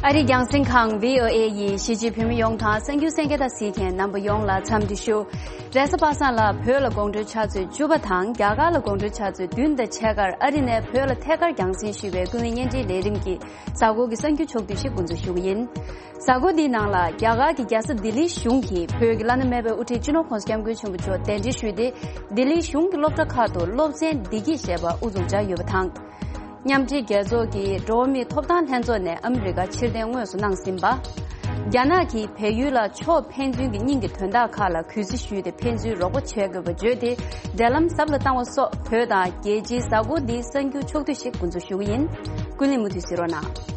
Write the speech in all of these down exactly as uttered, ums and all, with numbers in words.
ཨ་རིའི་རྒྱང་སྲིང་ཁང་བྷི་ཨོ་ཨེ་ཡིས་གཞིས་བྱེས་བོད་མི་ཡོངས་དང་གསར་འགྱུར་གསན་མཁན་དང་གཟིགས་མཁན་རྣམ་པ་ཡོངས་ལ་འཚམས་འདྲི་ཞུ། རེས་གཟའ་པ་སངས་ལ་བོད་ལ་དགོང་དྲོའི་ཆུ་ཚོད་བཅུ་པ་དང་རྒྱ་གར་ལ་དགོང་དྲོའི་ཆུ་ཚོད་བདུན་དང་ཕྱེད་ཀར་ཨ་རི་ནས་བོད་ལ་ཐད་ཀར་རྒྱང་སྲིང་ཞུས་པའི་ཀུན་གླེང་བརྙན་འཕྲིན་ལས་རིམ་གྱི་གཟའ་འཁོར་གྱི་གསར་འགྱུར་ཕྱོགས་བསྡུས་ཤིག་འགོ་འཛུགས་ཞུ་གི་ཡིན། གཟའ་འཁོར་འདིའི་ནང་ལ་རྒྱ་གར་གྱི་རྒྱལ་ས་ལྡི་ལིའི་གཞུང་གིས་བོད་ཀྱི་བླ་ན་མེད་པའི་དབུ་ཁྲིད་སྤྱི་ནོར་༸གོང་ས་༸སྐྱབས་མགོན་ཆེན་པོ་མཆོག་གདན་འདྲེན་ཞུས་ཏེ། ལྡི་ལིའི་གཞུང་གི་སློབ་གྲྭ་ཁག་ཏུ་སློབ་ཚན་བདེ་སྐྱིད་ཞེས་པ་དབུ་འཛུགས་བྱས་ཡོད་པ་དང་། མཉམ་འབྲེལ་རྒྱལ་ཚོགས་ཀྱི་འགྲོ་བ་མིའི་ཐོབ་ཐང་ལྷན་ཚོགས་ནས་ཨ་མི་རི་ཀར་ཕྱིར་འཐེན་དངོས་སུ་གནང་ཟིན་པ། རྒྱ་ནག་གིས་བལ་ཡུལ་ལ་ཕྱོགས་ཕན་ཚུན་གྱི་གཉིས་ཀྱི་དོན་དག་ཁག་ལ་གུས་བརྩི་ཞུས་ཏེ་ཕན་ཚུན་རོགས་པ་བྱེད་དགོས་པ་བརྗོད་དེ། འབྲེལ་ལམ་ཟབ་ལ་བཏང་བ་སོགས་བོད་དང་རྒྱལ་སྤྱིའི་གཟའ་འཁོར་འདིའི་གསར་འགྱུར་ཕྱོགས་བསྡུས་ཤིག་འགོ་འཛུགས་ཞུ་གི་ཡིན། ཀུན་གླེང་མུ་མཐུད་གཟིགས་རོགས་གནང་།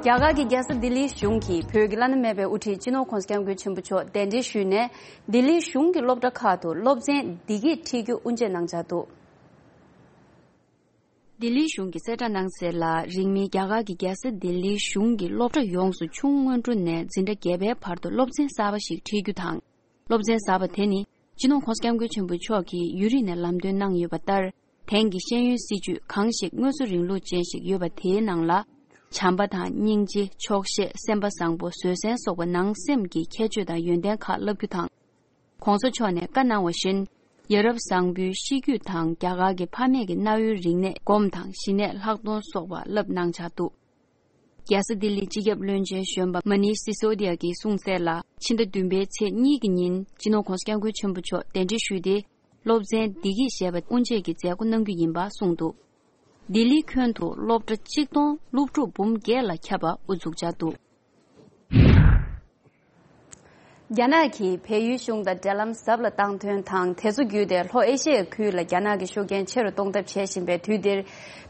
རྒྱ་གར་གྱི་རྒྱལ་ས་ལྡི་ལིའི་གཞུང་གིས་བོད་ཀྱི་བླ་ན་མེད་པའི་དབུ་ཁྲིད་སྤྱི་ནོར་༸གོང་ས་༸སྐྱབས་མགོན་ཆེན་པོ་མཆོག་གདན་འདྲེན་ཞུས་ནས། ལྡི་ལིའི་གཞུང་གི་སློབ་གྲྭ་ཁག་ཏུ་སློབ་ཚན་བདེ་སྐྱིད་ཁྲིད་རྒྱུ་དབུ་འབྱེད་གནང་འཆར་འདུག། ལྡི་ལིའི་གཞུང་གིས་གསལ་བསྒྲགས་གནང་གསལ་ལ། རིང་མིན་རྒྱ་གར་གྱི་རྒྱལ་ས་ལྡི་ལིའི་གཞུང་གི་སློབ་གྲྭ་ཡོངས་སུ་ཆུང་སྔོན་འགྲོ་ནས་འཛིན་གྲྭ་བརྒྱད་པའི་བར་དུ་སློབ་ཚན་གསར་པ་ཞིག་ཁྲིད་རྒྱུ་དང་། སློབ་ཚན་གསར་པ་དེ་ནི་སྤྱི་ནོར་༸གོང་ས་༸སྐྱབས་མགོན་ཆེན་པོ་མཆོག་གིས་ཡུན་རིང་ནས་ལམ་སྟོན་གནང་ཡོད་པ་ལྟར། དེང་གི་ཤེས་ཡོན་སྲིད་བྱུས་གང་ཞིག་དངོས་གཙོ་རིང་ལུགས་ཅན་ཞིག་ཡོད་པ་དེའི་ནང་ལ། བྱམས་པ་དང་སྙིང་རྗེ། ཆོག་ཤེས། སེམས་པ་བཟང་པོ། བཟོད་བསྲན་སོགས་པ་ནང་སེམས་ཀྱི་ཁྱད་ཆོས་དང་ཡོན་ཏན་ཁག་བསླབ་རྒྱུ་དང་། ༸གོང་ས་མཆོག་ནས་བཀའ་གནང་བ་བཞིན། ཡ་རབས་བཟང་པོའི་གཤིས་རྒྱུད་དང་རྒྱ་གར་གྱི་ཕ་མེས་ཀྱི་གནའ་བོའི་རིག་གནས་སྒོམ་དང་ཞི་གནས་ལྷག་མཐོང་སོགས་པ་བསླབ་གནང་འཆར་འདུག། རྒྱལ་ས་ལྡི་ལིའི་སྤྱི་ཁྱབ་བློན་ཆེན་གཞོན་པ་མ་ནིཤ་སི་སོ་དི་ཡ་གིས་གསུངས་གསལ་ལ། ཕྱི་ཟླ་བདུན་པའི་ཚེས་གཉིས་ཀྱི་ཉིན་སྤྱི་ནོར་༸གོང་ས་༸སྐྱབས་མགོན་ཆེན་པོ་མཆོག་གདན་འདྲེན་ཞུས་ཏེ། སློབ་ཚན་བདེ་སྐྱིད་ཞེས་པ་དབུ་འབྱེད་ཀྱི་མཛད་སྒོ་གནང་རྒྱུ་ཡིན་པ་གསུངས་འདུག། ལྡི་ལིའི་ཁྱོན་དུ་སློབ་གྲྭ་གཅིག་སྟོང་སློབ་ཕྲུག་འབུམ་བརྒྱད་ལ་ཁྱབ་པ་དབུ་འཛུགས་འཆར་འདུག། རྒྱ་ནག་གིས་བལ་ཡུལ་གཞུང་དང་འབྲེལ་ལམ་ཟབ་ལ་བཏང་དོན་དང་། དེ་ཚོ་བརྒྱུད་དེ་ལྷོ་ཨེ་ཤི་ཡའི་ཁུལ་ལ་རྒྱ་ནག་གི་ཤུགས་རྐྱེན་ཆེ་རུ་གཏོང་ཐབས་བྱེད་བཞིན་པའི་དུས་འདིར།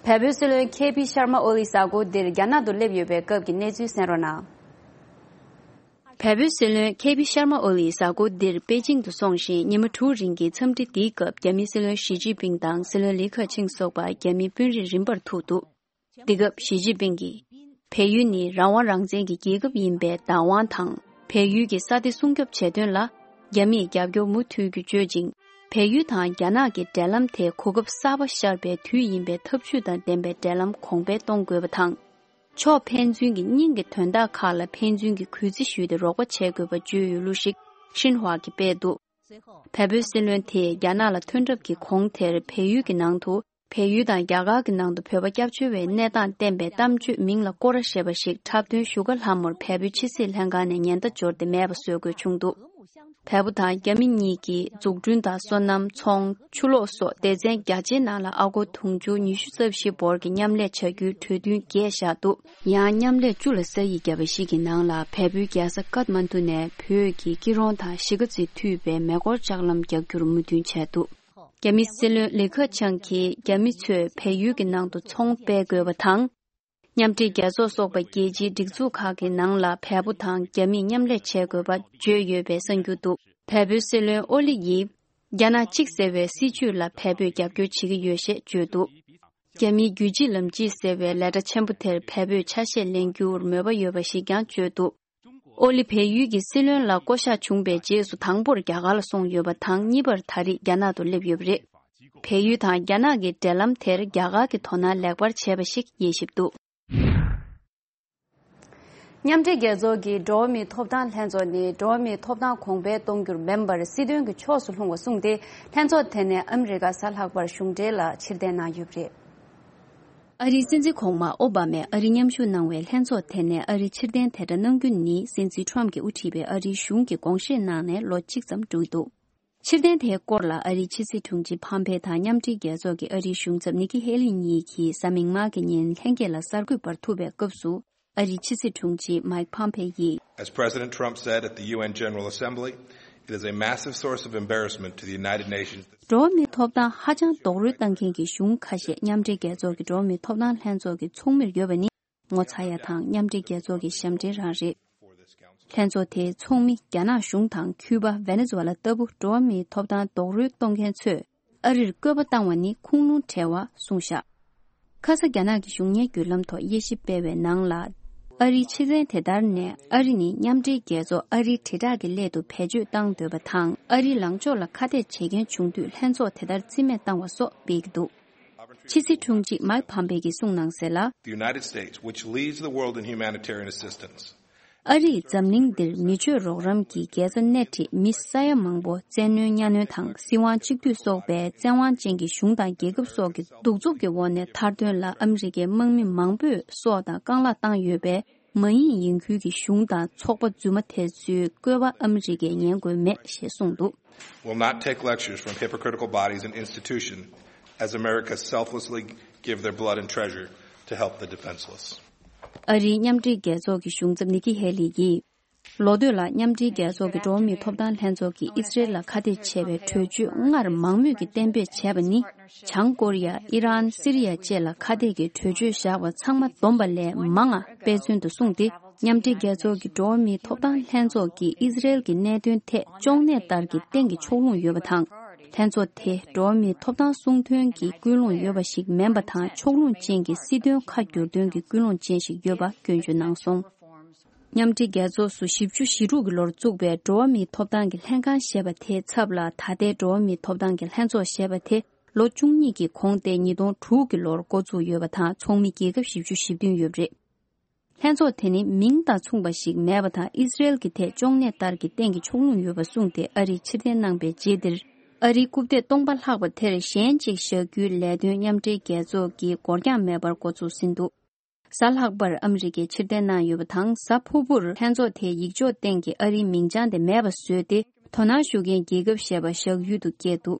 བལ་པོའི་སྲིད་བློན་ཁེ་པི་ཤར་མ་ཨོ་ལི་གཟའ་འཁོར་འདིར་རྒྱ་ནག་ཏུ་སླེབས་ཡོད་པའི་སྐབས་ཀྱི་གནས་ཚུལ་གསན་རོགས་གནང་། བལ་པོའི་སྲིད་བློན་ཁེ་པི་ཤར་མ་ཨོ་ལི་གཟའ་འཁོར་འདིར་པེ་ཅིང་དུ་སོང་ཞིང་། ཉི་མ་དྲུག་རིང་གི་འཚམས་འདྲི་འདིའི་སྐབས། རྒྱ་མིའི་སྲིད་བློན་ཞི་ཅིན་ཕིང་དང་སྲིད་བློན་ལི་ཁེ་ཆིང་སོགས་པ་རྒྱ་མིའི་དཔོན་རིགས་རིམ་པར་ཐུག་འདུག། འདི་སྐབས་ཞི་ཅིན་ཕིང་གིས། བལ་ཡུལ་ནི་རང་དབང་རང་བཙན་གྱི་རྒྱལ་ཁབ་ཡིན་པའི་བདག་དབང་དང་། བལ་ཡུལ་གྱི་ས་དེ་སྲུང་སྐྱོབ་བྱེད་དོན་ལ། རྒྱ་མིས་རྒྱབ་སྐྱོར་མུ་མཐུད་རྒྱུ་བརྗོད་ཅིང་། བལ་ཡུལ་དང་རྒྱ་ནག་གི་འབྲེལ་ལམ་དེ་གོ་སྐབས་གསར་པ་ཤར་བའི་དུས་ཡིན་པས། འཐབ་ཇུས་དང་ལྡན་པའི་འབྲེལ་ལམ་གོང་འཕེལ་གཏོང་དགོས་པ་དང་། ཕྱོགས་ཕན་ཚུན་གྱི་སྙིང་གི་དོན་དག་ཁག་ལ་ཕན་ཚུན་གྱི་གུས་བརྩི་ཞུས་ཏེ་རོགས་པ་བྱེད་དགོས་པ་བརྗོད་ཡོད་ལུགས་ཤིག་ཤིན་ཧྭ་གིས་སྤེལ་འདུག། བལ་པོའི་སྲིད་བློན་དེས་རྒྱ་ནག་ལ་ཐོན་གྲབས་ཀྱི་གོང་དེར། བལ་ཡུལ་གྱི་ནང་དུ། བལ་ཡུལ་དང་རྒྱ་གར་གྱི་ནང་དུ་བོད་པ་སྐྱབས་བཅོལ་བའི་གནས་སྟངས་བསྟན་པའི་གཏམ་བརྗོད་མིང་ལ་སྐོར་ར་ཞེས་པ་ཞིག་འཁྲབ་སྟོན་བཞུགས་སྒར་ལྷ་མོར་བལ་པོའི་ཕྱི་སྲིད་ལྷན་ཁང་ནས་ཉེན་བརྡ་འབྱོར་ཏེ་མེད་པ་བཟོ་དགོས་བྱུང་འདུག། བལ་པོ་དང་རྒྱ་མི་གཉིས་ཀྱིས་འཛུགས་སྐྲུན་དང་སོ་ནམ། ཚོང་། ཆུ་གློག་སོགས་སྡེ་ཚན་བརྒྱ་ཆའི་ནང་ལ་ཨ་སྒོར་དུང་ཕྱུར་ཉི་ཤུ་རྩ་བཞི་འབོར་གྱི་མཉམ་ལས་བྱ་རྒྱུའི་གྲོས་མཐུན་བརྒྱད་བཞག་འདུག། ཡང་མཉམ་ལས་བཅུ་ལ་ས་ཡིག་བརྒྱབ་པ་ཞིག་གི་ནང་ལ། བལ་པོའི་རྒྱལ་ས་ཀཏ་མན་ཌུ་ནས་བོད་ཀྱི་སྐྱིད་རོང་དང་གཞིས་ཀ་རྩེ་མཐུད་པའི་མེ་འཁོར་ལྕགས་ལམ་རྒྱག་རྒྱུར་མོས་མཐུན་བྱས་འདུག། རྒྱ་མིའི་སྲིད་བློན་ལི་ཁེ་ཆང་གིས་རྒྱ་མི་ཚོས་བལ་ཡུལ་གྱི་ནང་དུ་ཚོང་སྤེལ་དགོས་པ་དང་། མཉམ་འབྲེལ་རྒྱལ་ཚོགས་སོགས་པ་རྒྱལ་སྤྱིའི་སྒྲིག་འཛུགས་ཁག་གི་ནང་ལ་བལ་པོ་དང་རྒྱ་མིས་མཉམ་ལས་བྱེད་དགོས་པ་བརྗོད་ཡོད་པའི་གསར་འགྱུར་འདུག། བལ་པོའི་སྲིད་བློན་ཨོ་ལི་ཡིས། རྒྱ་ནག་གཅིག་ཟེར་བའི་སྲིད་བྱུས་ལ་བལ་པོས་རྒྱབ་སྐྱོར་བྱེད་ཀྱི་ཡོད་ཞེས་བརྗོད་འདུག། རྒྱ་མིའི་རྒྱུད་གཅིག་ལམ་གཅིག་ཟེར་བའི་ལས་གྲྭ་ཆེན་པོ་དེར་བལ་པོས་ཆ་ཤས་ལེན་རྒྱུར་མོས་པ་ཡོད་པ་ཞིག་ཀྱང་བརྗོད་འདུག། ཨོ་ལི་བལ་ཡུལ་གྱི་སྲིད་བློན་ལ་བསྐོ་གཞག་བྱུང་བའི་རྗེས་སུ་དང་པོར་རྒྱ་གར་ལ་སོང་ཡོད་པ་དང་། གཉིས་པར་ད་རེས་རྒྱ་ནག་ཏུ་སླེབས་ཡོད་པ་རེད། བལ་ཡུལ་དང་རྒྱ་ནག་གི་འབྲེལ་ལམ་དེར་རྒྱ་གར་གྱིས་དོ་སྣང་ལེགས་པར་བྱས་པ་ཞིག་དབྱེ་ཞིབ་འདུག། མཉམ་འབྲེལ་རྒྱལ་ཚོགས་ཀྱི་འགྲོ་བ་མིའི་ཐོབ་ཐང་ལྷན་ཚོགས་ནི་འགྲོ་བ་མིའི་ཐོབ་ཐང་གོང་འཕེལ་གཏོང་རྒྱུར་མིན་པར་སྲིད་དོན་གྱི་ཕྱོགས་སུ་ལྷུང་བ་གསུངས་ཏེ། ལྷན་ཚོགས་དེ་ནས་ཨ་མི་རི་ཀ་གཟའ་ལྷག་པར་གཞུང་འབྲེལ་ལ་ཕྱིར་འཐེན་གནང་ཡོད་པ་རེད། ཨ་རིའི་སྲིད་འཛིན་གོང་མ་ཨོ་བྷ་མས་ཨ་རི་མཉམ་ཞུགས་གནང་བའི་ལྷན་ཚོགས་དེ་ནས་ཨ་རི་ཕྱིར་འཐེན་དེ་འདྲ་གནང་རྒྱུ་ནི། སྲིད་འཛིན་ཁྲོམ་གྱིས་དབུ་ཁྲིད་པའི་ཨ་རིའི་གཞུང་གིས་དགོངས་བཞེས་གནང་ནས་ལོ་གཅིག་ཙམ་འགྲོ་གི་འདུག། ཕྱིར་འཐེན་དེའི་སྐོར་ལ་ཨ་རིའི་ཕྱི་སྲིད་དྲུང་ཆེ་ཕམ་ཕེ་དང་མཉམ་འབྲེལ་རྒྱལ་ཚོགས་ཀྱི་ཨ་རིའི་གཞུང་ཚབ་ནི་ཀི་ཧེ་ལི་གཉིས་ཀྱིས་གཟའ་མིག་དམར་གྱི་ཉིན་ལྷན་རྒྱས་ལ་གསར་འགོད་པར་ཐུག་པའི་སྐབས་སུ། ཨ་རིའི་ཕྱི་སྲིད་དྲུང་ཆེ་མའིག་ཕམ་ཕེ་ཡིས། As President Trump said at the U N General Assembly, it is a massive source of embarrassment to the United Nations. འགྲོ་བ་མིའི་ཐོབ་ཐང་ཧ་ཅང་རྡོག་རོལ་བཏང་མཁན་གྱི་གཞུང་ཁ་ཤས་མཉམ་འབྲེལ་རྒྱལ་ཚོགས་ཀྱི་འགྲོ་བ་མིའི་ཐོབ་ཐང་ལྷན་ཚོགས་ཀྱི་ཚོགས་མིར་ཡོད་པ་ནི། ངོ་ཚ་ཡ་དང་མཉམ་འབྲེལ་རྒྱལ་ཚོགས་ཀྱི་ཞབས་འདྲེན་རང་རེད། ལྷན་ཚོགས་དེའི་ཚོགས་མི་རྒྱ་ནག་གཞུང་དང་ཁྱུ་པ་ཝེ་ནེ་ཛུ་ཝེ་ལ་ལྟ་བུ་འགྲོ་བ་མིའི་ཐོབ་ཐང་རྡོག་རོལ་གཏོང་མཁན་ཚོས་ཨ་རིར་བསྐོས་པ་བཏང་བ་ནི་ཁུངས་ལུང་བྲལ་བ་གསུངས་བཞག། ཁ་ས་རྒྱ་ནག་གི་གཞུང་གཉེར་བརྒྱུད་ལམ་ཐོག་དབྱེ་ཞིབ་སྤེལ་བའི་ནང་ལ། ཨ་རིའི་ཕྱི་གསལ་དེ་ལྟར་ནས། ཨ་རི་ནི་མཉམ་འབྲེལ་རྒྱལ་ཚོགས་ཨ་རིའི་དྲིལ་བསྒྲགས་ཀྱི་སླད་དུ་བེད་སྤྱོད་བཏང་འདོད་པ་དང་། ཨ་རིའི་ལངས་ཕྱོགས་ལ་ཁ་གཏད་བྱེད་མཁན་བྱུང་དུས། ལྷན་ཚོགས་དེ་ལྟར་རྩིས་མེད་བཏང་བ་སོགས་སྤེལ་གྱི་འདུག་ཕྱི་སྲིད་དྲུང་ཆེ་མཱིག་ཕམ་པེ་གིས་གསུངས་གནང་གསལ་ལ། The United States, which leads the world in humanitarian assistance, ཨ་རིས་འཛམ་གླིང་འདིར་མི་ཆོས་རོགས་རམ་གྱི་རྒྱལ་ས་སྣེ་ཁྲིད་མི་ས་ཡ་མང་པོ་བཙན་གནོན་གཉའ་གནོན་དང་། སྲིད་དབང་གཅིག་སྡུད་སོགས་པའི་བཙན་དབང་ཅན་གྱི་གཞུང་དང་རྒྱལ་ཁབ་སོགས་ཀྱི་གདུག་རྩུབ་ཀྱི་འོག་ནས་ཐར་དོན་ལ། ཨ་མི་རི་ཀའི་དམག་མི་མང་པོས་སྲོག་དང་རྐང་ལག་བཏང་ཡོད་པས། མ་ཡིན་ཡིན་ཁུལ་གྱི་གཞུང་དང་ཚོགས་པ་རྫུན་མ་དེ་ཚོའི་བཀོད་པ་ཨ་མི་རི་ཀས་ཉན་དགོས་མེད་ཞེས་གསུངས་འདུག Will not take lectures from hypocritical bodies and institutions as America selflessly give their blood and treasure to help the defenseless. ཨ་རིའི་མཉམ་འབྲེལ་རྒྱལ་ཚོགས་ཀྱི་གཞུང་ཚབ་ནི་ཀི་ཧེ་ལི་ཡིས། ལོ་སྟོད་ལ་མཉམ་འབྲེལ་རྒྱལ་ཚོགས་ཀྱི་འགྲོ་བ་མིའི་ཐོབ་ཐང་ལྷན་ཚོགས་ཀྱིས་ཨི་སི་རེལ་ལ་ཁ་གཏད་བྱས་པའི་གྲོས་ཆོད་སྔར་མང་མོས་ཀྱིས་གཏན་འབེབས་བྱས་པ་ནི། བྱང་ཀོ་རི་ཡ། ཨི་རན། སི་རི་ཡ་བཅས་ལ་ཁ་གཏད་ཀྱི་གྲོས་ཆོད་བཞག་པ་ཚང་མ་བསྡོམས་པ་ལས་མང་ང་དཔེ་མཚོན་དུ་གསུངས་ཏེ། མཉམ་འབྲེལ་རྒྱལ་ཚོགས་ཀྱི་འགྲོ་བ་མིའི་ཐོབ་ཐང་ལྷན་ཚོགས་ཀྱིས་ཨི་སི་རེལ་གྱི་གནད་དོན་ཐད་གཅོང་ནད་ལྟར་གྱི་སྟེང་གི་ཕྱོགས་ལྷུང་ཡོད་པ་དང་། ལྷན་ཚོགས་དེ་འགྲོ་བ་མིའི་ཐོབ་ཐང་སྲུང་དོན་གྱི་ཀུན་སློང་ཡོད་པ་ཞིག་མིན་པ་དང་། ཕྱོགས་ལྷུང་ཅན་གྱི་སྲིད་དོན་ཁ་བསྒྱུར་དོན་གྱི་ཀུན་སློང་ཅན་ཞིག་ཡོད་པ་སྐྱོན་བརྗོད་གནང་སོང་། མཉམ་འབྲེལ་རྒྱལ་ཚོགས་སུ་བཞི་བཅུ་ཞེ་དྲུག་གི་ལོར་བཙུགས་པའི་འགྲོ་བ་མིའི་ཐོབ་ཐང་གི་ལྷན་ཁང་ཞེས་པ་དེའི་ཚབ་ལ། ད་ལྟའི་འགྲོ་བ་མིའི་ཐོབ་ཐང་གི་ལྷན་ཚོགས་ཞེས་པ་དེ་ལོ་བཅུ་གཉིས་ཀྱི་གོང་སྟེ་ཉིས་སྟོང་དྲུག་གི་ལོར་འགོ་བཙུགས་ཡོད་པ་དང་། ཚོགས་མི་རྒྱལ་ཁབ་བཞི་བཅུ་ཞེ་བདུན་ཡོད་པ་རེད། ལྷན་ཚོགས་དེ་ནི་མིང་དང་མཚུངས་པ་ཞིག་མེད་པ་དང་། ཨི་སི་རེལ་གྱི་ཐད་གཅོང་ནད་ལྟར་གྱི་སྟེང་གི་ཕྱོགས་ལྷུང་ཡོད་པ་གསུངས་ཏེ། ཨ་རིས་ཕྱིར་འཐེན་གནང་པའི་རྗེས་འདིར། ཨ་རིའི་རྐུབ་སྟེགས་སྟོང་པ་ལྷག་པ་དེར་གཞན་གཅིག་བཞག་རྒྱུའི་ལས་དོན་མཉམ་འབྲེལ་རྒྱལ་ཚོགས་ཀྱིས་འགོར་འགྱངས་མེད་པར་འགོ་ཚུགས་ཟིན་འདུག་གཟའ་ལྷག་པར་ཨ་མི་རི་ཀས་ཕྱིར་འཐེན་གནང་ཡོད་པ་དང་། གཟའ་ཕུར་བུར་ལྷན་ཚོགས་དེའི་ཡིག་ཆོག་སྟེང་གི་ཨ་རིའི་མིང་བྱང་དེ་མེད་པ་བཟོས་ཏེ། དོ་སྣང་ཞུ་མཁན་རྒྱལ་ཁབ་ཞེས་པ་བཞག་ཡུལ་དུ་བཀོད་འདུག་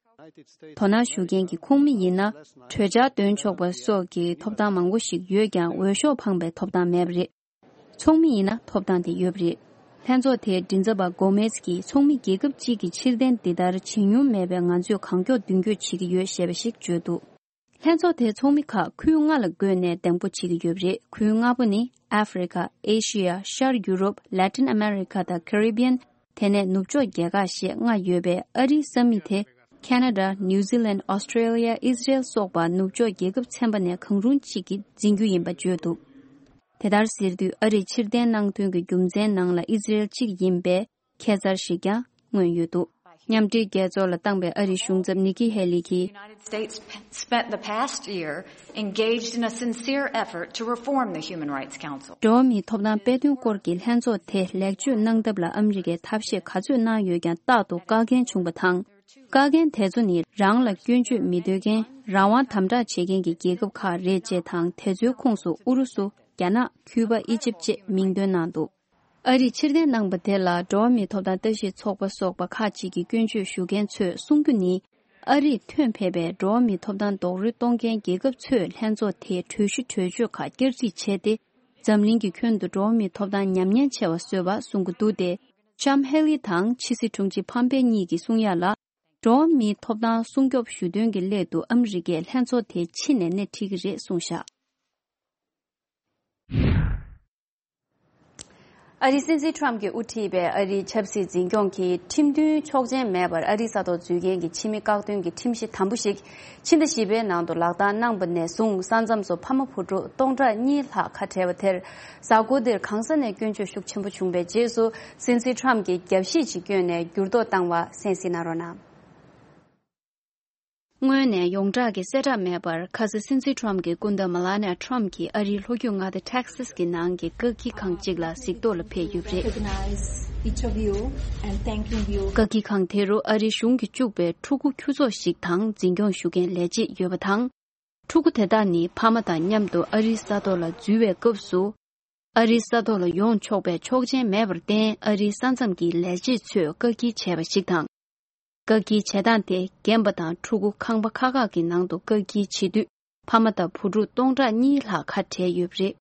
དོ་སྣང་ཞུ་མཁན་གྱི་ཁོངས་མི་ཡིན་ན། གྲོས་འཆར་འདོན་ཆོག་པ་སོགས་ཀྱི་ཐོབ་ཐང་མང་པོ་ཞིག་ཡོད་ཀྱང་། འོས་ཤོག་འཕངས་པའི་ཐོབ་ཐང་མེད་པ་རེད། ཚོགས་མི་ཡིན་ན་ཐོབ་ཐང་དེ་ཡོད་པ་རེད། ལྷན་ཚོགས་དེའི་མགྲིན་ཚབ་པ་གོ་མེས་ཀྱིས། ཚོགས་མི་རྒྱལ་ཁབ་གཅིག་གིས་ཕྱིར་འཐེན་འདི་ལྟར་བྱེད་མྱོང་མེད་པས། ང་ཚོས་གང་མགྱོགས་མདུན་སྐྱོད་བྱེད་ཀྱི་ཡོད་ཞེས་པ་ཞིག་བརྗོད་འདུག་ལྷན་ཚོགས་དེའི་ཚོགས་མི་ཁག་ཁུལ་ལྔ་ལ་བགོས་ནས་གདན་འགོ་བྱེད་ཀྱི་ཡོད་པ་རེད། ཁུལ་ལྔ་པོ་ནི། ཨ་ཧྥེ་རི་ཁ། ཨེ་ཤི་ཡ། ཤར་ཡུ་རོབ། ལ་ཏིན་ཨ་མེ་རི་ཁ་དང་ཀེ་རི་བི་ཡན། དེ་ནས་ནུབ་ཕྱོགས་རྒྱལ་ཁག་ཞེས་ལྔ་ཡོད་པས། ཨ་རིའི་ས་མིག་དེ་ཁེ་ན་ཌ། ནིའུ་ཛི་ལན། ཨོ་སི་ཀྲེ་ལི་ཡ། ཨི་སི་རེལ་སོགས་པ་ནུབ་ཕྱོགས་རྒྱལ་ཁབ་ཚན་པ་ནས་གང་རུང་གཅིག་གིས་འཛིན་རྒྱུ་ཡིན་པ་བརྗོད་འདུག་དེ་ལྟར་ཟེར་དུས། ཨ་རིས་ཕྱིར་འཐེན་གནང་དོན་གྱི་རྒྱུ་མཚན་ནང་ལ་ཨི་སི་རེལ་གཅིག་ཡིན་པའི་ཁྱད་མཚར་ཞིག་ཀྱང་མངོན་ཡོད་འདུག་མཉམ་འབྲེལ་རྒྱལ་ཚོགས་ལ་བཏང་པའི་ཨ་རིའི་གཞུང་ཚབ་ནི་ཀི་ཧེ་ལི་གིས། United States spent the past year engaged in a sincere effort to reform the Human Rights Council. འགྲོ་བ་མིའི་ཐོབ་ཐང་དཔེ་སྟོན་སྐོར་གྱི་ལྷན་ཚོགས་དེ་ལེགས་བཅོས་གནང་ཐབས་ལ་ཨ་མི་རི་ཀས་ཐབས་ཤེས་ག་ཚོད་གནང་ཡོད་ཀྱང་། རྟག་ཏུ་བཀག་འགན་བྱུང་བ་དང་། བཀག་འགན་དེ་ཚོ་ནི་རང་ལ་སྐྱོན་བརྗོད་མི་འདོད་མཁན། རང་དབང་དམ་དྲག་བྱེད་མཁན་གྱི་རྒྱལ་ཁབ་ཁག་རེད་ཅེས་དང་། དེ་ཚོའི་ཁོངས་སུ་ཨུ་རུ་སུ། རྒྱ་ནག། ཁྱུ་པ། ཨི་ཇིབ་བཅས་མིང་འདོན་གནང་འདུག་ཨ་རིས་ཕྱིར་འཐེན་གནང་པ་དེ་ལ་འགྲོ་བ་མིའི་ཐོབ་ཐང་ལྟ་ཞིབ་ཚོགས་པ་སོགས་པ་ཁག་ཅིག་གིས་སྐྱོན་བརྗོད་ཞུ་མཁན་ཚོས་གསུང་རྒྱུ་ནི། ཨ་རིས་ཐོན་ཕེབས་པའི་འགྲོ་བ་མིའི་ཐོབ་ཐང་རྡོག་རོལ་གཏོང་མཁན་རྒྱལ་ཁབ་ཚོས་ལྷན་ཚོགས་དེའི་གྲོས་གཞི་གྲོས་ཆོད་ཁག་བསྐྱར་སྒྲིག་བྱས་ཏེ། འཛམ་གླིང་གི་ཁྱོན་དུ་འགྲོ་བ་མིའི་ཐོབ་ཐང་ཉམས་ཉེན་ཆེ་བ་བཟོས་པ་གསུང་གི་འདུག་སྟེ། ལྕམ་ཧེ་ལི་དང་ཕྱི་སྲིད་དྲུང་ཆེ་ཕམ་པེ་གཉིས་ཀྱིས་གསུང་ཡག་ལ། འགྲོ་བ་མིའི་ཐོབ་ཐང་སྲུང་སྐྱོབ་ཞུ་དོན་གྱི་སླད་དུ་ཨ་མི་རི་ཀས་ལྷན་ཚོགས་དེའི་ཕྱི་ནས་སྣེ་ཁྲིད་ཀྱི་རེད་གསུངས་བཞག་ཨ་རིའི་སྲིད་འཛིན་ཁྲོམ་གྱིས་དབུ་ཁྲིད་པའི་ཨ་རིའི་ཆབ་སྲིད་འཛིན་སྐྱོང་གིས་ཁྲིམས་མཐུན་ཆོག་མཆན་མེད་པར་ཨ་རིའི་ས་ཐོག་འཛུལ་མཁན་གྱི་ཕྱི་མི་བཀག་སྡོམ་གྱི་ཁྲིམས་གཞི་དམ་པོ་ཞིག་ཕྱི་ཟླ་བཞི་པའི་ནང་དུ་ལག་བསྟར་གནང་པ་ནས་བཟུང་། ས་མཚམས་སུ་ཕ་མ་བུ་ཕྲུག་སྟོང་ཕྲག་གཉིས་ལྷག་ཁ་བྲལ་བ་དེར། གཟའ་འཁོར་འདིར་གང་ས་ནས་སྐྱོན་བརྗོད་ཤུགས་ཆེན་པོ་བྱུང་བའི་རྗེས་སུ། སྲིད་འཛིན་ཁྲོམ་གྱིས་རྒྱབ་བཤིག་ཅིག་བསྐྱོན་ནས་འགྱུར་ལྡོག་བཏང་བ་གསན་གཟིགས་གནང་རོགས་གནང་། སྔོན་ནས་ཡོངས་གྲགས་ཀྱི་གསལ་བསྒྲགས་མེད་པར། ཁ་སང་སྲིད་འཛིན་ཁྲོམ་གྱི་སྐུ་ཟླ་མེ་ལ་ནི་ཡ་ཁྲོམ་གྱིས་ཨ་རིའི་ལྷོ་རྒྱུད་མངའ་སྡེ་ཊེག་སཱས་ཀྱི་ནང་གི་བཀག་སྐྱིལ་ཁང་གཅིག་ལ་གཟིགས་རྟོག་ལ་ཕེབས་ཡོད་པ་རེད། Recognize each of you and thanking you. བཀག་སྐྱིལ་ཁང་དེ་རུ་ཨ་རིའི་གཞུང་གི་བཅུག་པའི་ཕྲུ་གུ་ཁྱུ་ཚོགས་ཤིག་དང་། འཛིན་སྐྱོང་ཞུ་མཁན་ལས་བྱེད་ཡོད་པ་དང་། ཕྲུ་གུ་དེ་དག་ནི་ཕ་མ་དང་མཉམ་དུ་ཨ་རིའི་ས་ཐོག་ལ་འཛུལ་བའི་སྐབས་སུ། ཨ་རིའི་ས་ཐོག་ལ་ཡོང་ཆོག་པའི་ཆོག་མཆན་མེད་པར་བརྟེན། ཨ་རིའི་ས་མཚམས་ཀྱི་ལས་བྱེད་ཚོས་བཀག་སྐྱིལ་བྱས་པ་ཞིག་དང་། བཀག་སྐྱིལ་བྱེད་སྟངས་དེ་རྒན་པ་དང་ཕྲུ་གུ་ཁང་པ་ཁག་ཁག་གི་ནང་དུ་བཀག་སྐྱིལ་བྱེད་དུས། ཕ་མ་དང་བུ་ཕྲུག་སྟོང་ཕྲག་གཉིས་ལྷག་ཁ་བྲལ་ཡོད་པ་རེད།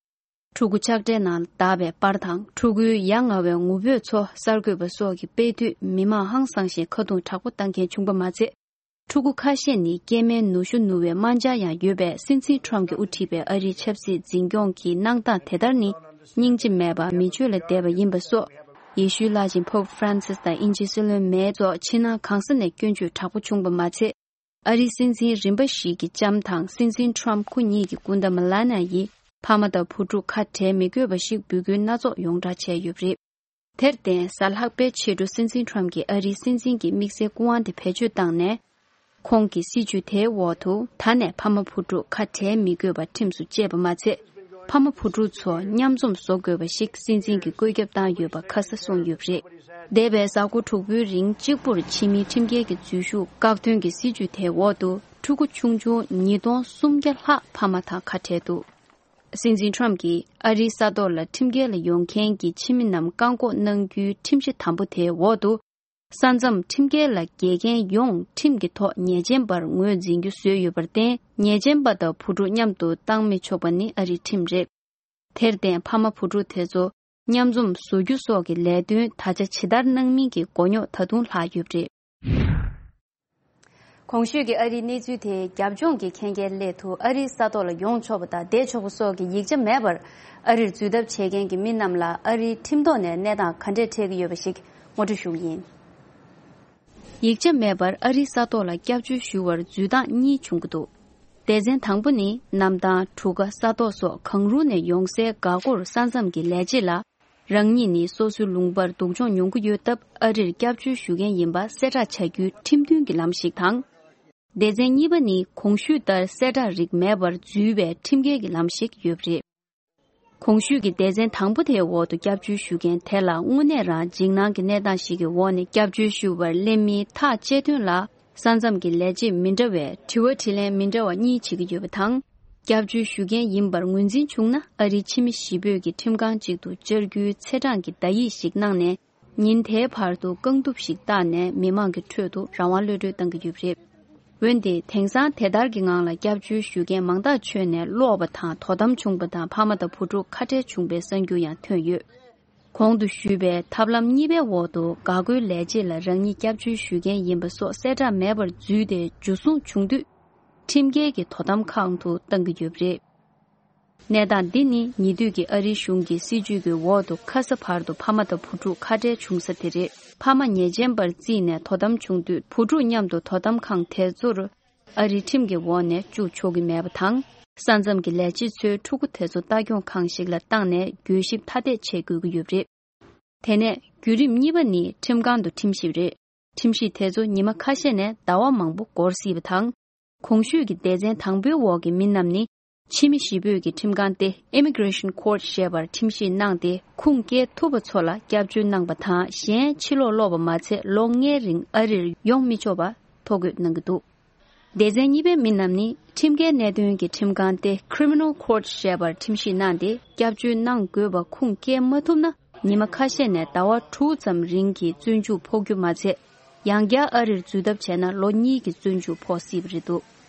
ཕྲུ་གུ་ཆགས་བྲལ་ནང་བདའ་བའི་པར་དང་། ཕྲུ་གུའི་ཡ་ང་བའི་ངུ་འབོད་ཚོ་གསར་འགོད་པ་སོགས་ཀྱིས་སྤེལ་དུས། མི་མང་ཧང་སངས་ཤིང་ཁ་རྡུང་དྲག་པོ་བཏང་མཁན་བྱུང་པ་མ་ཚད། ཕྲུ་གུ་ཁ་ཤས་ནི་སྐྱེས་མའི་ནུ་ཞོ་ནུ་བའི་རྨ་བྱ་ཡང་ཡོད་པས། སྲིད་འཛིན་ཁྲོམ་གྱིས་དབུ་ཁྲིད་པའི་ཨ་རིའི་ཆབ་སྲིད་འཛིན་སྐྱོང་གི་གནང་སྟངས་དེ་ལྟར་ནི། སྙིང་རྗེ་མེད་པ། མི་ཆོས་ལ་དད་པ་ཡིན་པ་སོགས། ཡེ་ཤུའི་བླ་ཆེན་པོབ་ཧྥ་རན་སིས་དང་དབྱིན་ཇིའི་སྲིད་བློན་མེ་སོགས་ཕྱི་ནང་གང་ས་ནས་སྐྱོན་བརྗོད་དྲག་པོ་བྱུང་པ་མ་ཚད། ཨ་རིའི་སྲིད་འཛིན་རིམ་པ་བཞི་གི་ལྕམ་དང་སྲིད་འཛིན་ཁྲོམ་ཁོ་གཉིས་ཀྱི་སྐུ་ཟླ་མེ་ལ་ནི་ཡ་ཡིས། ཕ་མ་དང་བུ་ཕྲུག་ཁ་བྲལ་མི་དགོས་པ་ཞིག་འབོད་སྐུལ་སྣ་ཚོགས་ཡོངས་བསྒྲགས་བྱས་ཡོད་པ་རེད། དེར་བརྟེན། གཟའ་ལྷག་པའི་ཕྱི་དྲོ་སྲིད་འཛིན་ཁྲོམ་གྱིས་ཨ་རིའི་སྲིད་འཛིན་གྱི་དམིགས་བསལ་སྐུ་དབང་དེ་བེད་སྤྱོད་བཏང་ནས། ཁོང་གི་སྲིད་བྱུས་དེའི་འོག་ཏུ། ད་ནས་ཕ་མ་བུ་ཕྲུག་ཁ་བྲལ་མི་དགོས་པ་ཁྲིམས་སུ་བཅས་པ་མ་ཚད། ཕ་མ་བུ་ཕྲུག་ཚོ་མཉམ་འཛོམས་བཟོ་དགོས་པ་ཞིག་སྲིད་འཛིན་གྱིས་བཀོད་ཁྱབ་བཏང་ཡོད་པ་ཁ་གསལ་གསུངས་ཡོད་པ་རེད། འདས་པའི་གཟའ་འཁོར་དྲུག་པོའི་རིང་གཅིག་པུར་ཕྱི་མིའི་ཁྲིམས་འགལ་གྱི་འཛུལ་ཞུགས་བཀག་སྡོམ་གྱི་སྲིད་བྱུས་དེའི་འོག་ཏུ། ཕྲུ་གུ་ཆུང་ཆུང་ཉིས་སྟོང་སུམ་བརྒྱ་ལྷག་ཕ་མ་དང་ཁ་བྲལ་འདུག་སྲིད་འཛིན་ཁྲོམ་གྱིས་ཨ་རིའི་ས་ཐོག་ལ་ཁྲིམས་འགལ་ལ་ཡོང་མཁན་གྱི་ཕྱི་མི་རྣམས་བཀག་འགོག་གནང་རྒྱུའི་ཁྲིམས་གཞི་དམ་པོ་དེའི་འོག་ཏུ། ས་མཚམས་ཁྲིམས་འགལ་ལ་འགལ་མཁན་ཡོངས་ཁྲིམས་ཀྱི་ཐོག་ཉེས་ཅན་པར་ངོས་འཛིན་རྒྱུ་བཟོས་ཡོད་པར་བརྟེན། ཉེས་ཅན་པ་དང་བུ་ཕྲུག་མཉམ་དུ་བཏང་མི་ཆོག་པ་ནི་ཨ་རིའི་ཁྲིམས་རེད། དེར་བརྟེན། ཕ་མ་བུ་ཕྲུག་དེ་ཚོ་མཉམ་འཛོམས་བཟོ་རྒྱུ་སོགས་ཀྱི་ལས་དོན་ད་ཆ་ཇི་ལྟར་གནང་མིན་གྱི་མགོ་རྙོག་ད་དུང་ལྷག་ཡོད་པ་རེད། གོང་ཞུས་ཀྱི་ཨ་རིའི་གནས་ཚུལ་དེ་རྒྱབ་ལྗོངས་ཀྱི་ཁྱད་མཁས་སླད་དུ་ཨ་རིའི་ས་ཐོག་ལ་ཡོང་ཆོག་པ་དང་བསྡད་ཆོག་པ་སོགས་ཀྱི་ཡིག་ཆ་མེད་པར་ཨ་རིར་འཛུལ་ཐབས་བྱེད་མཁན་གྱི་མི་རྣམས་ལ་ཨ་རིའི་ཁྲིམས་ཐོག་ནས་གནས་སྟངས་ག་འདྲས་འཕྲད་ཀྱི་ཡོད་པ་ཞིག་ངོ་སྤྲོད་ཞུ་གི་ཡིན། ཡིག་ཆ་མེད་པར་ཨ་རིའི་ས་ཐོག་ལ་སྐྱབས་བཅོལ་ཞུ་བར་འཛུལ་སྟངས་གཉིས་བྱུང་གི་འདུག་སྡེ་ཚན་དང་པོ་ནི། གནམ་ཐང་། གྲུ་ཁ། ས་ཐོག་སོགས་གང་རུང་ནས་ཡོང་སའི་འགག་སྒོར་ས་མཚམས་ཀྱི་ལས་བྱེད་ལ། རང་ཉིད་ནི་སོ་སོའི་ལུང་པར་སྡུག་སྦྱོང་མྱོང་གི་ཡོད་སྟབས། ཨ་རིར་སྐྱབས་བཅོལ་ཞུ་མཁན་ཡིན་པ་གསལ་བསྒྲགས་བྱ་རྒྱུའི་ཁྲིམས་མཐུན་གྱི་ལམ་ཞིག་དང་། སྡེ་ཚན་གཉིས་པ་ནི། གོང་ཞུས་ལྟར་གསལ་བསྒྲགས་རིགས་མེད་པར་འཛུལ་བའི་ཁྲིམས་འགལ་གྱི་ལམ་ཞིག་ཡོད་པ་རེད། གོང་ཞུས་ཀྱི་སྡེ་ཚན་དང་པོ་དེའི་འོག་ཏུ་སྐྱབས་བཅོལ་ཞུ་མཁན་དེ་ལ་དངོས་གནས་རང་འཇིགས་སྣང་གི་གནས་སྟངས་ཤིག་གི་འོག་ནས་སྐྱབས་བཅོལ་ཞུ་བར་སླེབས་མིན་ཐག་བཅད་དོན་ལ། ས་མཚམས་ཀྱི་ལས་བྱེད་མི་འདྲ་བས་དྲི་བ་དྲིས་ལན་མི་འདྲ་བ་གཉིས་བྱེད་ཀྱི་ཡོད་པ་དང་། སྐྱབས་བཅོལ་ཞུ་མཁན་ཡིན་པར་ངོས་འཛིན་བྱུང་ན། ཨ་རིའི་ཕྱི་མི་གཞིས་སྤོས་ཀྱི་ཁྲིམས་ཁང་ཅིག་ཏུ་བཅར་རྒྱུའི་ཚེས་གྲངས་ཀྱི་བརྡ་ཡིག་ཞིག་གནང་ནས། ཉིན་དེའི་བར་དུ་རྐང་གདུབ་ཞིག་བཏགས་ནས་མི་མང་གི་ཁྲོད་དུ་རང་དབང་གློད་གྲོལ་གཏང་གི་ཡོད་པ་རེད། འོན་ཏེ། དེང་སང་དེ་ལྟར་གྱི་ངང་ལ་སྐྱབས་བཅོལ་ཞུ་མཁན་མང་ཐག་ཆོད་ནས་ལོག་པ་དང་དོ་དམ་བྱུང་པ་དང་། ཕ་མ་དང་བུ་ཕྲུག་ཁ་བྲལ་བྱུང་པའི་གསར་འགྱུར་ཡང་ཐོན་ཡོད། གོང་དུ་ཞུས་པའི་ཐབས་ལམ་གཉིས་པའི་འོག་ཏུ། འགག་སྒོའི་ལས་བྱེད་ལ་རང་ཉིད་སྐྱབས་བཅོལ་ཞུ་མཁན་ཡིན་པ་སོགས་གསལ་བསྒྲགས་མེད་པར་འཛུལ་ཏེ་འཇུ་བཟུང་བྱུང་དུས། ཁྲིམས་འགལ་གྱི་དོ་དམ་ཁང་དུ་བཏང་གི་ཡོད་པ་རེད། གནས་སྟངས་འདི་ནི་ཉེ་དུས་ཀྱི་ཨ་རིའི་གཞུང་གི་སྲིད་བྱུས་ཀྱི་འོག་ཏུ། ཁ་ས་བར་དུ་ཕ་མ་དང་བུ་ཕྲུག་ཁ་བྲལ་བྱུང་ས་དེ་རེད། ཕ་མ་ཉེས་ཅན་པར་བརྩིས་ནས་དོ་དམ་བྱུང་དུས། བུ་ཕྲུག་མཉམ་དུ་དོ་དམ་ཁང་དེ་ཚོར་ཨ་རིའི་ཁྲིམས་ཀྱི་འོག་ནས་བཅུག་ཆོག་གི་མེད་པ་དང་། ས་མཚམས་ཀྱི་ལས་བྱེད་ཚོས་ཕྲུ་གུ་དེ་ཚོ་ལྟ་སྐྱོང་ཁང་ཞིག་ལ་བཏང་ནས་གྱོད་ཞིབ་ཐ་དད་བྱེད་དགོས་ཀྱི་ཡོད་པ་རེད། དེ་ནས་བརྒྱུད་རིམ་གཉིས་པ་ནི་ཁྲིམས་ཁང་དུ་ཁྲིམས་ཞིབ་རེད། ཁྲིམས་ཞིབ་དེ་ཚོ་ཉི་མ་ཁ་ཤས་ནས་ཟླ་བ་མང་པོ་འགོར་སྲིད་པ་དང་། གོང་ཞུས་ཀྱི་སྡེ་ཚན་དང་པོའི་འོག་གི་མི་རྣམས་ནི། ཕྱི་མི་གཞིས་སྤོས་ཀྱི་ཁྲིམས་ཁང་སྟེ། Immigration Court ཞེས་པར་ཁྲིམས་ཞིབ་གནང་སྟེ། ཁུངས་སྐྱེལ་ཐུབ་པ་ཚོ་ལ་སྐྱབས་བཅོལ་གནང་པ་དང་། གཞན་ཕྱིར་ལོག་སློག་པ་མ་ཚད། ལོ་ལྔའི་རིང་ཨ་རིར་ཡོང་མི་ཆོག་པ་ཐོ་འགོད་གནང་གི་འདུག་སྡེ་ཚན་གཉིས་པའི་མི་རྣམས་ནི། ཁྲིམས་འགལ་གནད་དོན་གྱི་ཁྲིམས་ཁང་སྟེ། Criminal Court ཞེས་པར་ཁྲིམས་ཞིབ་གནང་སྟེ། སྐྱབས་བཅོལ་གནང་དགོས་པ་ཁུངས་སྐྱེལ་མ་ཐུབ་ན། ཉི་མ་ཁ་ཤས་ནས་ཟླ་བ་དྲུག་ཙམ་རིང་གི་བཙོན་འཇུག་ཕོག་རྒྱུ་མ་ཚད། ཡང་བསྐྱར་ཨ་རིར་འཛུལ་ཐབས་བྱས་ན། ལོ་གཉིས་ཀྱི་བཙོན་འཇུག་ཕོག་སྲིད་པ་རེད་འདུག་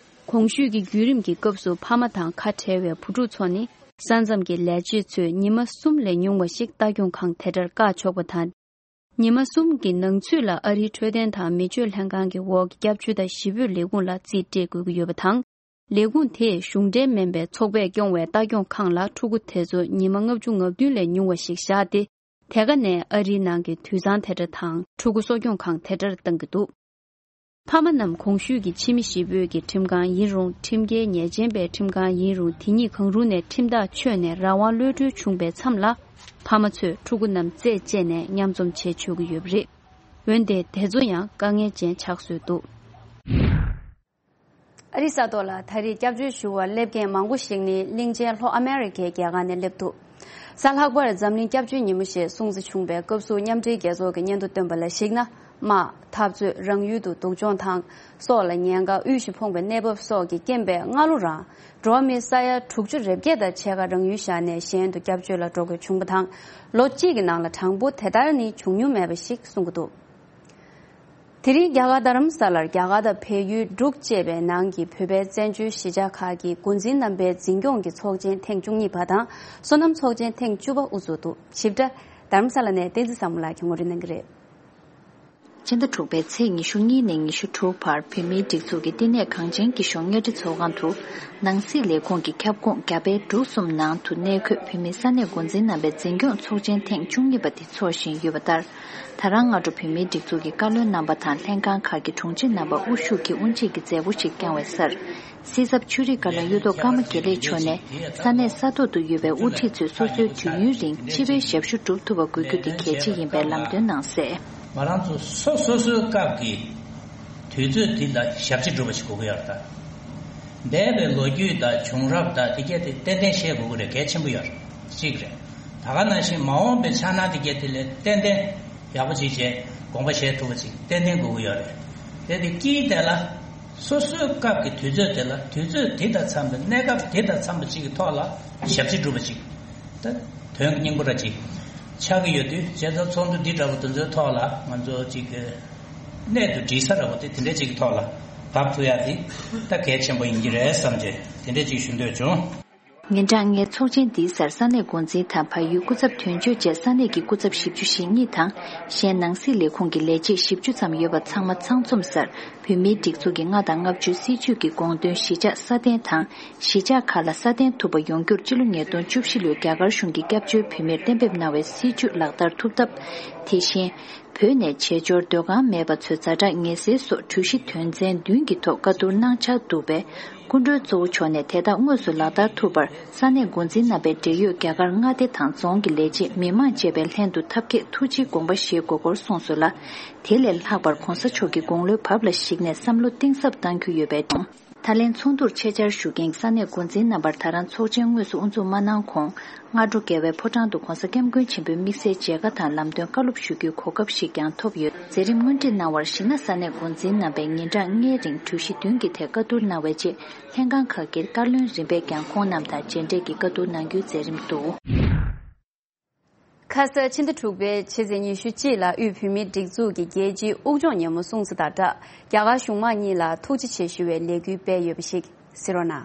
གོང་ཞུས་ཀྱི་བརྒྱུད་རིམ་གྱི་སྐབས་སུ། ཕ་མ་དང་ཁ་བྲལ་བའི་བུ་ཕྲུག་ཚོ་ནི། ས་མཚམས་ཀྱི་ལས་བྱེད་ཚོས་ཉི་མ་གསུམ་ལས་ཉུང་བ་ཞིག་ལྟ་སྐྱོང་ཁང་དེ་འདྲར་བཀག་ཆོག་པ་དང་། ཉི་མ་གསུམ་གྱི་ནང་ཚུད་ལ་ཨ་རིའི་འཕྲོད་བསྟེན་དང་མི་སྤྱོད་ལྷན་ཁང་གི་འོག་གི་སྐྱབས་བཅོལ་དང་གཞིས་སྤོས་ལས་ཁུངས་ལ་རྩིས་སྤྲད་དགོས་ཀྱི་ཡོད་པ་དང་། ལས་ཁུངས་དེས་གཞུང་འབྲེལ་མིན་པའི་ཚོགས་པས་སྐྱོང་བའི་ལྟ་སྐྱོང་ཁང་ལ་ཕྲུ་གུ་དེ་ཚོ་ཉི་མ་ལྔ་བཅུ་ང་བདུན་ལས་ཉུང་བ་ཞིག་བཞག་སྟེ། དེ་ག་ནས་ཨ་རིའི་ནང་གི་དུད་ཚང་དེ་འདྲ་དང་། ཕྲུ་གུ་གསོ་སྐྱོང་ཁང་དེ་འདྲར་གཏང་གི་འདུག་ཕ་མ་རྣམས་གོང་ཞུས་ཀྱི་ཕྱི་མི་གཞིས་སྤོས་ཀྱི་ཁྲིམས་ཁང་ཡིན་རུང་། ཁྲིམས་འགལ་ཉེས་ཅན་པའི་ཁྲིམས་ཁང་ཡིན་རུང་། དེ་གཉིས་གང་རུང་ནས་ཁྲིམས་ཐག་ཆོད་ནས་རང་དབང་གློད་གྲོལ་བྱུང་པའི་མཚམས་ལ། ཕ་མ་ཚོས་ཕྲུ་གུ་རྣམས་རྩད་བཅད་ནས་མཉམ་འཛོམས་བྱེད་ཆོག་གི་ཡོད་པ་རེད། འོན་ཏེ་དེ་ཚོ་ཡང་དཀའ་ངལ་ཅན་ཆགས་བཟོས་འདུག་ཨ་རིའི་ས་ཐོག་ལ་ད་རེས་སྐྱབས་བཅོལ་ཞུ་བར་སླེབས་མཁན་མང་པོ་ཞིག་ནི་གླིང་ཆེན་ལྷོ་ཨ་མེ་རི་ཁའི་རྒྱལ་ཁག་ནས་སླེབས་འདུག་གཟའ་ལྷག་པར་འཛམ་གླིང་སྐྱབས་བཅོལ་ཉིན་མོ་ཞེས་སྲུང་བརྩི་བྱུང་བའི་སྐབས་སུ། མཉམ་འབྲེལ་རྒྱལ་ཚོགས་ཀྱི་སྙན་ཐོ་བཏོན་པ་ལ་གཞིགས་ན། དམག་འཐབ་རྩོད། རང་ཡུལ་དུ་སྡུག་སྦྱོང་དང་སྲོག་ལ་ཉེན་ཁ། དབུལ་ཞིང་ཕོངས་པའི་གནས་བབ་སོགས་ཀྱི་རྐྱེན་པས། སྔ་ལོ་རང་འགྲོ་བ་མི་ས་ཡ་དྲུག་ཅུ་རེ་བརྒྱད་དང་ཕྱེད་ཀ་རང་ཡུལ་བཞག་ནས་གཞན་དུ་སྐྱབས་བཅོལ་ལ་འགྲོ་དགོས་བྱུང་བ་དང་། ལོ་གཅིག་གི་ནང་ལ་གྲངས་འབོར་དེ་ལྟར་ནི་བྱུང་མྱོང་མེད་པ་ཞིག་གསུང་གི་འདུག་དེ་རིང་རྒྱ་གར་རྡ་རམ་ས་ལར་རྒྱ་གར་དང་བལ་ཡུལ་འབྲུག་བཅས་པའི་ནང་གི་བོད་པའི་བཙན་བྱོལ་གཞིས་ཆགས་ཁག་གི་འགོ་འཛིན་རྣམ་པའི་འཛིན་སྐྱོང་གི་ཚོགས་ཆེན་ཐེངས་བཅུ་གཉིས་པ་དང་། སོ་ནམ་ཚོགས་ཆེན་ཐེངས་བཅུ་པ་དབུ་འཛུགས་འདུག་ཞིབ་ཕྲ་རྡ་རམ་ས་ལ་ནས་བསྟན་འཛིན་བཟང་མོ་ལགས་ཀྱིས་ངོ་སྤྲོད་གནང་གི་རེད། ཕྱི་ཟླ་དྲུག་པའི་ཚེས་ཉི་ཤུ་གཉིས་ནས་ཉི་ཤུ་དྲུག་བར་བོད་མིའི་སྒྲིག་འཛུགས་ཀྱི་བསྟི་གནས་གངས་ཅན་སྐྱིད་གཤོངས་གཉའ་ཁྲི་ཚོགས་ཁང་དུ། ནང་སྲིད་ལས་ཁུངས་ཀྱི་ཁྱབ་ཁོངས་རྒྱ་བལ་འབྲུག་གསུམ་ནང་དུ་གནས་འཁོད་བོད་མིའི་ས་གནས་འགོ་འཛིན་རྣམ་པའི་འཛིན་སྐྱོང་ཚོགས་ཆེན་ཐེངས་བཅུ་གཉིས་པ་དེ་འཚོགས་བཞིན་ཡོད་པ་ལྟར། ད་རང་སྔ་དྲོ་བོད་མིའི་སྒྲིག་འཛུགས་ཀྱི་བཀའ་བློན་རྣམ་པ་དང་ལྷན་ཁང་ཁག་གི་དྲུང་ཆེ་རྣམ་པ་དབུ་བཞུགས་ཀྱིས་དབུ་འབྱེད་ཀྱི་མཛད་སྒོ་ཞིག་བསྐྱངས་བའི་སར། སྲིད་ཚབ་ཆོས་རིག་བཀའ་བློན་གཡུ་ཐོག་ཀརྨ་དགེ་ལེགས་མཆོག་ནས་ས་གནས་ས་ཐོག་ཏུ་ཡོད་པའི་དབུ་ཁྲིད་ཚོས་སོ་སོའི་དུས་ཡུན་རིང་སྤྱི་པའི་ཞབས་ཞུ་སྒྲུབ་ཐུབ་པ་དགོས་རྒྱུ་དེ་གལ་ཆེ་ཡིན་པའི་ལམ་སྟོན་གནང་གསལ། ང་རང་ཚོ་སོ་སོ་སོའི་སྐབས་ཀྱི་དུས་ཚོད་འདི་ལ་ཞབས་ཕྱི་སྒྲུབ་པ་ཞིག་དགོས་ཀྱི་ཡོད་རེད་ད། འདས་པའི་ལོ་རྒྱུས་དང་བྱུང་རབས་དང་དེ་གས་དེ་ཏན་ཏན་ཤེས་དགོས་ཀྱི་རེད། གལ་ཆེན་པོ་ཡོད་རེད། གཅིག་རེད། ད་ག་ནང་བཞིན་མ་འོངས་པའི་འཆར་སྣང་དེ་གས་དེ་ལས་ཏན་ཏན་ཡག་པོ་ཅིག་བྱས་དགོངས་པ་བཞེས་ཐུབ་པ་ཅིག་ཏན་ཏན་དགོས་ཀྱི་ཡོད་རེད། དེ་དེ་དཀྱིལ་དེ་ལ་སོ་སོའི་སྐབས་ཀྱི་དུས་ཚོད་དེ་ལ་དུས་ཚོད་དེ་དང་འཚམས་པའི་གནས་སྐབས་དེ་དང་འཚམས་པ་ཅིག་གི་ཐོག་ལ་ཞབས་ཕྱི་སྒྲུབ་པ་ཅིག་ད་དོན་སྙིང་པོ་འདྲ་ཅིག་ཆགས་ཀྱི་ཡོད་དུས་བྱས་ཙང་ཚོགས་འདུ་འདི་འདྲ་པོ་དེ་ཚོའི་ཐོག་ལ་ང་ཚོ་ཅིག་གི་གནད་དུ་འདྲིས་ས་འདྲ་པོ་དེ་དེ་འདྲ་ཅིག་གི་ཐོག་ལ་བབས་ཐུབ་ཡ་དེ་ད་གལ་ཆེན་པོ་ཡིན་གྱི་རེད་བསམ་བྱས་དེ་འདྲ་ཅིག་ཞུ་འདོད་བྱུང་། ཉིན་གྲངས་ལྔའི་ཚོགས་ཆེན་འདིའི་སར་ས་གནས་འགོ་འཛིན་དང་བལ་ཡུལ་སྐུ་ཚབ་དོན་གཅོད་བཅས་ས་གནས་ཀྱི་སྐུ་ཚབ་བཞི་བཅུ་ཞེ་གཉིས་དང་གཞན་ནང་སྲིད་ལས་ཁུངས་ཀྱི་ལས་བྱེད་བཞི་བཅུ་ཙམ་ཡོད་པ་ཚང་མ་ཚང་འཛོམས་སར་བོད་མིའི་སྒྲིག་འཛུགས་ཀྱི་ལྔ་དང་ལྔ་བཅུའི་སྲིད་བྱུས་ཀྱི་དགོངས་དོན་གཞིས་ཆགས་སྲ་བརྟན་དང་གཞིས་ཆགས་ཁག་ལ་སྲ་བརྟན་ཐུབ་པ་ཡོང་རྒྱུར་སྤྱི་ལོ་ཉིས་སྟོང་བཅུ་བཞི་ལོའི་རྒྱ་གར་གཞུང་གིས་སྐྱབས་བཅོལ་བོད་མིར་གཏན་འབེབས་གནང་བའི་སྲིད་བྱུས་ལག་བསྟར་ཐུབ་ཐབས། དེ་བཞིན། བོད་ནས་བྱེས་འབྱོར་སྡོད་ཁང་མེད་པ་ཚོའི་ཛ་དྲག་ངལ་སེལ་སོགས་གྲོས་གཞི་དོན་ཚན་བདུན་གྱི་ཐོག་བཀའ་བསྡུར་གནང་འཆར་འདུག་པས། སྐུ་མགྲོན་གཙོ་བོ་མཆོག་ནས་དེ་དག་དངོས་སུ་ལག་བསྟར་ཐུབ་པར་ས་གནས་འགོ་འཛིན་རྣམ་པས་འབྲེལ་ཡོད་རྒྱ་གར་མངའ་སྡེ་དང་རྫོང་གི་ལས་བྱེད་མི་མང་བཅས་པའི་ལྷན་དུ་ཐབས་མཁས་ཐུགས་རྗེའི་དགོངས་པ་བཞེས་དགོས་སྐོར་གསུངས་སོང་ལ། དེ་ལས་ལྷག་པར་གོང་ས་མཆོག་གི་དགུང་ལོའི་བབ་ལ་གཞིགས་ནས་བསམ་བློ་གཏིང་ཟབ་གཏང་རྒྱུ་ཡོད་པའི་དང་། ད་ལན་ཚོགས་འདུར་ཆེད་བཅར་ཞུ་མཁན་ས་གནས་འགོ་འཛིན་རྣམ་པར་ད་རང་ཚོགས་ཆེན་དངོས་སུ་དབུ་འཛུགས་མ་གནང་གོང་། སྔ་དྲོ་རྒྱལ་བའི་ཕོ་བྲང་དུ་༧གོང་ས་༧སྐྱབས་མགོན་ཆེན་པོའི་དམིགས་བསལ་མཇལ་ཁ་དང་ལམ་སྟོན་བཀའ་སློབ་ཞུ་རྒྱུའི་གོ་སྐབས་ཤིག་ཀྱང་ཐོབ་ཡོད། མཛད་རིམ་སྔོན་ཁྲིད་གནང་བར་གཞི་ན་ས་གནས་འགོ་འཛིན་རྣམ་པས་ཉིན་གྲངས་ལྔའི་རིང་གྲོས་གཞི་བདུན་གྱི་ཐད་བཀའ་བསྡུར་གནང་བའི་རྗེས་ལྷན་ཁང་ཁག་གི་བཀའ་བློན་རིམ་པས་ཀྱང་ཁོང་རྣམས་དང་མཇལ་འཕྲད་ཀྱིས་བཀའ་བསྡུར་གནང་རྒྱུའི་མཛད་རིམ་འདུག་ཁ་ས་ཕྱི་ཟླ་དྲུག་པའི་ཕྱི་ཚེས་ཉི་ཤུ་གཅིག་ལ་དབུས་བོད་མིའི་སྒྲིག་འཛུགས་ཀྱི་རྒྱལ་སྤྱིའི་དབུགས་སྦྱོང་ཉིན་མོ་སྲུང་བརྩི་དང་སྦྲགས་རྒྱ་གར་གཞུང་མང་གཉིས་ལ་ཐུགས་རྗེ་ཆེ་ཞུ་བའི་ལས་འགུལ་སྤེལ་ཡོད་པ་ཞིག་གཟིགས་རོགས་གནང་།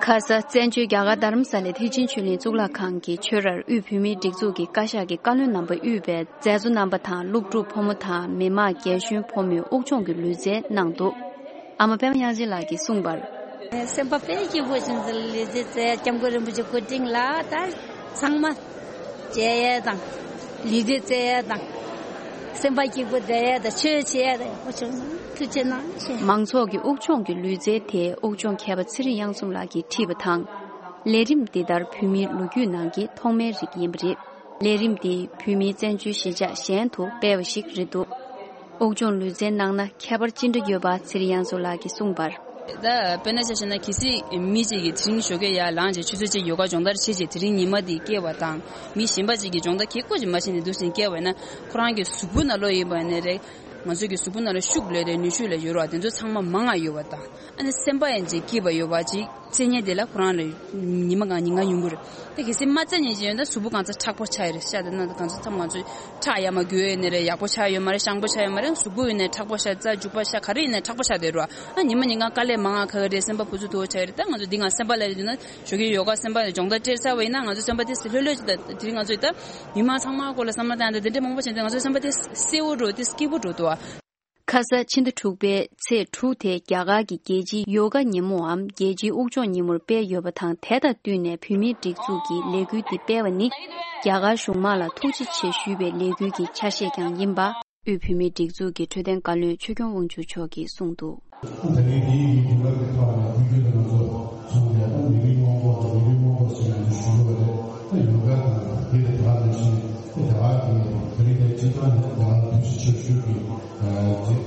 ཁ་ས་བཙན་བྱོལ་རྒྱ་གར་རྡ་རམ་ས་ལའི་ཐེག་ཆེན་ཆོས་གླིང་གཙུག་ལག་ཁང་གི་ཆོས་རར་དབུས་བོད་མིའི་སྒྲིག་འཛུགས་ཀྱི་བཀའ་ཤག་གི་བཀའ་བློན་རྣམ་པ་དབུས་པའི་མཛད་གཙོ་རྣམ་པ་དང་སློབ་ཕྲུག་ཕོ་མོ་དང་མི་མང་རྒན་གཞོན་ཕོ་མོས་དབུགས་སྦྱོང་གི་ལུས་རྩལ་གནང་འདུག་ཨ་མ་པད་མ་དབྱངས་ཅན་ལགས་ཀྱིས་གསུངས་པར། སེམས་པ་དཔེ་སྐྱིད་པོ་ཞིག་འཛིན་ལས་རྗེ་རྩེ་སྐྱབས་མགོན་རིན་པོ་ཆེ་སྐུ་དྲིན་ལ་ད་ཚང་མ་མཇལ་ཡས་དང་ལུས་རྩལ་རྩེ་ཡས་དང་སེམས་པ་སྐྱིད་པོ་བསྡད་ཡས་དང་ཆོས་བྱེད་ཡས་དང་ཡག་པོ་བྱུང་སོང་། ཐུགས་རྗེ་གནང་ཞེས། མང་ཚོགས་ཀྱི་དབུགས་སྦྱོང་གི་ལུས་རྩལ་དེ་དབུགས་སྦྱོང་མཁས་པ་ཚེ་རིང་གཡང་འཛོམས་ལགས་ཀྱིས་ཁྲིད་པ་དང་། ལས་རིམ་འདི་ལྟར་བོད་མིའི་ལོ་རྒྱུས་ནང་གི་ཐོག་མའི་རིགས་ཡིན་པ་རེད། ལས་རིམ་འདི་བོད་མིའི་བཙན་བྱོལ་གཞིས་ཆགས་གཞན་དུ་སྤེལ་བ་ཞིག་རེད་འདུག་དབུགས་སྦྱོང་ལུས་རྩལ་གནང་ན་ཁྱད་པར་ཅི་འདྲ་ཡོད་པ་ཚེ་རིང་གཡང་འཛོམས་ལགས་ཀྱིས་གསུངས་པར། ད་དཔེར་ན་ཆ་བཞག་ན་གལ་སྲིད་མི་གཅིག་གིས་དེ་རིང་ཞོགས་ཀས་ཡར་ལངས་བྱས་ཆུ་ཚོད་གཅིག་ཡོ་ག་སྦྱོང་བརྡར་བྱས་རྗེས་དེ་རིང་ཉི་མ་འདི་བསྐྱལ་བ་དང་མི་གཞན་པ་གཅིག་གིས་སྦྱོང་བརྡར་གྱི་སྐོར་ཅིག་མ་བྱས་ནས་འདུག་སེ་བསྐྱལ་བ་ཡིན་ན་ཁོ་རང་གི་གཟུགས་པོ་ནང་ལོགས་ཡིན་པ་ནས་རེད། ང་ཚོ་གི་གཟུགས་པོ་ནང་ལ་ཤུགས་ལས་དེ་ནུས་ཤུགས་ལས་ཡོད་རེད་བ། དེ་ཚོ་ཚང་མ་མང་ང་ཡོད་པ་དང་ཨ་ནི་སེམས་པ་ཡང་ཅིག་སྐྱིད་པ་ཡོད་པ་ཅིག་རྩེ་མཁན་དེ་ལ་ཁོ་རང་ལ་ཉི་མ་གང་ཉིན་གང་ཡོང་གི་རེད། དེ་གལ་སྲིད་མ་རྩེ་མཁན་ཅིག་ཡོད་ན་གཟུགས་པོ་གང་ཚ་མཁྲེགས་པོ་ཆགས་ཡོད་རེད་ཤག་དེ་ན་གང་ཚ་ཚང་མ་ང་ཚོ་ཁྲག་ཡར་མར་རྒྱུག་ཡོད་ནི་རེད། ཡག་པོ་ཆགས་ཡོད་མ་རེད། ཤང་པོ་ཆགས་ཡོད་མ་རེད། གཟུགས་པོ་ཡིན་ནའི་མཁྲེགས་པོ་ཆགས། རྩ་རྒྱུག་པ་ཤག་ག་རེ་ཡིན་ནའི་མཁྲེགས་པོ་ཆགས་བསྡད་རེད་བ། ཨ་ཉི་མ་ཉིན་གང་དཀའ་ལས་མང་ང་ཁག་གི་རེད། སེམས་པ་ཕུ་ཚུགས་མཐོ་བོ་ཆགས་ཡོད་རེད། ད་ང་ཚོ་འདི་གང་སེམས་པ་ལ་རེད་ན་ཞོགས་ཀས་ཡོ་ག་སེམས་པ་ལ་སྦྱོང་བརྡར་སྤྲད་ཚར་བ་ཡིན་ན་ང་ཚོ་སེམས་པ་དེ་ལྷོད་ལྷོད་ཅིག་ད་དེ་རིང་ང་ཚོ་ད་མི་མང་ཚང་མ་སྐོར་ལ་བསམ་བློ་བཏང་ཡ་ད་དེ་འདྲ་མང་པོ་བྱས་ཏེ་ང་ཚོའི་སེམས་པ་དེ་གསལ་བོ་འགྲོ་དེ་སྐྱིད་པོ་འགྲོ་འདུག་ཨ། ཁ་ས་ཕྱི་ཟླ་དྲུག་པའི་ཚེས་དྲུག་དེ་རྒྱ་གར་གྱི་རྒྱལ་སྤྱིའི་ཡོ་ག་ཉིན་མོའམ་རྒྱལ་སྤྱིའི་དབུགས་སྦྱོང་ཉིན་མོར་སྤེལ་ཡོད་པ་དང་། དེ་དང་བསྟུན་ནས་བོད་མིའི་སྒྲིག་འཛུགས་ཀྱིས་ལས་འགུལ་འདི་སྤེལ་བ་ནི་རྒྱ་གར་གཞུང་མང་ལ་ཐུགས་རྗེ་ཆེ་ཞུས་པའི་ལས་འགུལ་གྱི་ཆ་ཤས་ཀྱང་ཡིན་པ། དབུས་བོད་མིའི་སྒྲིག་འཛུགས་ཀྱི་འཕྲོད་བསྟེན་བཀའ་བློན་ཆོས་སྐྱོང་དབང་ཕྱུག་མཆོག་གིས་གསུངས་འདུག་ད་རེས་འདིའི་ཡིག་འབུལ་ལམ་གྱི་ཐོག་ནས་དུས་རྒྱུན་དུ་ང་ཚོ་ཚོགས་པའི་ད་མི་རིགས་སྔོན་འགོག་དང་མི་རིགས་སྔོན་འགོག་ཟེར་ཡང་དུ་ཞུ་གི་རེད། ད་ཡོ་ག་དང་དེ་དང་དེ་ནང་བཞིན་དེ་རྒྱ་གར་གྱི་དེ་རིང་དེ་སྤྱི་བཏང་ནས་རྒྱ་གར་ཐུགས་རྗེ་ཆེ་ཞུ་གི་མཛད་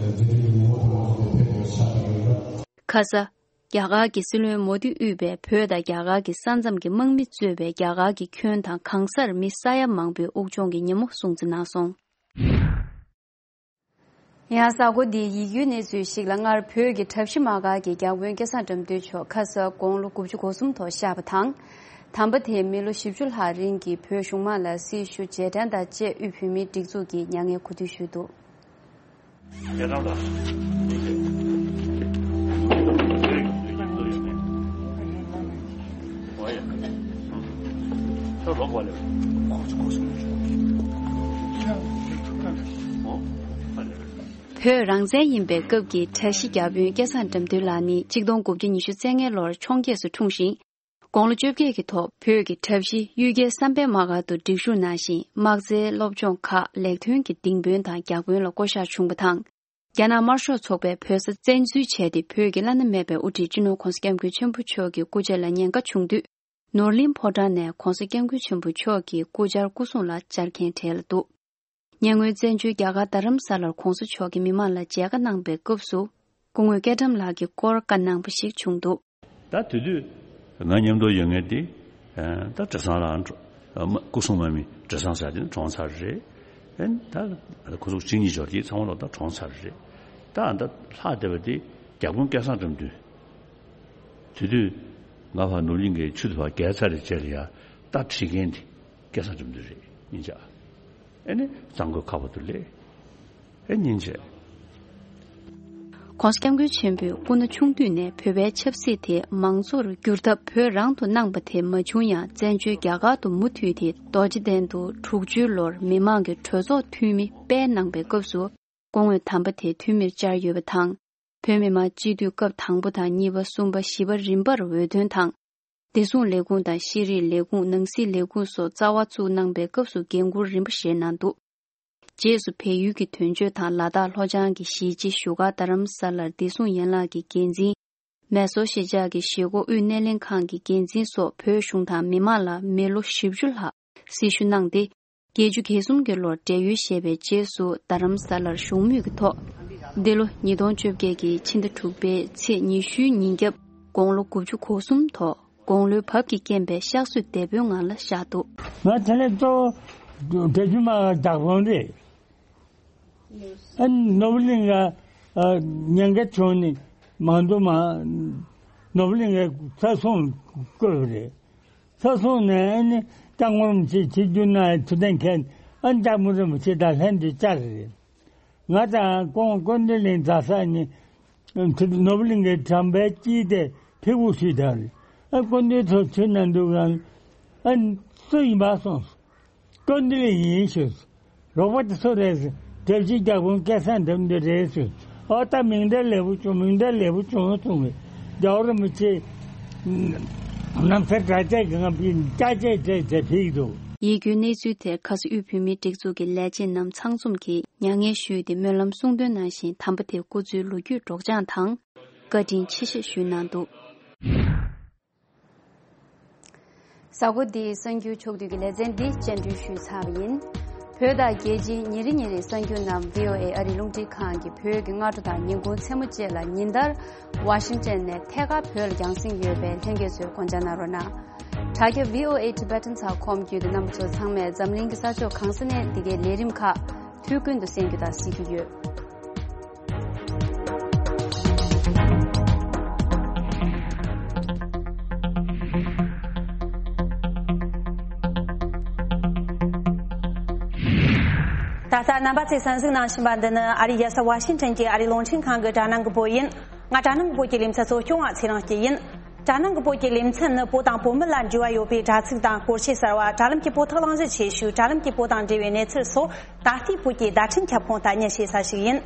མཛད་རིམ་གྱི་ངོ་བོ་དུ་ང་ཚོ་དེ་ཕེབས་པའི་ཆ་ལ་ཡོད་རེད། ཁ་ས། རྒྱ་གར་གྱི་སྲིད་བློན་མོ་དི་དབུས་པས་བོད་དང་རྒྱ་གར་གྱི་ས་མཚམས་ཀྱི་དམག་མི་གཙོས་པའི་རྒྱ་གར་གྱི་ཁྱོན་དང་གང་སར་མི་ས་ཡ་མང་པོས་དབུགས་སྦྱོང་གི་ཉིན་མོ་སྲུང་བརྩི་གནང་སོང་། ཡང་གཟའ་འཁོར་འདིའི་ཡིད་སྐྱོའི་གནས་ཚུལ་ཞིག་ལ། སྔར་བོད་ཀྱི་གྲྭ་བཞི་མ་གར་གྱི་རྒྱ་དཔོན་སྐལ་བཟང་དགྲ་འདུལ་མཆོག་ཁ་ས་དགུང་ལོ་དགུ་བཅུ་གོ་གསུམ་ཐོག་གཤེགས་པ་དང་། དམ་པ་དེས་མི་ལོ་བཞི་བཅུ་ལྷག་རིང་གི་བོད་གཞུང་མང་ལ་སྲི་ཞུ་རྗེས་དྲན་དང་བཅས་དབུས་བོད་མིའི་སྒྲིག་འཛུགས་ཀྱིས་མྱ་ངན་གུས་འདུད་ཞུས་འདུག། བོད་རང་བཙན་ཡིན་པའི་སྐབས་ཀྱི་གྲྭ་བཞི་བརྒྱ་དཔོན་སྐལ་བཟང་དགྲ་འདུལ་ལགས་ནི་གཅིག་སྟོང་དགུ་བརྒྱ་ཉི་ཤུ་རྩ་ལྔའི་ལོར་འཕྱོངས་རྒྱས་སུ་འཁྲུངས་ཤིང་། དགུང་ལོ་བཅོ་བརྒྱད་ཀྱི་ཐོག་བོད་ཀྱི་གྲྭ་བཞི་གཡུལ་རྒྱལ་བསམ་འཕེལ་དམག་སྒར་དུ་སྒྲིག་ཞུགས་གནང་ཞིང་། དམག་རྩལ་སློབ་སྦྱོང་ཁག་ལེགས་ཐོན་གྱི་ལྡིང་དཔོན་དང་བརྒྱ་དཔོན་ལ་བསྐོ་གཞག་བྱུང་བ་དང་། རྒྱ་ནག་དམར་ཤོག་ཚོགས་པས་བོད་ས་བཙན་འཛུལ་བྱས་ཏེ། བོད་ཀྱི་བླ་ན་མེད་པའི་དབུ་ཁྲིད་སྤྱི་ནོར་༧གོང་ས་༧སྐྱབས་མགོན་ཆེན་པོ་མཆོག་གི་སྐུ་ཕྱྭ་ལ་ཉེན་ཁ་བྱུང་དུས། ནོར་གླིང་ཕོ་བྲང་ནས་༧གོང་ས་༧སྐྱབས་མགོན་ཆེན་པོ་མཆོག་གི་སྐུ་བཅར་སྐུ་སྲུང་ལ་བཅར་མཁན་གྲས་ལ་འདུག་ཉེ་སྔོན་བཙན་བྱོལ་རྒྱ་གར་རྡ་རམ་ས་ལར་༧གོང་ས་མཆོག་གིས་མི་མང་ལ་མཇལ་ཁ་གནང་པའི་སྐབས་སུ། སྐུ་ངོ་སྐལ་བཀྲམ་ལགས་ཀྱིས་སྐོར་བཀའ་གནང་པ་ཞིག་བྱུང་འདུག་ད་དེ་དུས་ང་མཉམ་དུ་ཡོད་མཁན་དེ། ད་བྲེ་སྲང་ལ་སྐུ་སྲུང་མ་མི་བྲེ་སྲང་ཟེར་དེ་ནི་གྲོངས་ཚར་རེད། ད་ཁོ་ཚོ་གཅིག་གཉིས་འབྱོར་དེ་ཚང་མ་ལོ་ད་གྲོངས་ཚར་རེད། ད་ད་ལྷག་བསྡད་པ་དེ་བརྒྱ་དཔོན་སྐལ་བཟང་དགྲ་འདུལ། དེ་དུས་ང་ཕར་ནོར་གླིང་གི་ཆུ་དེ་ཕར་བརྒལ་ཚར་རེད་བྱས་ལ་ཡ་རྟ་ཁྲིད་མཁན་དེ་སྐལ་བཟང་དགྲ་འདུལ་རེད་ཡིན་ཅག་ཨེ་ནི་གཙང་པོའི་ཁ་བ་དུ་ལས་ཨེ་ཉིན་བྱས། ༸གོང་ས་༸སྐྱབས་མགོན་ཆེན་པོས་སྐུ་ན་ཆུང་དུས་ནས་བོད་པའི་ཆབ་སྲིད་དེ་མང་གཙོར་བསྒྱུར་ཐབས་བོད་རང་དུ་གནང་པ་དེ་མ་བྱུང་ཡང་། བཙན་བྱོལ་རྒྱ་གར་དུ་མུ་མཐུད་དེ་རྡོ་རྗེ་གདན་དུ་དྲུག་ཅུའི་ལོར་མི་མང་གི་གྲོས་ཚོགས་འཐུས་མི་སྤེལ་གནང་པའི་སྐབས་སུ། སྐུ་ངོས་དམ་པ་དེ་འཐུས་མིར་བཅར་ཡོད་པ་དང་། བོད་མི་མང་སྤྱི་འཐུས་སྐབས་དང་པོ་དང་གཉིས་པ། གསུམ་པ། བཞི་པ་རིམ་པར་འོས་ཐོན་དང་། བདེ་སྲུང་ལས་ཁུངས་དང་། ཤེས་རིག་ལས་ཁུངས། ནང་སྲིད་ལས་ཁུངས་སོགས་རྩ་བ་བཙུགས་གནང་པའི་སྐབས་སུ་འགན་འཁུར་རིམ་པ་བཞེས་གནང་འདུག་རྗེས་སུ་བལ་ཡུལ་གྱི་དོན་གཅོད་དང་ལ་དྭགས་ལྷོ་བྱང་གི་གཞིས་བྱེས་བཞུགས་སྒར་རྡ་རམ་ས་ལར་བདེ་སྲུང་ཡན་ལག་གི་འགན་འཛིན། མེ་སོར་གཞིས་ཆགས་ཀྱི་གཞིས་འགོ་དབུས་སྣེ་ལེན་ཁང་གི་འགན་འཛིན་སོགས་བོད་གཞུང་དང་མི་མང་ལ་མི་ལོ་བཞི་བཅུ་ལྷག་སྲི་ཞུ་གནང་སྟེ། བརྒྱད་ཅུ་གྱ་གསུམ་གྱི་ལོར་བགྲེས་ཡོལ་བཞེས་པའི་རྗེས་སུ་རྡ་རམ་ས་ལར་བཞུགས་མུས་ཀྱི་ཐོག་འདི་ལོ་ཉིས་སྟོང་བཅོ་བརྒྱད་ཀྱི་ཕྱི་ཟླ་དྲུག་པའི་ཚེས་ཉི་ཤུའི་ཉིན་རྒྱབ་དགུང་ལོ་དགུ་བཅུ་གོ་གསུམ་ཐོག་དགུང་ལོའི་བབས་ཀྱིས་རྐྱེན་པས་གཤགས་གསོས་དེད་དཔོན་ངང་ལ་བཞག་འདུག་ང་དེ་ནས་གཙོ་བོ་བགྲེས་ཡོལ་མ་བདག་དབང་རེད། ཨ་ནི་ནོར་བུ་གླིང་ག་ཉེན་ཁ་བྱུང་ནས་མ་འདུག་མ། ནོར་བུ་གླིང་ག་ཚ་སྲུང་བསྐོས་པ་རེད། ཚ་སྲུང་ནས་ཨ་ནི་སྐྱབས་མགོན་རིན་པོ་ཆེ་ཆིབས་བསྒྱུར་གནང་ཡ་ཐུགས་གཏན་འཁེལ། ཨ་ནི་སྐྱབས་མགོན་རིན་པོ་ཆེ་དང་ལྷན་དུ་བཅར་རེད། ང་དང་ཁོང་ཀོན་ཌི་གླིང་རྫ་ས་ནས་ནོར་བུ་གླིང་གི་དྲ་འབུལ་སྐྱིད་དེ་ཕེབས་སྒུག་ཞུས་དང་། ཨ་ཀོན་ཌི་ཚོ་ཚུད་ན་འདུག་ག་ཨ་སུ་ཡིན་པ་སོང་། ཀོན་ཌི་ལི་ཡིན་ཞུས། རོགས་པ་དེ་སུ་རེད་ཟེར། དེ་བཞིན་རྒྱལ་པོ་སྐལ་བཟང་འདེམས་འདི་རེད་ཟེར། ཨོ་ད་མིང་གྲགས་ལེགས་པོ་བྱུང་། མིང་གྲགས་ལེགས་པོ་བྱུང་གསུངས་པས། རྒྱལ་བ་རིན་པོ་ཆེ་ནམ་མཁའི་གྲགས་ཅན་གྱི་ང་བི་ཀྱ་ཅེ་ཅེ་ཅེ་ཕིག་འདུག་ཡིད་སྐྱོའི་གནས་ཚུལ་དེར་ཁ་སང་དབུས་བོད་མིའི་སྒྲིག་འཛུགས་ཀྱི་ལས་བྱེད་རྣམས་ཚང་འཛོམས་ཀྱིས་མྱ་ངན་ཞུས་ཏེ་སྨོན་ལམ་གསུང་འདོན་གནང་བཞིན། དམ་པ་དེའི་སྐུ་ཚེའི་ལོ་རྒྱུས་སྒྲོག་སྦྱང་དང་བཀའ་དྲིན་ཆེ་བཞེས་ཞུས་གནང་འདུག་གཟའ་འཁོར་འདིའི་གསར་འགྱུར་ཕྱོགས་བསྡུས་ཀྱི་ལེ་ཚན་འདི་སྤྱན་འབུལ་ཞུས་ཚར་བ་ཡིན། བོད་དང་རྒྱལ་སྤྱིའི་ཉིན་རེ་ཉིན་རེའི་གསར་འགྱུར་རྣམས་བྷི་ཨོ་ཨེ་ཨ་རིའི་རླུང་འཕྲིན་ཁང་གི་བོད་ཀྱི་སྔ་དྲོ་དང་ཉིན་གུང་མཚན་མོ་བཅས་ལ་ཉིན་ལྟར་ཝ་ཤིང་ཊོན་ནས་ཐད་ཀར་བོད་ལ་རྒྱང་སྲིང་ཡོད་པའི་ལྷན་རྒྱས་ཚོས་སྐོང་འཇགས་གནང་རོགས་གནང་། དྲ་རྒྱ་བྷི་ཨོ་ཨེ་ཊི་བྷེ་ཊན་ཚགས་ཁོམ་བརྒྱུད་དུ་རྣམ་པ་ཚོ་ཚང་མས་འཛམ་གླིང་གི་ས་ཕྱོགས་གང་ས་ནས་འདི་གའི་ལས་རིམ་ཁག་དུས་ཀུན་ཏུ་གསན་རྒྱུ་དང་གཟིགས་རྒྱུ་ཡོད། ད་ལྟ་རྣམ་པ་ཚོས་གསན་གཟིགས་གནང་བཞིན་པ་འདི་ནི་ཨ་རིའི་རྒྱལ་ས་ཝ་ཤིང་ཊོན་གྱི་ཨ་རིའི་རླུང་འཕྲིན་ཁང་གི་དྲ་སྣང་གི་བོད་ཡིན། ང་དྲ་སྣང་གི་བོད་ཀྱི་ལེ་ཚན་གཙོ་སྐྱོང་བ་ཚེ་རིང་སྐྱིད་ཡིན། དྲ་སྣང་གི་བོད་ཀྱི་ལེ་ཚན་ནི་བོད་དང་བོད་མི་ལ་འབྲེལ་བ་ཡོད་པའི་དྲ་ཚིགས་དང་སྐོར་ཆས་གསར་བ། དྲ་ལམ་གྱི་བོད་ཐོག་གླེང་གཞི་ཆེ་ཤོས། དྲ་ལམ་གྱི་བོད་དང་འབྲེལ་བའི་གནས་ཚུལ་སོགས་ད་ལྟའི་བོད་ཀྱི་བརྡ་འཕྲིན་ཁྱབ་ཁོངས་ལྟ་ཉན་བྱེད་ས་ཞིག་ཡིན།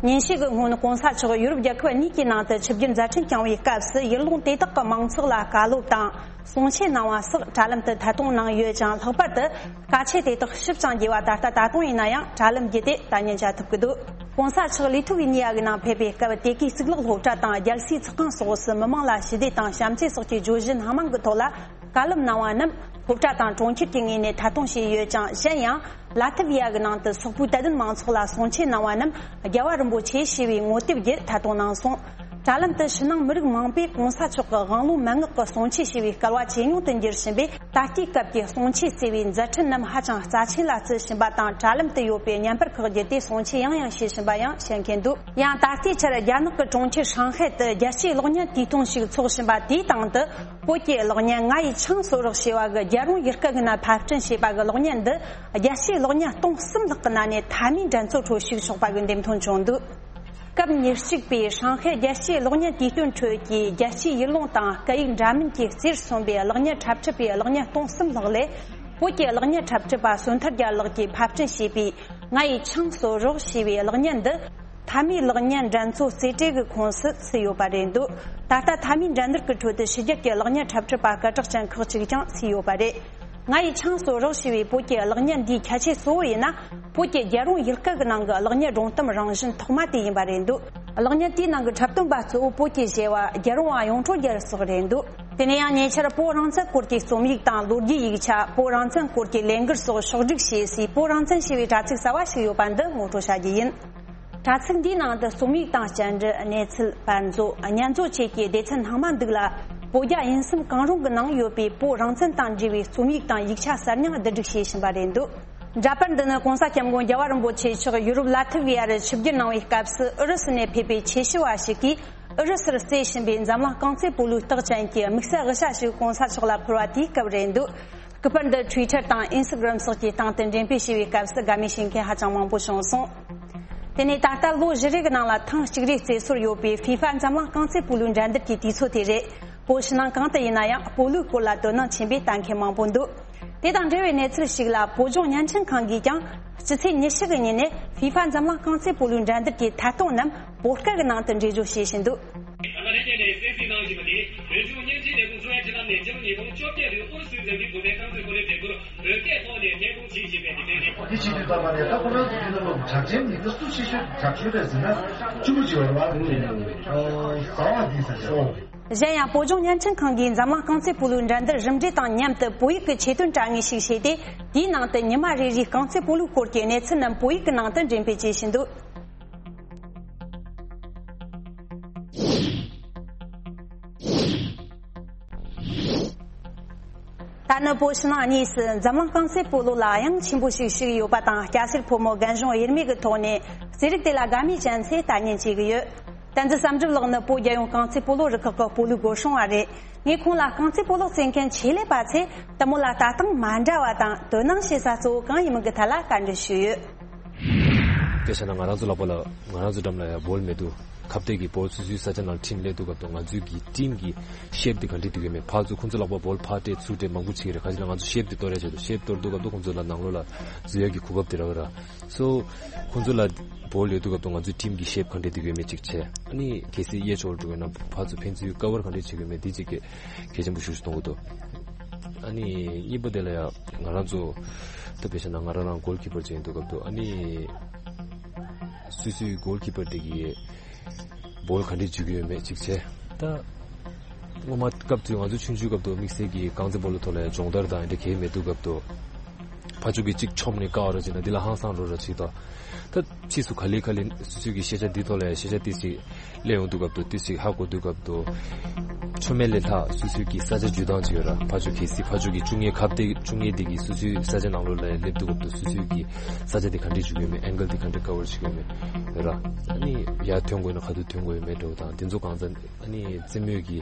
ཉིན་ཤས་ཀྱི་སྔོན་གོང་ས་མཆོག་ཡུ་རོབ་རྒྱལ་ཁབ་གཉིས་ཀྱི་ནང་དུ་ཆིབས་བསྒྱུར་མཛད་འཕྲིན་བསྐྱངས་པའི་སྐབས་སུ་ཡུལ་ལུང་དེ་དག་གི་མང་ཚོགས་ལ་བཀའ་སློབ་དང་གསུང་ཆོས་གནང་བ་སོགས་དྲ་ལམ་དུ་ཐད་གཏོང་གནང་ཡོད་ཅིང་། ལྷག་པར་དུ་བཀའ་ཆོས་དེ་དག་ཞིབ་ཅིང་རྒྱས་པ་ད་ལྟ་ད་དུང་ཡིན་ན་ཡང་དྲ་ལམ་བརྒྱུད་དེ་ལྟ་ཉན་བྱ་ཐུབ་ཀྱི་འདུག་གོང་ས་མཆོག་ལི་ཐུ་ཝི་ནི་ཡ་གི་ནང་ཕེབས་པའི་སྐབས་དེ་གའི་གཙུག་ལག་སློབ་གྲྭ་དང་རྒྱལ་སའི་ཚོགས་ཁང་སོགས་སུ་མི་མང་ལ་ཞི་བདེ་དང་བྱམས་བརྩེ་སོགས་ཀྱི་བརྗོད་གཞི་སྣ་མང་གི་ཐོག་ལ་བཀའ་སློབ་གནང་བ་རྣམས་སློབ་གྲྭ་དང་གྲོང་ཁྱེར་གྱི་ངོས་ནས་ཐད་གཏོང་བྱས་ཡོད་ཅིང་། གཞན་ཡང་ལ་ཐི་བི་ཡ་གི་ནང་དུ་སོག་པོའི་དད་ལྡན་མང་ཚོགས་ལ་གསུང་ཆོས་གནང་བ་རྣམས་རྒྱལ་བ་རིན་པོ་ཆེ་ཞེས་པའི་ངོ་དེབ་བརྒྱུད་ཐད་གཏོང་གནང་སོང་། དྲ་ལམ་དུ་ཕྱི་ནང་མི་རིགས་མང་པོས་གོང་ས་མཆོག་གི་དབང་ལུང་མན་ངག་གི་གསུང་ཆོས་ཞེས་པའི་སྐལ་བ་ཇེ་ཉུང་དུ་འགྱུར་བཞིན་པས། ད་ལྟའི་སྐབས་ཀྱི་གསུང་ཆོས་ཟེར་བའི་མཛད་འཕྲིན་རྣམས་ཧ་ཅང་རྩ་ཆེན་ལ་བརྩི་བཞིན་པ་དང་། དྲ་ལམ་དུ་ཡོད་པའི་བརྙན་པར་ཁག་བརྒྱུད་དེ་གསུང་ཆོས་ཡང་ཡང་བྱེད་བཞིན་པ་ཡང་བཤད་མཁན་འདུག་ཡང་ད་ལྟའི་ཆར་རྒྱ་ནག་གི་གྲོང་ཁྱེར་ཧྲང་ཧའེ་དུ་རྒྱལ་སྤྱིའི་གློག་བརྙན་དུས་སྟོན་ཞིག་འཚོགས་བཞིན་པ་དེའི་སྟེང་དུ། བོད་ཀྱི་གློག་བརྙན་ང་ཡི་ཆང་གསོལ་རོགས་ཞེས་པ་གི་རྒྱལ་རོང་ཡུལ་སྐད་ཀྱི་ནང་ཕབ་སྐྲུན་བྱས་པ་གི་གློག་བརྙན་འདི་རྒྱལ་སྤྱིའི་གློག་བརྙན་སྟོང་གསུམ་ལྷག་གི་ནང་ནས་མཐའ་མའི་འགྲན་རྩོད་ཁྲོད་ཞུགས་ཆོག་པ་གི་འདེམས་ཐོན་བྱུང་འདུག་སྐབས་ཉེར་གཅིག་པའི་ཧྲང་ཧའེ་རྒྱལ་སྤྱིའི་གློག་བརྙན་དུས་སྟོན་ཁྲོད་ཀྱི་རྒྱལ་སྤྱིའི་ཡུལ་ལུང་དང་སྐད་ཡིག་འདྲ་མིན་གྱི་རྩིར་སོན་པའི་གློག་བརྙན་འཁྲབ་ཁྲིད་པའི་གློག་བརྙན་སྟོང་གསུམ་ལྷག་ལས། བོད་ཀྱི་གློག་བརྙན་འཁྲབ་ཁྲིད་པ་བསོད་ཐར་རྒྱལ་ལགས་ཀྱིས་ཕབ་སྐྲུན་བྱས་པའི་ང་ཡི་ཆང་གསོལ་རོགས་ཞེས་པའི་གློག་བརྙན་འདི། མཐའ་མའི་གློག་བརྙན་འགྲན་རྩོད་རྩེ་གྲས་ཀྱི་ཁོངས་སུ་ཚུད་ཡོད་པ་རེད་འདུག་ད་ལྟ་མཐའ་མའི་འགྲན་བསྡུར་གྱི་ཁྲོད་དུ་ཕྱི་རྒྱལ་གྱི་གློག་བརྙན་འཁྲབ་ཁྲིད་པ་སྐད་གྲགས་ཅན་ཁག་ཅིག་ཀྱང་ཚུད་ཡོད་པ་རེད། ང་ཡི་ཆང་གསོལ་རོགས་ཞེས་པའི་བོད་ཀྱི་གློག་བརྙན་འདིའི་ཁྱད་ཆོས་གཙོ་བོ་ཡིན་ན། བོད་ཀྱི་རྒྱལ་རོང་ཡུལ་སྐད་ཀྱི་ནང་གི་གློག་བརྙན་སྒྲུང་གཏམ་རང་བཞིན་ཐོག་མ་དེ་ཡིན་པ་རེད་འདུག་གློག་བརྙན་དེའི་ནང་གི་འཁྲབ་སྟོན་པ་གཙོ་བོ་བོད་ཀྱི་བྱ་བ་རྒྱལ་རོང་བ་ཡོངས་གྲོགས་རྒྱལ་སོགས་རེད་འདུག་དེ་ནས་ཡང་ཉེ་ཆར་བོད་རང་བཙན་སྐོར་གྱི་རྩོམ་ཡིག་དང་ལོ་རྒྱུས་ཡིག་ཆ། བོད་རང་བཙན་སྐོར་གྱི་ལས་འགུལ་སོགས་ཕྱོགས་བསྒྲིགས་བྱས་སའི་བོད་རང་བཙན་ཞེས་པའི་དྲ་ཚིགས་གསར་བ་ཞིག་ཡོད་པ་འདི་ངོ་སྤྲོད་བྱ་རྒྱུ་ཡིན། དྲ་ཚིགས་འདིའི་ནང་དུ་རྩོམ་ཡིག་དང་བཅར་འདྲི། གནས་ཚུལ། པར་མཛོད། བརྙན་མཛོད་བཅས་ཀྱི་སྡེ་ཚན་སྣ་མང་འདུག་ལ། བོད་རྒྱ་དབྱིན་གསུམ་གང་རུང་གི་ནང་ཡོད་པའི་བོད་རང་བཙན་དང་འབྲེལ་བའི་རྩོམ་ཡིག་དང་ཡིག་ཆ་གསར་རྙིང་བསྡུ་སྒྲིག་བྱས་ཕྱིན་པ་རེད་འདུག་འདྲ་པར་འདི་ནི་༸གོང་ས་༸སྐྱབས་མགོན་རྒྱལ་བ་རིན་པོ་ཆེ་མཆོག་ཡུ་རོབ་ལ་ཐི་ཝི་ཡ་རུ་ཆིབས་བསྒྱུར་གནང་བའི་སྐབས་སུ་ཨུ་རུ་སུ་ནས་ཕེབས་པའི་ཆོས་ཞུ་བ་ཞིག་གིས་ཨུ་རུ་སུར་རྩེ་བཞིན་པའི་འཛམ་གླིང་རྐང་རྩེད་སྤོ་ལོའི་རྟགས་ཅན་གྱི་དམིགས་བསལ་དབུ་ཞྭ་ཞིག་༸གོང་ས་མཆོག་ལ་ཕུལ་བ་དེའི་སྐབས་རེད་འདུག་སྐུ་པར་འདི་Twitter་དང་Instagram་སོགས་ཀྱི་སྟེང་དུ་འགྲེམས་སྤེལ་བྱས་པའི་སྐབས་སུ་དགའ་མོས་བྱེད་མཁན་ཧ་ཅང་མང་པོ་བྱུང་སོང་། དེ་ནས་ད་ལྟ་ལོ་བཞི་རེ་གི་ནང་ལ་ཐེངས་གཅིག་རེ་རྩེ་སྲོལ་ཡོད་པའི་ཧྥི་ཧྥ་འཛམ་གླིང་རྐང་རྩེད་སྤོ་ལོའི་འགྲན་བསྡུར་གྱི་དུས་ཚོད་དེ་རེད། བོད་ཕྱི་ནང་གང་དུ་ཡིན་ན་ཡང་སྤོ་ལོའི་སྐོར་ལ་དོ་སྣང་ཆེན་པོས་ལྟ་མཁན་མང་པོ་འདུག་དེ་དང་འབྲེལ་བའི་གནས་ཚུལ་ཞིག་ལ། བོད་ལྗོངས་བརྙན་འཕྲིན་ཁང་གིས་ཀྱང་སྤྱི་ཚེས་ཉི་ཤུ་གི་ཉིན་ནས་ཧྥི་ཧྥ་འཛམ་གླིང་རྐང་རྩེད་སྤོ་ལོའི་འགྲན་བསྡུར་གྱི་ཐད་གཏོང་རྣམས་བོད་སྐད་ཀྱི་ནང་དུ་འགྲེལ་བརྗོད་བྱེད་བཞིན་འདུག་ད་ལྟ་རེ་གཉིས་ནས་གསན་གཟིགས་གནང་བཞིན་པ་དེ་བོད་ལྗོངས་བརྙན་འཕྲིན་ལས་ཁུངས་གཙོ་བྱས་ཁྲིམས་ལམ་ནས་སྤྱི་ལོ་ཉིས་སྟོང་བཅོ་བརྒྱད་ལོའི་ཨུ་རུ་སུའི་འཛམ་གླིང་བུད་མེད་རྐང་རྩེད་སྤོ་ལོའི་འགྲན་བསྡུར་བོད་སྐད་ཐོག་ནས་སྙན་སྒྲོན་བྱེད་བཞིན་པའི་དེ་འདྲའི་རེད། འདི་བྱེད་དུས་ཙམ་པ་ནས་ད་ཁོ་རང་ཚོ་འདི་ལ་ལོ་གྲགས་ཅན་མི་སྣ་སུ་ཆེ་ཤོས་གྲགས་ཤོས་རེད་ཟེར་ན་གཅུང་པོ་བྱེད་པ་རེད་བ། ཨོ་ཟླ་བ་འདི་ས་ཆ་ཨོ། གཞན་ཡང་བོད་ལྗོངས་བརྙན་འཕྲིན་ཁང་གིས་འཛམ་གླིང་རྐང་རྩེད་སྤོ་ལོའི་འགྲན་བསྡུར་གྲུབ་འབྲས་དང་མཉམ་དུ་བོད་ཡིག་གི་ཆེད་དོན་དྲ་ངོས་ཤིག་བྱས་ཏེ། དེའི་ནང་དུ་ཉི་མ་རེ་རེའི་རྐང་རྩེད་སྤོ་ལོའི་སྐོར་གྱི་གནས་ཚུལ་རྣམས་བོད་ཡིག་གི་ནང་དུ་འགྲེམས་སྤེལ་བྱེད་བཞིན་འདུག་ད་ནི་བོད་ཕྱི་ནང་གཉིས་སུ་འཛམ་གླིང་རྐང་རྩེད་སྤོ་ལོ་ལ་དབྱངས་ཆེན་པོ་ཞིག་ཞུགས་ཡོད་པ་དང་། སྐྱ་སེར་ཕོ་མོ་རྒན་གཞོན་དབྱེར་མེད་ཀྱི་ཐོག་ནས་རྩེད་རིགས་དེ་ལ་དགའ་མོས་ཅན་ཚོས་ལྟ་ཉན་བྱེད་ཀྱི་ཡོད། བསྟན་འཛིན་བསམ་གྲུབ་ལགས་ནི་བོད་རྒྱལ་ཡོངས་རྐང་རྩེད་སྤོ་ལོ་རུ་ཁག་གི་སྤོ་ལོའི་སྐོར་སྲུང་བ་རེད། ངས་ཁོང་ལ་རྐང་རྩེད་སྤོ་ལོ་རྩེད་མཁན་ཆེད་ལས་པ་ཚོས་དེ་མོ་ལ་ལྟ་སྟངས་མ་འདྲ་བ་དང་དོ་སྣང་བྱེད་ས་གཙོ་བོ་གང་ཡིན་མིན་གྱི་ཐད་ལ་བཀའ་འདྲི་ཞུས་ཡོད། དཔེ་བཞག་ན་ང་རང་ཚོ་ལག་པ་ལ་ང་རང་ཚོ་འགྲམ་ལ་ཡ་བོལ་མེད་དུས་ཁ་གཏད་ཀྱི་བོལ་སོ་སོའི་ས་ཆ་ནང་ཁྲིད་སླེབས་དུས་སྐབས་དུ་ང་ཚོའི་གི་ཊིམ་གི་ཤེབ་དེ་ག་འདྲས་འདུག་གི་མེད། ཕར་ཚུར་ཁོང་ཚོ་ལག་པ་བོལ་ཕར་སྤྲད་ཚུར་སྤྲད་མང་པོ་བྱེད་ཀྱི་རེད། ཁ་ཅིག་ལ་ང་ཚོ་ཤེབ་དེ་གཏོར་ཡ་བྱེད་དུ་ཤེབ་གཏོར་དུས་སྐབས་དུ་ཁོང་ཚོ་ལ་ནང་ལོགས་ལ་འཛུལ་ཡ་གི་གོ་སྐབས་དེ་རག་གི་ར། སོ་ཁོང་ཚོ་ལ་བོལ་ཡོད་དུས་སྐབས་དུ་ང་ཚོའི་ཊིམ་གི་ཤེབ་ག་འདྲས་འདུག་གི་མེད་ཅིག་བྱས། ཨ་ནི་གལ་སྲིད་གཡས་ཕྱོགས་འགྲོ་གི་ན་ཕར་ཚུར་ཕན་ཚུན་ཀ་བར་ག་འདྲས་བྱེད་ཀྱི་མེད་དེ་གཅིག་གི་གལ་ཆེན་པོ་ཞིག་གཏོང་གི་འདུག་ཨ་ནི་གཉིས་པ་དེ་ལ་ཡ་ང་རང་ཚོ་ད་དཔེ་བཞག་ན་ང་རང་རང་གོལ་ཀི་པར་ཅིག་ཡིན་དུས་སྐབས་དུ་ཨ་ནི་སོ་སོའི་གོལ་ཀི་པར་དེ་གིས་བོལ་ག་འདྲས་འཇུ་གི་ཡོད་མེད་ཅིག་བྱས། ད་སྔོན་མ་སྐབས་དུས་ང་ཚོ་ཆུང་ཆུང་སྐབས་དུ་དམིགས་བསལ་གྱི་རྐང་རྩེད་སྤོ་ལོ་ཐོག་ལ་ཡ་སྦྱོང་བརྡར་དང་ཨེ་འདྲ་གས་མེད་དུས་སྐབས་དུ་ཕར་ཕྱོགས་ཀྱི་གཅིག་མཆོངས་ནས་བཀག་ར་བྱས་ན་འདི་ལ་ཧང་སང་འགྲོ་ར་བྱེད་དོ། ད་ཕྱིས་སུ་ག་ལེ་ག་ལེ་སོ་སོའི་གི་ཤེས་བྱ་འདི་ཐོག་ལ་ཡ་ཤེས་བྱ་ཏིས་ཅིག་སླེབས་ཡོང་དུས་སྐབས་དུ་ཏིས་ཅིག་ཧ་གོ་དུས་སྐབས་དུ་ཆོ་མེད་ལས་ལྷག་སོ་སོའི་གི་ས་ཆ་འཇུ་སྟངས་ཅིག་ཡོད་ར། ཕར་ཕྱོགས་གལ་སྲིད་ཕར་ཕྱོགས་ཀྱི་བཅུ་གཉིས་ཁ་གཏད་བཅུ་གཉིས་དེ་གི་སོ་སོའི་ས་ཆ་ནང་ལོགས་ལ་ཡ་སླེབས་དུས་སྐབས་དུ་སོ་སོའི་གི་ས་ཆ་དེ་ག་འདྲས་འཇུ་གི་ཡོད་མེད། ཨེང་གལ་དེ་ག་འདྲས་ཀ་བར་བྱེད་ཀྱི་ཡོད་མེད་ཡོད་ར། ཨ་ནི་ཡར་ཐོན་དགོས་ན་ག་དུས་ཐོན་དགོས་ཡོད་མེད་འདྲ་བོ་དང་དེ་ཚོ་གང་ཚ་ཨ་ནི་རྩེད་མོའི་གི་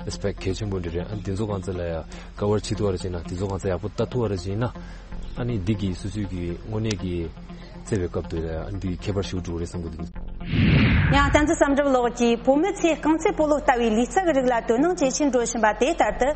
ཨེ་སི་པེག་གལ་ཆེན་པོ་འདྲ་རེད། ཨ་ནི་དེ་ཚོ་གང་ཚ་ལ་ཡ་ཀ་བར་བྱེད་ཐུབ་པ་ར་བྱས་ན་དེ་ཚོ་གང་ཚ་ཡག་པོ་ལྟ་ཐུབ་པ་ར་བྱས་ན་ཨ་ནི་འདི་གི་སོ་སོའི་གི་དངོས་གནས་ཀྱི་རྩེ་བའི་སྐབས་དུ་ལ་ཡ་ཨ་ནི་འདི་ཁྱད་པར་ཞིག་འགྲོ་གི་རེད་བསམ་གི་འདུག་ཡང་བསྟན་འཛིན་བསམ་གྲུབ་ལགས་ཀྱིས་བུད་མེད་ཚོས་རྐང་རྩེད་སྤོ་ལོ་ལྟ་བུའི་ལུས་རྩལ་གྱི་རིགས་ལ་དོ་སྣང་ཇེ་ཆེར་འགྲོ་བཞིན་པ་དེ་ལྟར་དུ།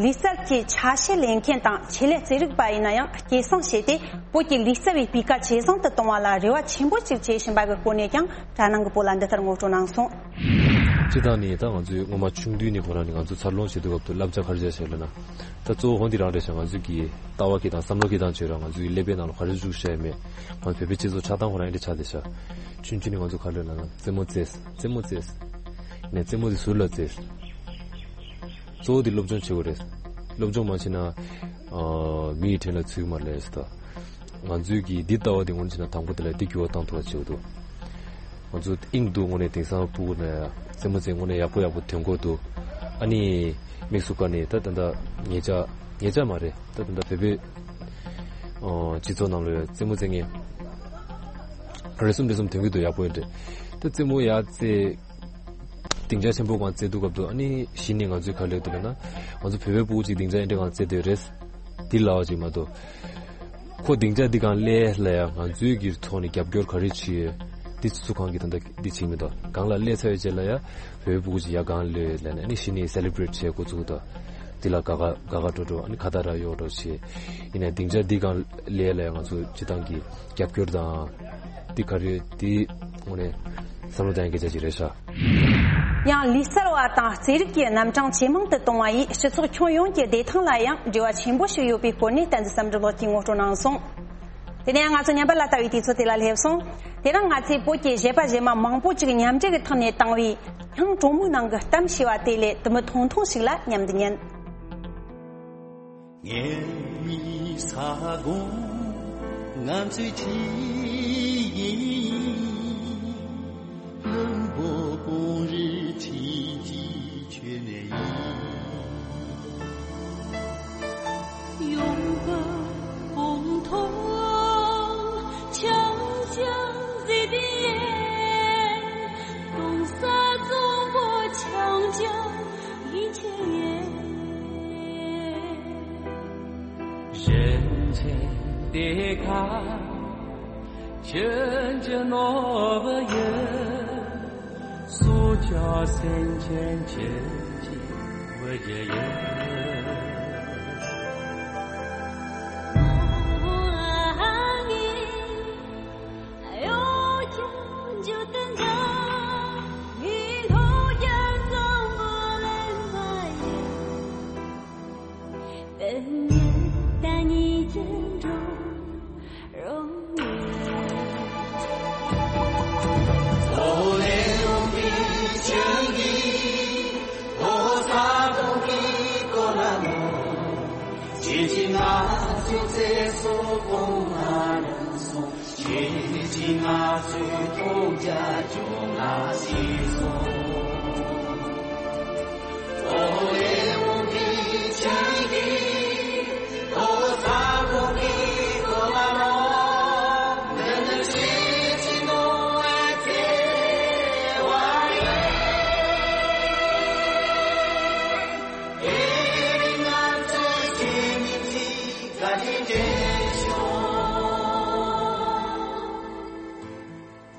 ལུས་རྩལ་གྱི་ཆ་ཤས་ལེན་མཁན་དང་ཆེད་ལས་རྩེད་རིགས་པ་ཡིན་ན་ཡང་སྐྱེད་སྲིང་བྱས་ཏེ་བོད་ཀྱི་ལུས་རྩལ་བའི་སྤུས་ཀ་ཇེ་བཟང་དུ་གཏོང་བ་ལ་རེ་བ་ཆེན་པོ་ཅིག་བྱེད་བཞིན་པ་གི་སྐོར་ནས་ཀྱང་དྲ་ནང་གི་བོད་ལ་འདི་ལྟར་ངོ་སྤྲོད་གནང་སོང་། སྤྱིར་བཏང་ནས་ད་ང་ཚོའི་སྔོན་མ་ཆུང་དུས་ནས་ཁོ་རང་ནས་ང་ཚོ་འཚར་ལོངས་བྱེད་དུས་སྐབས་དུ་བསླབ་བྱ་ག་རེ་བྱས་ལབ་ན། ད་གཙོ་བོ་འོ་འདི་རང་རེད་ཤག་ང་ཚོའི་གི་ལྟ་བ་སྐྱེལ་སྟངས་བསམ་བློ་སྐྱེལ་སྟངས་བྱས་ར་ང་ཚོའི་ཀླད་པའི་ནང་ལ་ག་རེ་བཅུག་བཞག་ཡོད་མེད། ང་ཚོ་བོད་པའི་སྤྱི་ཚོགས་ཆགས་སྟངས་ཁོ་རང་ཨེ་འདྲ་ཆགས་བསྡད་ཤག་ཆུང་ཆུང་ནས་ང་ཚོ་ག་རེ་ལབ་ན་རྩེད་མོ་རྩེས། རྩེད་མོ་རྩེས། ནས་རྩེད་མོ་དེ་ཟུར་ལ་རྩེས། གཙོ་བོ་དེ་སློབ་སྦྱོང་བྱེད་དགོས་རེད། སློབ་སྦྱོང་མ་བྱས་ན། ཨ། མི་ཡི་དྲིན་ལ་ཚུད་ཀྱི་མ་རེད་ཟེར་ད། ང་ཚོའི་གི་འདི་ལྟ་བ་དེ་སྔོན་བྱས་ན་དང་པོ་དེ་ལ་འདི་འགྱུར་བ་བཏང་ཐུབ་པ་བྱེད་དགོས་འདུག་ང་ཚོ་དབྱིངས་འདུག་དངོས་གནས་དེང་སང་ཕྲུ་གུ་ནས་རྩེད་མོ་རྩེ་དངོས་གནས་ཡག་པོ་ཡག་པོ་ཐོན་གྱི་འདུག་ཨ་ནི་དམིགས་སུ་བཀར་ནས་ད་ད་ལྟ་ཉེ་ཆར་ཉེ་ཆར་མ་རེད་ད་ད་ལྟ་བོད་པའི་ཨ་སྤྱི་ཚོགས་ནང་ལ་ཡོད་རྩེད་མོ་རྩེ་མཁན་རེ་ཟུང་རེ་ཟུང་ཐོན་གྱི་འདུག་ཡག་པོ་ཡོད་འདྲ། ད་རྩེད་མོ་ཡག་རྩེ། སྡིངས་ཆ་ཆེན་པོ་སྒང་རྩེ་དུས་སྐབས་དུ་ཨ་ནི་གཞི་ནས་ང་ཚོའི་ག་རེ་ལབ་འདུག་ལབ་ན། ང་ཚོ་བོད་པའི་ཕྲུ་གུ་ཅིག་སྡིངས་ཆ་ཨེ་འདྲ་སྒང་རྩེ་འདོད་རེད། འདི་ལབ་པ་ཅིག་མ་གཏོགས། ཁོ་སྡིངས་ཆ་འདི་སྒང་སླེབས་ལ་ཡ་ང་ཚོའི་གི་ཐོག་ནས་རྒྱབ་སྐྱོར་ག་རེ་བྱེད་ཡོད། འདི་སུ་གང་གི་ད་ལྟ་འདི་བྱེད་མི་འདུག་སྒང་ལ་སླེབས་ཚར་བའི་རྗེས་ལ་ཡ་བོད་པའི་ཕྲུ་གུ་ཅིག་ཡ་སྒང་སླེབས་ལབ་ནས་ཨ་ནི་གཞི་ནས་སེ་ལི་བྷི་རེཊ་བྱེད་འགོ་བཙུགས་འདུག་འདི་ལ་དགའ་དགའ་དགའ་དགའ་སྤྲོ་སྤྲོ། ཨ་ནི་ཁ་ཏ་ར་ཡོད་འགྲོ་ཞེས། ཡིན་ནའི་སྡིངས་ཆ་འདི་གང་ལས་ལ་ང་ཚོ་སྤྱི་བཏང་གི་རྒྱབ་སྐྱོར་དང་། འདི་ག་རེ་འདི་དངོས་གནས་བསམ་བློ་གཏོང་ཡ་གི་བྱ་གཞི་རེད་ཤག་ཡང་ལུས་གསར་བ་དང་རྩེད་རིགས་ཀྱི་རྣམ་གྲངས་ཇེ་མང་དུ་གཏོང་བ་ཡིས་སྤྱི་ཚོགས་ཁྱོན་ཡོངས་ཀྱི་བདེ་ཐང་ལ་ཡང་འབྲེལ་བ་ཆེན་པོ་ཞིག་ཡོད་པའི་སྐོར་ནས་བསྟན་འཛིན་བསམ་གྲུབ་ལགས་ཀྱིས་ངོ་སྤྲོད་གནང་སོང་། དེ་ནས་ང་ཚོ་ཉམས་པ་ལ་ལྟ་བའི་དུས་ཚོད་དེ་ལ་སླེབས་སོང་། དེ་རིང་ང་ཚོས་བོད་ཀྱི་གཞས་པ་གཞས་མ་མང་པོ་ཅིག་མཉམ་འབྲེལ་གྱི་ཐོག་ནས་བཏང་བའི་སྙིང་གྲོགས་མོའི་ནང་གི་གཏམ་ཞེས་པ་དེ་ལས་དུ་མི་ཐུང་ཐུང་ཞིག་ལ་མཉམ་དུ་ཉན། ངའི་མི་ས་གོང་ང་ཚོའི་ཁྱི་ཡིན། ལུང་པོ་གངས་རི་ཁྱི་གཅིག་ཁྱོད་ནས་ཡིན། ཡོང་འབབ་གོང་མཐོར་ཆང་ཆང་ཟི་དི་ཡེ། གདུང་ས་གཙང་པོ་ཆང་ཆང་ཡིན་ཆེ་ཡེ། གཞན་ཆེན་དེ་ཁ་ཁྱོད་ཀྱི་ནོར་བུ་ཡིན། སུ་ཅག་སེམས་ཅན་ཁྱེད་ཀྱི་བུ་རྒྱུད་ཡིན།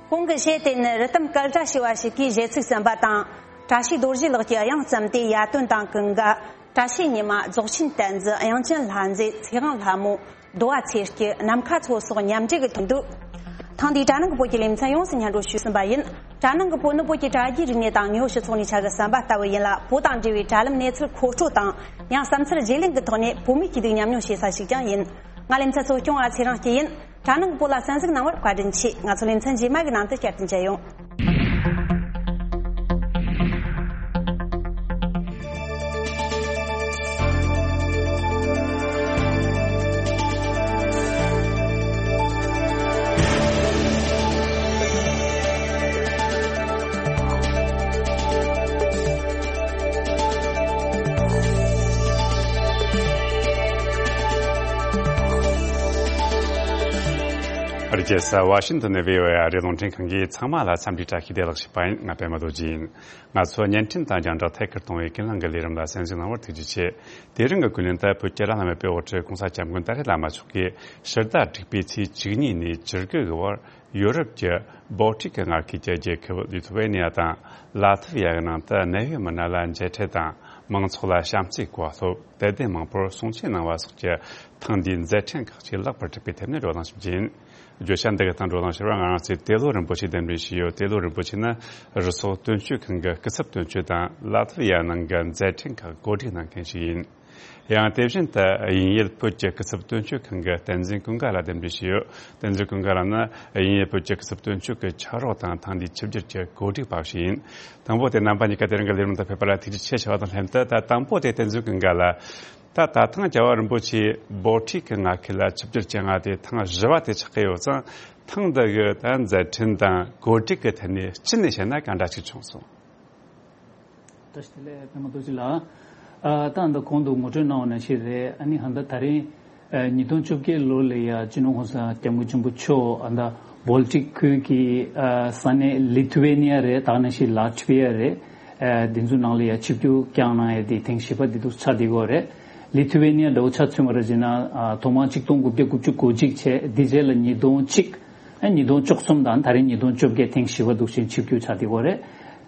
གོང་གི་གཞས་དེ་ནི་རི་ཐུམ་སྐད་སྒྲ་ཞེས་པ་ཞིག་གིས་གཞས་ཚིག་གསན་པ་དང་། བཀྲ་ཤིས་རྡོ་རྗེ་ལགས་ཀྱིས་དབྱངས་བརྩམས་ཏེ་ཡར་ཐོན་དང་ཀུན་དགའ། བཀྲ་ཤིས་ཉི་མ། རྫོགས་ཆེན་བསྟན་འཛིན། དབྱངས་ཅན་ལྷ་མཛེས། ཚེ་དབང་ལྷ་མོ། རྡོ་བ་ཚེ་སྐྱིད། ནམ་མཁའ་མཚོ་སོགས་མཉམ་འབྲེལ་གྱིས་ཐོན་འདུག་ཐེངས་འདིའི་དྲ་ནང་གི་བོད་ཀྱི་ལེ་ཚན་ཡོངས་སུ་སྙན་སྒྲོན་ཞུས་ཟིན་པ་ཡིན། དྲ་ནང་གི་བོད་ནི་བོད་ཀྱི་དྲ་རྒྱའི་རིག་གནས་དང་དངོས་ཡོད་སྤྱི་ཚོགས་ནས་ཆ་བཞག་གསར་པ་ལྟ་བུ་ཡིན་ལ། བོད་དང་འབྲེལ་བའི་དྲ་ལམ་གནས་ཚུལ་མཁོ་སྤྲོད་དང་། ཡང་བསམ་ཚུལ་བརྗེ་ལེན་གྱི་ཐོག་ནས་བོད་མིའི་སྐྱིད་སྡུག་མཉམ་མྱོང་བྱེད་ས་ཞིག་ཀྱང་ཡིན། ང་ལེ་ཚན་གཙོ་སྐྱོང་བ་ཚེ་རིང་སྐྱིད་ཡིན། དྲ་ནང་གི་བོད་ལ་གསན་གཟིགས་གནང་བར་བཀའ་དྲིན་ཆེ། ང་ཚོ་ལེ་ཚན་རྗེས་མ་གི་ནང་དུ་བསྐྱར་དུ་མཇལ་ཡོང་། རྒྱལ་ས་ཝ་ཤིང་ཏོན་ནས་བྷི་ཨོ་ཨེ་ཨ་རིའི་རླུང་འཕྲིན་ཁང་གིས་ཚང་མ་ལ་འཚམས་འདྲི་བཀྲ་ཤིས་བདེ་ལེགས་ཞུས་པ་ཡིན། ང་པད་མ་རྡོ་རྗེ་ཡིན། ང་ཚོ་བརྙན་འཕྲིན་དང་རྒྱང་བསྒྲགས་ཐད་ཀར་གཏོང་བའི་ཀུན་གླེང་གི་ལས་རིམ་ལ་གསན་གཟིགས་གནང་བར་ཐུགས་རྗེ་ཆེ། དེ་རིང་གི་ཀུན་གླེང་དེ་བོད་ཀྱི་བླ་ན་མེད་པའི་དབུ་ཁྲིད་༸གོང་ས་༸སྐྱབས་མགོན་ཏཱ་ལའི་བླ་མ་མཆོག་གིས་ཕྱི་ཟླ་དྲུག་པའི་ཚེས་བཅུ་གཉིས་ནས་བཅུ་དགུ་གི་བར་ཡོ་རོབ་ཀྱི་བོལ་ཊིག་གི་མངའ་ཁུལ་གྱི་རྒྱལ་ཁབ་ལི་ཐུ་ཝེ་ནི་ཡ་དང་ལ་ཐི་ཝི་ཡ་གི་ནང་དུ་གནད་ཡོད་མི་སྣ་ལ་མཇལ་འཕྲད་དང་། མང་ཚོགས་ལ་བྱམས་བརྩེའི་གོ་བ་སློབ། དད་ལྡན་མང་པོར་གསུང་ཆོས་གནང་བ་སོགས་ཀྱི་ཐེངས་འདིའི་མཛད་འཕྲིན་ཁག་ཅིག་ལེགས་པར་གྲུབ་པའི་ཐད་ནས་བགྲོ་གླེང་ཞུ་རྒྱུ་ཡིན། བརྗོད་བྱ་འདི་གི་སྟེང་བགྲོ་གླེང་ཞུ་བར་ང་རང་ཚོས་ཏེ་ལོ་རིན་པོ་ཆེ་གདན་འདྲེན་ཞུས་ཡོད། ཏེ་ལོ་རིན་པོ་ཆེ་ནི་རུ་སོག་དོན་གཅོད་ཁང་གི་སྐུ་ཚབ་དོན་གཅོད་དང་། ལ་ཐི་ཝི་ཡ་ནང་གི་མཛད་འཕྲིན་ཁག་གོ་སྒྲིག་གནང་མཁན་ཞིག་ཡིན། ཡང་དེ་བཞིན་དུ་དབྱིན་ཡུལ་བོད་ཀྱི་སྐུ་ཚབ་དོན་གཅོད་ཁང་གི་བསྟན་འཛིན་ཀུན་དགའ་ལགས་གདན་འདྲེན་ཞུས་ཡོད། བསྟན་འཛིན་ཀུན་དགའ་ལགས་ནི་དབྱིན་ཡུལ་བོད་ཀྱི་སྐུ་ཚབ་དོན་གཅོད་ཀྱི་ཕྱག་རོགས་དང་། ཐེངས་འདིའི་ཆིབས་བསྒྱུར་གྱི་གོ་སྒྲིག་པ་ཞིག་ཡིན། དང་པོ་དེ་རྣམ་པ་གཉིས་ཀ་དེ་རིང་གི་ལས་རིམ་དུ་ཕེབས་པ་ལ་ཐུགས་རྗེ་ཆེ་ཞུ་བ་དང་ལྷན་དུ། ད་དང་པོ་དེ་བསྟན་འཛིན་ཀུན་དགའ་ལགས། ད་ད་ཐེངས་རྒྱལ་བ་རིན་པོ་ཆེ་བོལ་ཊིག་གི་མངའ་ཁུལ་ལ་ཆིབས་བསྒྱུར་བྱེད་མཁན་དེ་ཐེངས་བཞི་པ་དེ་ཆགས་ཀྱི་ཡོད་ཙང་། ཐེངས་འདི་གི་ད་མཛད་འཕྲིན་དང་གོ་སྒྲིག་གི་ཐད་ནས་སྤྱི་ནས་བཤད་ན་གང་འདྲ་ཅིག་བྱུང་སོང་། བཀྲ་ཤིས་བདེ་ལེགས་པད་མ་རྡོ་རྗེ་ལགས། ཨ། ད་ད་གོང་དུ་ངོ་སྤྲོད་གནང་བ་ནང་བཞིན་རེད། ཨ་ནི་ད་ལྟ་ད་རིང་ཨ། ཉིས་སྟོང་བཅོ་བརྒྱད་ལོ་ལ་ཡ་སྤྱི་ནོར་༸གོང་ས་༸སྐྱབས་མགོན་ཆེན་པོ་མཆོག་ཨ་ད་བོལ་ཊིག་ཁུལ་གྱི་ཨ་ས་གནས་ལི་ཐུ་ཝེ་ནི་ཡ་རེད། ད་ག་ནང་བཞིན་ལ་ཐི་ཝེ་ཡ་རེད། ཨ་དེ་ཚོའི་ནང་ལ་ཡ་ཆིབས་བསྒྱུར་བསྐྱངས་གནང་ཡ་དེ་ཐེངས་བཞི་པ་དེ་འདུག་ཆགས་བསྡད་ཡོད་རེད། ལི་ཐུ་ཝེ་ནི་ཡ་འདྲ་བོ་ཆ་མཚོན་པ་རེད་ཟེར་ན། ཨ་ཐོག་མར་ཆིག་སྟོང་དགུ་བརྒྱ་དགུ་བཅུ་གོ་གཅིག་བྱས། དེ་རྗེས་ལ་ཉིས་སྟོང་གཅིག་ཨ་ཉིས་སྟོང་བཅུ་གསུམ་དང་ད་རིང་ཉིས་སྟོང་བཅོ་བརྒྱད། ཐེངས་བཞི་པ་འདུག་བཞིན་ཆིབས་བསྒྱུར་ཆགས་བསྡད་ཡོད་རེད།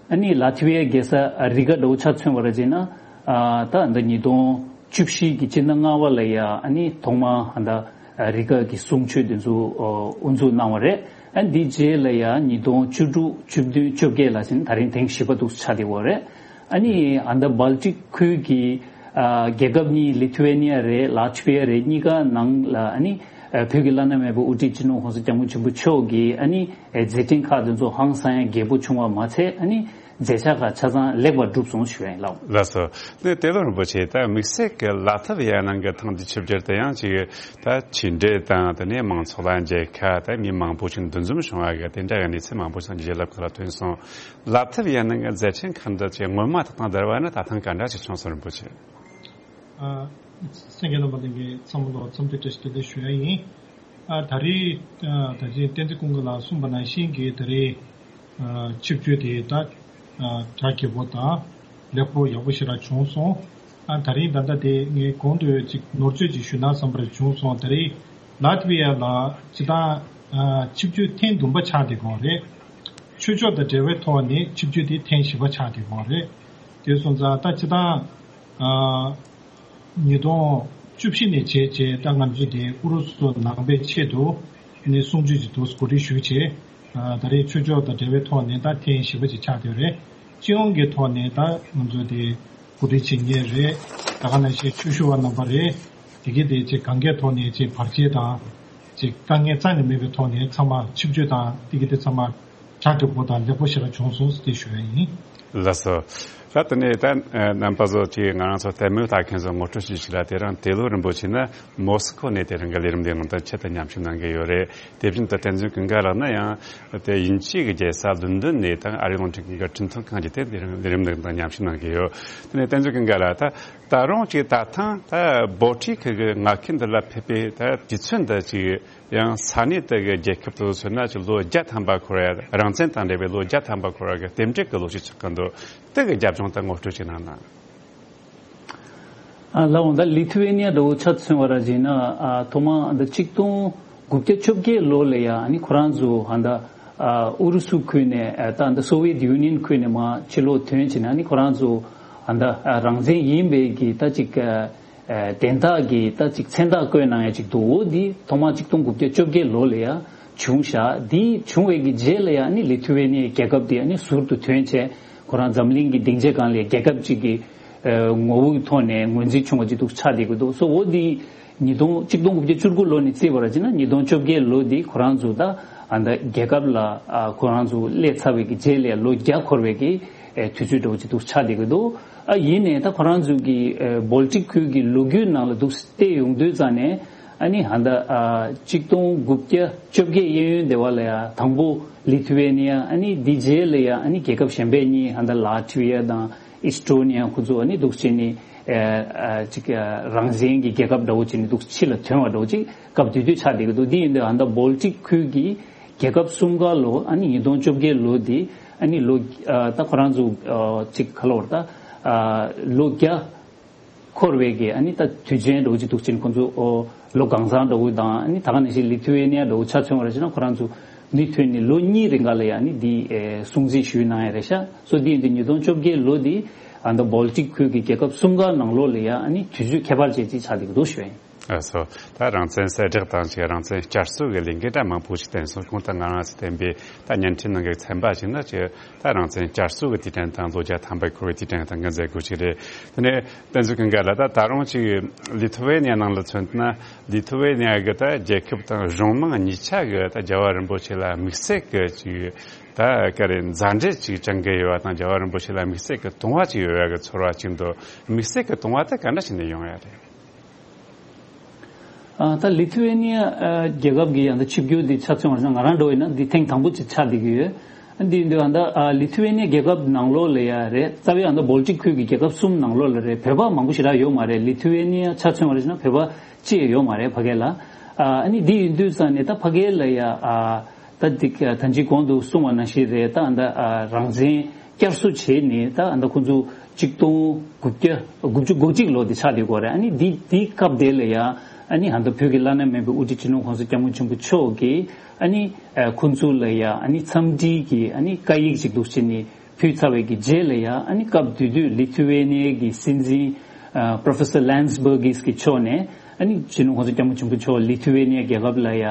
ཨ་ནི་ལ་ཐི་ཝེ་ཡ་རྒྱལ་ས་རི་ག་འདྲ་བོ་ཆ་མཚོན་པ་རེད་ཟེར་ན། ཨ་ད་ད་ཉིས་སྟོང་བཅུ་བཞི་གི་སྤྱི་ཟླ་ལྔ་པ་ལ་ཡ་ཨ་ནི་ཐོག་མ་ཨ་ད་རི་ཀ་གི་གསུང་ཆོས་དེ་ཚོ་ཨོ་དབུ་འཛུགས་གནང་བ་རེད། ཨ་འདི་རྗེས་ལ་ཡ་ཉིས་སྟོང་བཅུ་དྲུག་བཅུ་བདུན་བཅོ་བརྒྱད་ལ་ཟིན་ད་རིང་ཐེངས་བཞི་པ་འདུག་ཆགས་བསྡད་ཡོད་རེད། ཨ་ནི་ཨ་ད་སྦལ་ཏིག་ཁུལ་གྱི་ཨ་རྒྱལ་ཁབ་གཉིས་ལི་ཐུ་ཝེ་ནི་ཡ་རེད་ལ་ཐི་ཝེ་རེད། གཉིས་ཀ་ནང་ལ་ཨ་ནི་ཨ་བོད་ཀྱི་བླ་ན་མེད་པའི་དབུ་ཁྲིད་སྤྱི་ནོར་༸གོང་ས་༸སྐྱབས་མགོན་ཆེན་པོ་མཆོག་གིས་ཨ་ནི་ཨ་མཛད་འཕྲིན་ཁག་དེ་ཚོ་ཧང་སང་ཡང་རྒྱས་པོ་བྱུང་བ་མ་ཚད་ཨ་ནི་མཛད་འཆར་ཁག་ཆ་ཚང་ལེགས་པར་གྲུབ་སོང་ཞུ་ཡ་ཡིན་ལགས། ལགས་སོ། དེ་ཏེ་ལོ་རིན་པོ་ཆེ་ད་དམིགས་བསལ་གྱི་ལ་ཐི་ཝེ་ནི་ཡ་ནང་གི་ཐེངས་འདི་ཆིབས་བསྒྱུར་དེ་ཡང་ཅིག་ད་ཕྱི་འབྲེལ་དང་དེ་ནས་མང་ཚོགས་ལ་མཇལ་ཁ་ད་མི་མང་པོ་ཞིག་འདུ་འཛོམས་བྱུང་བ་གི་དེ་འདྲ་གི་གནས་ཚུལ་མང་པོ་ཞིག་རྒྱལ་རབས་ཁག་ལ་ཐོན་སོང་། ལ་ཐི་ཝེ་ནི་ཡ་ནང་གི་མཛད་འཕྲིན་ཁག་འདི་ཅིག་སྔོན་མ་དང་དང་བསྡུར་བ་ན་ད་ཐེངས་ག་འདྲ་ཞིག་བྱུང་སོང་རིན་པོ་ཆེ། ཨ། གསན་མཁན་རྣམ་པ་ལྷན་རྒྱས་ཚང་མ་ལ་འཚམས་འདྲི་བཀྲ་ཤིས་བདེ་ལེགས་ཞུ་ཡ་ཡིན། ཨ་ད་རེས་ཨ་ད་ཅི་བསྟན་འཛིན་ཀུན་དགའ་ལགས་གསུངས་པ་ནང་བཞིན་གྱི་ད་རེས་ཨ་ཆིབས་བསྒྱུར་དེ་ད་ཨ་གྲ་རྒྱས་པོ་དང་ལེགས་པོ་ཡག་པོ་ཞེ་དྲག་བྱུང་སོང་། ཨ་ད་རིང་ད་ལྟ་དེ་ངས་གོང་དུ་ཅིག་ནོར་བཅོས་ཅིག་ཞུས་ན་བསམ་པར་བྱུང་སོང་། ད་རེས་ལ་ཐི་ཝེ་ཡ་ལ་སྤྱི་བཏང་ཨ་ཆིབས་བསྒྱུར་ཐེངས་བདུན་པ་ཆགས་བསྡད་ཀྱི་ཡོད་རེད། ཆོས་ཕྱོགས་དང་འབྲེལ་བའི་ཐོག་ནས་ཆིབས་བསྒྱུར་དེ་ཐེངས་བཞི་པ་ཆགས་བསྡད་ཀྱི་ཡོད་རེད། དེ་སོང་ཙང་ད་སྤྱི་བཏང་ཨ། ཉིས་སྟོང་བཅུ་བཞི་ནས་བྱས་རྗེས་ད་ང་ཚོ་དེ་ཨུ་རུ་སུ་ནང་པའི་ཆེད་དུ་ནས་གསུང་ཆོས་ཀྱི་དུས་གོ་སྒྲིག་ཞུས་བྱས། ད་རེས་ཆོས་ཕྱོགས་དང་འབྲེལ་བའི་ཐོག་ནས་ད་ཐེངས་བཞི་པ་ཅིག་ཆགས་བསྡད་རེད། སྤྱི་ཡོངས་ཀྱི་ཐོག་ནས་ད་ང་ཚོ་དེ་གོ་སྒྲིག་བྱེད་མཁན་རེད། ད་ག་ནང་བཞིན་ཆོས་ཞུ་བ་རྣམ་པ་རེད། དེ་གའི་དེ་ཅིག་གང་གའི་ཐོག་ནས་ཅིག་བར་ཆད་དང་ཅིག་དཀའ་ངལ་རྩ་ནས་མེད་པའི་ཐོག་ནས་ཚང་མ་ཆིབས་བསྒྱུར་དང་དེ་གའི་དེ་ཚང་མ་གྲ་སྒྲིག་པོ་དང་ལེགས་པོ་ཞེ་དྲག་བྱུང་སོང་ཟེར་དེ་ཞུ་ཡ་ཡིན། ལགས་སོ། ད་དེ་ནས་ད་རྣམ་པ་ཚོ་ཅིག་ང་རང་ཚོ་ལྟད་མོ་ལྟ་མཁན་ཚོ་ངོ་སྤྲོད་ཞུ་ཞིག་ལ། དེ་རིང་ཏེ་ལོ་རིན་པོ་ཆེ་ནི་མོ་སི་ཁོ་ནས་དེ་རིང་གི་ལས་རིམ་འདིའི་ནང་དུ་ཆེད་དུ་མཉམ་ཞུགས་གནང་གི་ཡོད་རེད། དེ་བཞིན་དུ་བསྟན་འཛིན་ཀུན་དགའ་ལགས་ནི་ཡང་དེ་དབྱིན་ཇིའི་རྒྱལ་ས་ལོན་ཌོན་ནས་དང་ཨ་རིའི་རླུང་འཕྲིན་ཁང་གི་འཕྲིན་ཐུང་ཁང་གི་དེ་ལས་རིམ་ལས་རིམ་འདིའི་ནང་མཉམ་ཞུགས་གནང་གི་ཡོད། དེ་ནས་བསྟན་འཛིན་ཀུན་དགའ་ལགས་ད་ད་རུང་ཅིག་ད་ཐེངས་ད་སྦལ་ཏིག་གི་མངའ་ཁུལ་འདི་ལ་ཕེབས་པའི་ད་དུས་ཚོད་འདི་ཅིག་ཡང་ས་གནས་དེ་གི་རྒྱལ་ཁབ་དེ་ཚོ་མཚོན་ན་ཅིག་ལོ་བརྒྱ་ཐམ་པ་འཁོར་བའི་རང་བཙན་དང་འབྲེལ་བའི་ལོ་བརྒྱ་ཐམ་པ་འཁོར་བ་གི་རྟེན་འབྲེལ་གྱི་ལོ་ཞིག་ཆགས་ཀྱི་འདུག་དེ་གི་རྒྱབ་ལྗོངས་དེ་ངོ་སྤྲོད་ཅིག་གནང་ན། ཨ་ལགས་འོང་། ད་ལི་ཐུ་ཝེ་ནི་ཡ་འདྲ་བོ་ཆ་མཚོན་པ་ར་བྱས་ན་ཨ་ཐོག་མ་ད་ཆིག་སྟོང་དགུ་བརྒྱ་བཅོ་བརྒྱད་ལོ་ལ་ཡ་ཨ་ནི་ཁོ་རང་ཚོ་ཨ་ད་ཨ་ཨུ་རུ་སུ་ཁུལ་ནས་ཨ་ད་ད་སོ་ཝི་ཡེད་ཡུ་ནི་ཡན་ཁུལ་ནས་མར་ཕྱི་ལོགས་ཐོན་བྱས་ནས་ཨ་ནི་ཁོ་རང་ཚོ་ཨ་ད་ཨ་རང་བཙན་ཡིན་པའི་གི་ད་ཅིག་ཨ། ཨ་དན་རྟགས་ཀྱི་ད་ཅིག་མཚན་རྟགས་བཀོད་གནང་ཡ་ཅིག་འདུག་འོ་འདི་ཐོག་མ་ཆིག་སྟོང་དགུ་བརྒྱ་བཅོ་བརྒྱད་ལོ་ལ་ཡ་བྱུང་ཤག་འདི་བྱུང་བའི་གི་རྗེས་ལ་ཡ་ནི་ལི་ཐུ་ཝེ་ནི་ཡའི་རྒྱལ་ཁབ་འདི་ཨ་ནི་ཟུར་དུ་ཐོན་བྱས་ཁོ་རང་འཛམ་གླིང་གི་སྡིངས་ཆའི་སྒང་ལ་རྒྱལ་ཁབ་ཅིག་གི་ཨ་ངོ་བོའི་ཐོག་ནས་ངོས་འཛིན་བྱུང་བ་ཅིག་འདུག་ཆགས་བསྡད་ཀྱི་འདུག་སོ་འོ་འདི་ཉིས་སྟོང་ཆིག་སྟོང་དགུ་བརྒྱ་བཅུ་དགུ་ལོ་ནས་བརྩིས་པ་ར་བྱས་ན་ཉིས་སྟོང་བཅོ་བརྒྱད་ལོ་འདི་ཁོ་རང་ཚོ་ད་ཨ་ད་རྒྱལ་ཁབ་ལ་ཨ་ཁོ་རང་ཚོ་སླེབས་ཚར་བའི་གི་རྗེས་ལ་ཡ་ལོ་བརྒྱ་འཁོར་བའི་གི་ཨེ་དུས་ཚོད་འདྲ་བོ་ཅིག་འདུག་ཆགས་བསྡད་ཀྱི་འདུག་ཨ་ཡིན་ནའི་ད་ཁོ་རང་ཚོ་གི་ཨེ་སྦལ་ཏིག་ཁུལ་གྱི་ལོ་རྒྱུས་ནང་ལ་འདུག་བལྟས་ཡོང་དུས་ཙང་ནས་ཨ་ནི་ཧ་ད་ཨ་ཆིག་སྟོང་དགུ་བརྒྱ་བཅོ་བརྒྱད་གཡས་གཡོན་དེ་བ་ལ་ཡ་དང་པོ་ལི་ཐུ་ཝེ་ནི་ཡ་ཨ་ནི་འདི་རྗེས་ལ་ཡ་ཨ་ནི་རྒྱལ་ཁབ་གཞན་པ་གཉིས་ཧ་ད་ལ་ཐི་ཝེ་ཡ་དང་ཨིས་ཏོ་ནི་ཡ་ཁོ་ཚོ་ཨ་ནི་འདུག་བྱས་ནས་ཨེ་ཨ་ཅིག་ཨ་རང་བཙན་གྱི་རྒྱལ་ཁབ་འདྲ་བོ་བྱས་ནས་འདུག་ཕྱི་ལ་ཐོན་པ་འདྲ་བོ་ཅིག་སྐབས་དེ་དུས་ཆགས་བསྡད་ཀྱི་འདུག་འདི་ཡིན་དུས་ཧ་ད་སྦལ་ཏིག་ཁུལ་གྱི་རྒྱལ་ཁབ་གསུམ་ཀ་ལོ་ཨ་ནི་ཉིས་སྟོང་བཅོ་བརྒྱད་ལོ་འདི་ཨ་ནི་ལོ་ཨ་ད་ཁོ་རང་ཚོ་ཨ་ཅིག་ག་ལོར་ད་ཨ་ལོ་བརྒྱ་འཁོར་བའི་གི་ཨ་ནི་ད་དུས་ཆེན་འདྲ་བོ་ཅིག་འདུག་ཅིང་ཁོ་ཚོ་ཨོ་ལོ་གང་ཚང་འདྲ་བོ་དང་ཨ་ནི་ད་ག་ནང་བཞིན་ལི་ཐུ་ཝེ་ནི་ཡ་འདྲ་བོ་ཆ་མཚོན་པ་ར་བྱས་ན་ཁོ་རང་ཚོ་མུ་མཐུད་ནས་ལོ་གཉིས་རིང་ག་ལ་ཡ་ཨ་ནི་འདི་ཨེ་སྲུང་བརྩི་ཞུས་གནང་ཡ་རེད་ཤག་སོ་འདི་ཡིན་དུས་ཉིས་སྟོང་བཅོ་བརྒྱད་ལོ་འདི་ཨ་ད་སྦལ་ཏིག་ཁུལ་གྱི་རྒྱལ་ཁབ་གསུམ་ཀ་ནང་ལོགས་ལ་ཡ་ཨ་ནི་དུས་ཚོད་ཁྱད་པར་ཅན་ཅིག་ཆགས་བསྡད་ཀྱི་འདུག་ཞུ་ཡ་ཡིན། ཨ་སོ། ད་རང་བཙན་གསལ་བསྒྲགས་དང་ཅིག་རང་བཙན་བསྐྱར་གསོ་གི་ལས་འགུལ་འདྲ་མང་པོ་ཞིག་བསྟན་སོང་། གོང་དུ་ང་རང་ཚོས་བསྟན་པའི་ད་བརྙན་འཕྲིན་ནང་གི་ཚན་པ་ཞིག་ན་ཅིག་ད་རང་བཙན་བསྐྱར་གསོ་གི་དུས་དྲན་དང་ལོ་བརྒྱ་ཐམ་པ་འཁོར་བའི་དུས་དྲན་དང་གི་མཛད་སྒོ་ཞིག་རེད། དེ་ནས་བསྟན་འཛིན་ཀུན་དགའ་ལགས་ད་ད་རུང་ཅིག་ལི་ཐུ་ཝེ་ནི་ཡ་ནང་ལ་མཚོན་ན་ལི་ཐུ་ཝེ་ནི་ཡ་གི་ད་རྒྱལ་ཁབ་དང་གཞུང་མང་གཉིས་ཆ་གི་ད་རྒྱལ་བ་རིན་པོ་ཆེ་ལ་དམིགས་བསལ་གི་ཅིག་ད་ག་རེ་མཛའ་འབྲེལ་ཅིག་བཅངས་ཀྱི་ཡོད་པ་དང་རྒྱལ་བ་རིན་པོ་ཆེ་ལ་དམིགས་བསལ་གི་དུང་བ་ཅིག་ཡོད་ཡ་གི་ཚོར་བ་ཅིག་འདུག་དམིགས་བསལ་གི་དུང་བ་དེ་ག་འདྲ་ཞིག་ནས་ཡོང་ཡ་རེད། ཨ་ད་ལི་ཐུ་ཝེ་ནི་ཡ་ཨ་རྒྱལ་ཁབ་ཀྱི་ཡང་ད་ཆིབས་བསྒྱུར་འདི་ཆ་མཚོན་པ་ན་ང་རང་འདྲ་བོ་ཡིན་ན་འདི་ཐེངས་དང་པོ་ཅིག་ཆགས་བསྡད་ཀྱི་ཡོད། ཨ་འདི་ཡིན་དུས་ཨ་ད་ཨ་ལི་ཐུ་ཝེ་ནི་ཡ་རྒྱལ་ཁབ་ནང་ལོགས་ལ་ཡ་རེད། རྩ་བའི་ཨ་ད་སྦལ་ཏིག་ཁུལ་གྱི་རྒྱལ་ཁབ་གསུམ་ནང་ལོགས་ལ་རེད། བོད་པ་མང་པོ་ཞེ་དྲག་ཡོད་མ་རེད། ལི་ཐུ་ཝེ་ནི་ཡ་ཆ་མཚོན་པ་རེད་ན་བོད་པ་གཅིག་ཡོད་མ་རེད་ཕ་གི་ལ། ཨ་ཨ་ནི་འདི་ཡིན་དུས་ཙང་ནས་ད་ཕ་གི་ལ་ཡ་ཨ་ད་འདི་ད་ཅི་གོང་དུ་གསུངས་པ་ནང་བཞིན་རེད། ད་ཨ་ད་ཨ་རང་བཙན་བསྐྱར་གསོ་བྱས་ནས་ད་ཨ་ད་ཁོང་ཚོ་ཆིག་སྟོང་དགུ་བརྒྱ་དགུ་བཅུ་གོ་གཅིག་ལོ་དེ་ཆགས་བསྡད་ཡོད་རེད། ཨ་ནི་འདི་འདི་སྐབས་དེ་ལ་ཡ་ཨ་ནི་ཨ་ད་བོད་ཀྱི་བླ་ན་མེད་པའི་དབུ་ཁྲིད་སྤྱི་ནོར་༸གོང་ས་༸སྐྱབས་མགོན་ཆེན་པོ་མཆོག་གིས་ཨ་ནི་ཨ་ཁོང་ཚོ་ལ་ཡ་ཨ་ནི་འཚམས་འདྲི་གི་ཨ་ནི་བཀའ་ཡིག་ཅིག་འདུག་བྱས་ནས་ ཕུལ་ཚར་བའི་གི་རྗེས་ལ་ཡ་ཨ་ནི་སྐབས་དེ་དུས་ལི་ཐུ་ཝེ་ནི་ཡ་གི་སྲིད་འཛིན་ཨ་Professor Landsbergis གི་ཕྱོགས་ནས་ཨ་ནི་སྤྱི་ནོར་༸གོང་ས་༸སྐྱབས་མགོན་ཆེན་པོ་མཆོག་ལི་ཐུ་ཝེ་ནི་ཡ་རྒྱལ་ཁབ་ལ་ཡ་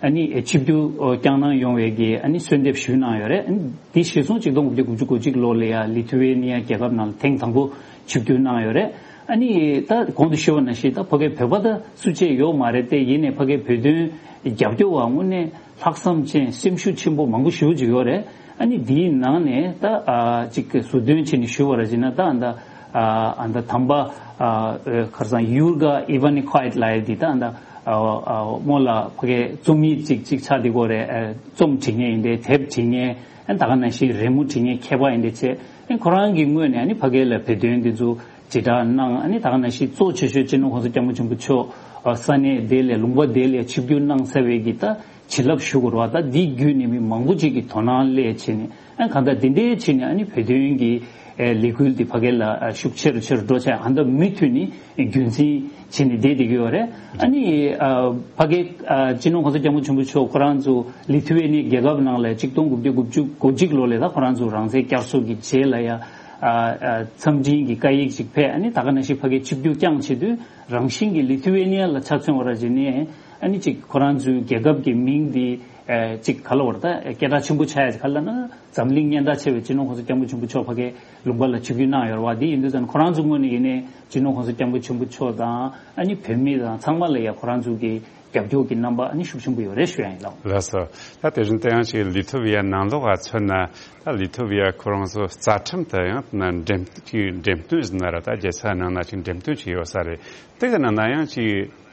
ཨ་ནི་ཆིབས་བསྒྱུར་བསྐྱངས་གནང་ཡོང་བའི་གི་ཨ་ནི་གསོལ་འདེབས་ཞུས་གནང་ཡོད་རེད། ཨ་ནི་དེ་གཞིར་བཟུང་གཅིག་སྟོང་དགུ་བརྒྱ་དགུ་བཅུ་གོ་གཅིག་ལོ་ལ་ཡ་ལི་ཐུ་ཝེ་ནི་ཡ་རྒྱལ་ཁབ་ནང་ལ་ཐེངས་དང་པོ་ཆིབས་བསྒྱུར་གནང་ཡོད་རེད། ཨ་ནི་ད་གོང་དུ་ཞུས་པ་ནང་བཞིན་ད་ཕ་གའི་བོད་པ་ད་སུ་གཅིག་ཡོད་མ་རེད་དེ། ཡིན་ནའི་ཕ་གའི་བོད་དོན་རྒྱབ་སྐྱོར་བ་དངོས་གནས་ལྷག་བསམ་ཅན་སེམས་ཤུགས་ཆེན་པོ་མང་པོ་ཞེ་པོ་ཅིག་ཡོད་རེད། ཨ་ནི་དེའི་ནང་ནས་ད་ཨ་ཅིག་ཟུར་འདོན་བྱས་ནས་ཞུ་བ་ར་བྱས་ན་ད་ཨ་ད་ཨ་ད་ཨ་ད་དམ་པ་ཨ་ཁར་སང་ཡུར་ག་ཨི་ཝན་ནི་ཁོ་ཡེ་ཊི་ལབ་ཡ་འདི་ད་ཨ་ད་ཨ་ཨ་སྔོན་ལ་ཕ་གའི་རྩོམ་ཡིག་ཅིག་ཅིག་ཆགས་བསྡད་ཀྱི་ཡོད་རེད། ཨ་རྩོམ་འབྲི་མཁན་ཡིན་ཏེ་དེབ་འབྲི་མཁན་ཨ་ད་ག་ནང་བཞིན་རི་མོ་འབྲི་མཁན་མཁས་པ་ཡིན་ཏེ་བྱས། ཨ་ཁོ་རང་གི་ངོས་ནས་ཨ་ནི་ཕ་གའི་ལ་བོད་དོན་འདི་ཚོ་དྲིལ་བསྒྲགས་གནང་། ཨ་ནི་ད་ག་ནང་བཞིན་གཙོ་ཆེ་ཤོས་སྤྱི་ནོར་༸གོང་ས་༸སྐྱབས་མགོན་ཆེན་པོ་མཆོག་ཨ་ས་གནས་དེ་ལ་ལུང་པ་དེ་ལ་ཆིབས་བསྒྱུར་གནང་ཚར་བའི་གི་ད་བྱིན་རླབས་ཞུ་དགོས་རེད་བ། ད་འདི་བརྒྱུད་ནས་མི་མང་པོ་ཅིག་གི་དོ་སྣང་སླེབས་བྱས་ནས་ཨ་གང་ལྟར་འདི་འདྲའི་བྱས་ནས་ཨ་ནི་བོད་དོན་གྱི་ཨེ་ལས་འགུལ་འདི་ཕ་གའི་ལ་ཨ་ཤུགས་ཆེ་རུ་ཆེ་རུ་འགྲོ་བྱས། ཨ་ད་མུ་མཐུད་ནས་རྒྱུན་འཛིན་བྱས་ནས་བསྡད་བསྡད་ཀྱི་ཡོད་རེད། ཨ་ནི་ཨ་ཕ་གའི་ཨ་སྤྱི་ནོར་༸གོང་ས་༸སྐྱབས་མགོན་ཆེན་པོ་མཆོག་ཁོ་རང་ཚོ་ལི་ཐུ་ཝེ་ནི་རྒྱལ་ཁབ་ནང་ལ་གཅིག་སྟོང་དགུ་བརྒྱ་དགུ་བཅུ་གོ་གཅིག་ལོ་ལ་ད་ཁོ་རང་ཚོ་རང་བཙན་བསྐྱར་གསོ་གི་རྗེས་ལ་ཡ་ཨ་ཨ་འཚམས་འཕྲིན་གྱི་བཀའ་ཡིག་ཅིག་ཕེབས། ཨ་ནི་ད་ག་ནང་བཞིན་ཕ་གའི་ཆིབས་བསྒྱུར་བསྐྱངས་བྱེད་དུས་རང་བཞིན་གྱི་ལི་ཐུ་ཝེ་ནི་ཡ་ལ་ཆ་མཚོན་པ་ར་བྱས་ནས་ཨ་ནི་ཅིག་ཁོ་རང་ཚོའི་རྒྱལ་ཁབ་ཀྱི་མིང་འདི་ཨ་ཅིག་ག་ལ་བར་ད་སྐད་གྲགས་ཆེན་པོ་ཆགས་ཡ་ག་ལ་ན་འཛམ་གླིང་སྙན་གྲགས་ཆེ་བའི་སྤྱི་ནོར་༸གོང་ས་༸སྐྱབས་མགོན་ཆེན་པོ་མཆོག་ཕ་གའི་ལུང་པ་ལ་ཆིབས་བསྒྱུར་གནང་ཡོད་རེད་བ། འདི་ཡིན་དུས་ཙང་ཁོ་རང་ཚོའི་ངོས་ནས་ཡིན་ནའི་སྤྱི་ནོར་༸གོང་ས་༸སྐྱབས་མགོན་ཆེན་པོ་མཆོག་དང་ཨ་ནི་བོད་མི་དང་ཚང་མ་ལ་ཡ་ཁོ་རང་ཚོ་གི་རྒྱབ་སྐྱོར་གྱི་རྣམ་པ་ཨ་ནི་ཤུགས་ཆེན་པོ་ཡོད་རེད་ཞུ་ཡ་ཡིན། ལགས། ལགས་སོ། ད་དེ་བཞིན་དུ་ཡང་ཅིག་ལི་ཐུ་བི་ཡ་ནང་ལོགས་ལ་མཚོན་ན་ད་ལི་ཐུ་བི་ཡ་ཁོ་རང་ཚོ་རྩ་ཁྲིམས་དེ་ཡང་ན་འགྲེམས་ཅིག་འགྲེམས་སྟོན་ཟེར་ན་ར་ད་རྒྱལ་ས་ནང་ན་ཅིག་འགྲེམས་སྟོན་བྱས་ཡོད་ས་རེད། དེ་གི་ནང་ན་ཡང་ཅིག་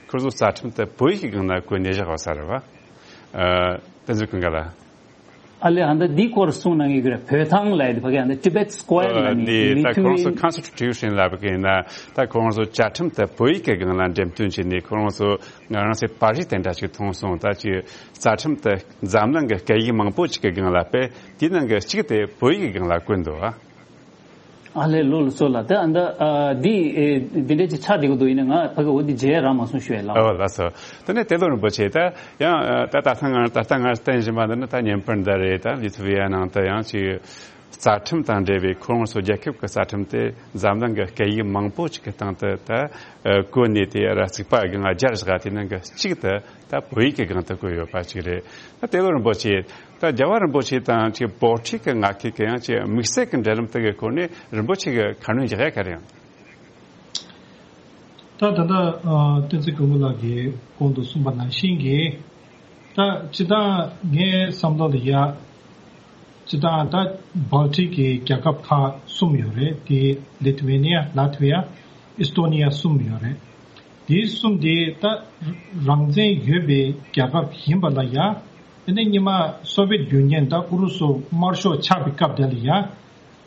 ཁོ་ཚོ་རྩ་ཁྲིམས་དེ་བོད་ཡིག་གི་སྒང་ན་བཀོད་ནས་བཞག་ཡོད་ས་རེད་བ། ཨ་བསྟན་འཛིན་ཀུན་དགའ་ལགས། ཨ་ལས་ཨ་ད་འདི་སྐོར་གསུང་གནང་གི་ཡོད་རེད། བོད་ཐང་ལབ་ཡ་དེ་ཕ་གི་ཨ་ད་Tibet Square ལབ་ནི་འདི་ལི་ད་ཐུ་ཁོང་ཚོ་ཝེ་Constitution ལབ་གི་ཡིན་ན་ད་ཁོང་ཚོ་བཅའ་ཁྲིམས་དེ་བོད་ཡིག་གི་སྒང་ལ་འགྲེམས་སྟོན་བྱས་ནས་ཁོང་ཚོ་ང་རང་ཚོའི་པར་རིས་དེ་འདྲ་ཅིག་མཐོང་སོང་། ད་ཅིག་རྩ་ཁྲིམས་དེ་འཛམ་གླིང་གི་སྐད་ཡིག་མང་པོ་ཅིག་གི་སྒང་ལ་དཔེ་དེའི་ནང་གི་གཅིག་དེ་བོད་ཡིག་གི་སྒང་ལ་བཀོད་འདུག་ཨ། ཨ་ལས་ལོ་ལ་སོ་ལ་ད་ཨ་ད་ཨ་འདི་ཨེ་འདི་འདྲ་ཅིག་ཆགས་བསྡད་ཀྱི་འདུག་ཡིན་ན་ང་ཕ་གི་འོ་འདི་མཇལ་རག་མ་སོང་ཞུ་ཡ་ལགས། ཨོ་ལགས་སོ། དེ་ནས་ཏེ་ལོ་རིན་པོ་ཆེ་ད་ཡང་ཨ་ད་ད་ལྟ་ང་ད་ལྟ་ང་བསྟན་བཞིན་པ་འདི་ནི་ད་ཉིན་པར་འདི་རེད། ད་ལི་ཐུ་བི་ཡ་ནང་དུ་ཡང་ཅིག་རྩ་ཁྲིམས་དང་འབྲེལ་བའི་ཁོ་རང་ཚོ་རྒྱལ་ཁབ་ཀྱི་རྩ་ཁྲིམས་དེ་འཛམ་གླིང་གི་སྐད་ཡིག་མང་པོ་ཅིག་གི་སྟེང་དུ་ད་ཨ་བཀོད་ནས་དེ་ར་རྩིག་པ་གི་ང་སྦྱར་བཞག་དེ་ནང་གི་གཅིག་ཏུ་ད་བོད་ཡིག་གི་སྒང་དུ་བཀོད་ཡོད་པ་ཅིག་རེད། ད་ཏེ་ལོ་རིན་པོ་ཆེ་ད་རྒྱལ་བ་རིན་པོ་ཆེ་དང་ཅིག་བོད་ཕྲུག་གི་ང་ཁེ་གི་ཡང་ཅིག་དམིགས་བསལ་གྱི་འབྲེལ་ལམ་དེ་གི་སྐོར་ནས་རིན་པོ་ཆེ་གི་ཁ་སྣོན་རྒྱག་ཡ་ག་རེ་ཡང་། ད་ད་ལྟ་ཨ་བསྟན་འཛིན་སྐུ་ངོ་ལགས་ཀྱིས་གོང་དུ་གསུངས་པ་ནང་བཞིན་གྱི་ད་སྤྱི་བཏང་ངའི་བསམ་བློ་ལ་ཡ་སྤྱི་བཏང་ད་བལ་ཏྲིག་གི་རྒྱལ་ཁབ་ཁག་གསུམ་ཡོད་རེད། དེ་ལི་ཐུ་ཝེ་ནི་ཡ། ལ་ཐི་ཝི་ཡ། ཨི་སི་ཏོ་ནི་ཡ་གསུམ་ཡོད་རེད། དེ་གསུམ་དེ་ད་རང་བཙན་ཡོད་པའི་རྒྱལ་ཁབ་ཡིན་པ་ལ་ཡ། དེ་ནས་སྔོན་མ་སོ་བེད་ཡུ་ནི་ཡན་ད་ཨུ་རུ་སུ་དམར་ཤོག་ཆགས་པའི་སྐབས་དེ་ལ་ཡ།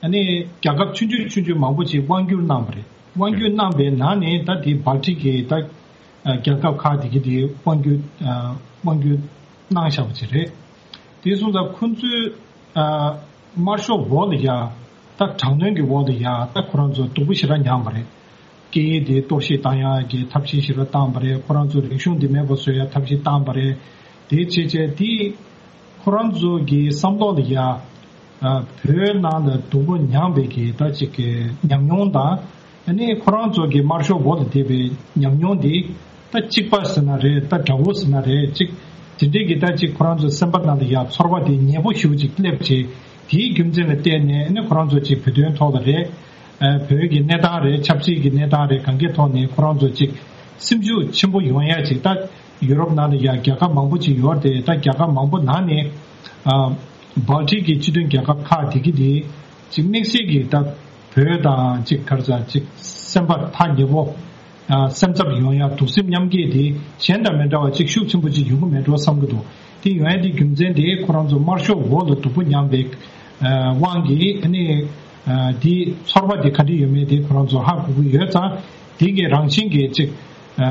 ཨ་ནི་རྒྱལ་ཁབ་ཆུང་ཆུང་ཆུང་ཆུང་མང་པོ་ཅིག་དབང་བསྒྱུར་གནང་བ་རེད། དབང་བསྒྱུར་གནང་པའི་ནང་ནས་ད་དེ་བལ་ཏྲིག་གི་ད་རྒྱལ་ཁབ་ཁག་དེ་གི་དེ་དབང་བསྒྱུར་དབང་བསྒྱུར་གནང་བཞག་པ་ཅིག་རེད། དེ་སོང་ཙང་ཁོ་ཚོའི་དམར་ཤོག་འོག་ལ་ཡ་ད་དྲག་གནོན་གྱི་འོག་ལ་ཡ་ད་ཁོ་རང་ཚོ་སྡུག་པོ་ཞེ་དྲག་མྱངས་པ་རེད། སྐད་ཡིག་དེ་གཏོར་བཤིག་བཏང་ཡག་གི་ཐབས་ཤེས་ཞེ་དྲག་བཏང་བ་རེད། ཁོ་རང་ཚོ་རིག་གཞུང་དེ་མེད་པ་བཟོ་ཡག་ཐབས་ཤེས་བཏང་བ་རེད། དེ་བྱས་བྱས་དེ་ཁོ་རང་ཚོ་གི་བསམ་བློ་ལ་ཡ་ཨ་བོད་ནང་ལ་སྡུག་པོ་མྱངས་པའི་གི་ད་ཅིག་གི་ཉམས་མྱོང་དང་། ཨ་ནི་ཁོ་རང་ཚོ་གི་དམར་ཤོག་འོག་ལ་བསྡད་པའི་ཉམས་མྱོང་དེ་ད་གཅིག་པ་ཟེར་ན་རེད། ད་དགྲ་བོ་ཟེར་ན་རེད། ཅིག་དེ་འདྲས་ཀྱི་ད་ཅིག་ཁོ་རང་ཚོ་སེམས་པ་ནང་ལ་ཡ་ཚོར་བ་དེ་ཉེ་པོ་ཞེ་པོ་ཅིག་སླེབས་བྱས། དེའི་རྒྱུ་མཚན་ལ་བརྟེན་ནས་ཨ་ནི་ཁོ་རང་ཚོ་ཅིག་བོད་དོན་ཐོག་ལ་རེད། ཨ་བོད་ཀྱི་གནས་སྟངས་རེད། ཆབ་སྲིད་ཀྱི་གནས་སྟངས་རེད། གང་གའི་ཐོག་ནས་ཁོ་རང་ཚོ་ཅིག་སེམས་ཤུགས་ཆེན་པོ་ཡོང་ཡ་ཅིག་ད་ཡུ་རོབ་ནང་ལ་ཡ་རྒྱལ་ཁབ་མང་པོ་ཅིག་ཡོད་རེད་དེ། ད་རྒྱལ་ཁབ་མང་པོ་ནང་ནས་ཨ་བལ་ཏྲིག་གི་སྤྱི་མཐུན་རྒྱལ་ཁབ་ཁག་དེ་གི་དེ་ཅིག་དམིགས་བསལ་གྱི་ད་བོད་དང་ཅིག་ག་རེ་ཟ་ཅིག་སེམས་པ་ཐག་ཉེ་པོ། ཨ་སེམས་འཚབ་ཡོང་ཡ་གདུང་སེམས་མཉམ་སྐྱེད་དེ་གཞན་དང་མི་འདྲ་བ་ཅིག་ཤུགས་ཆེན་པོ་ཅིག་ཡོང་གི་མེད་འགྲོ་བསམ་གྱི་འདུག་དེ་ཡོང་ཡ་དེ་རྒྱུ་མཚན་དེ་ཁོ་རང་ཚོ་དམར་ཤོག་འོག་ལ་སྡུག་པོ་མྱངས་པའི་ཨ་དབང་གིས་ཨ་ནི་ཨ་དེ་ཚོར་བ་དེ་ག་འདྲ་ཡོད་མེད་དེ་ཁོ་རང་ཚོ་ཧ་གོ་གི་ཡོད་ཙང་། དེ་གི་རང་བཞིན་གྱི་ཅིག་ཨ་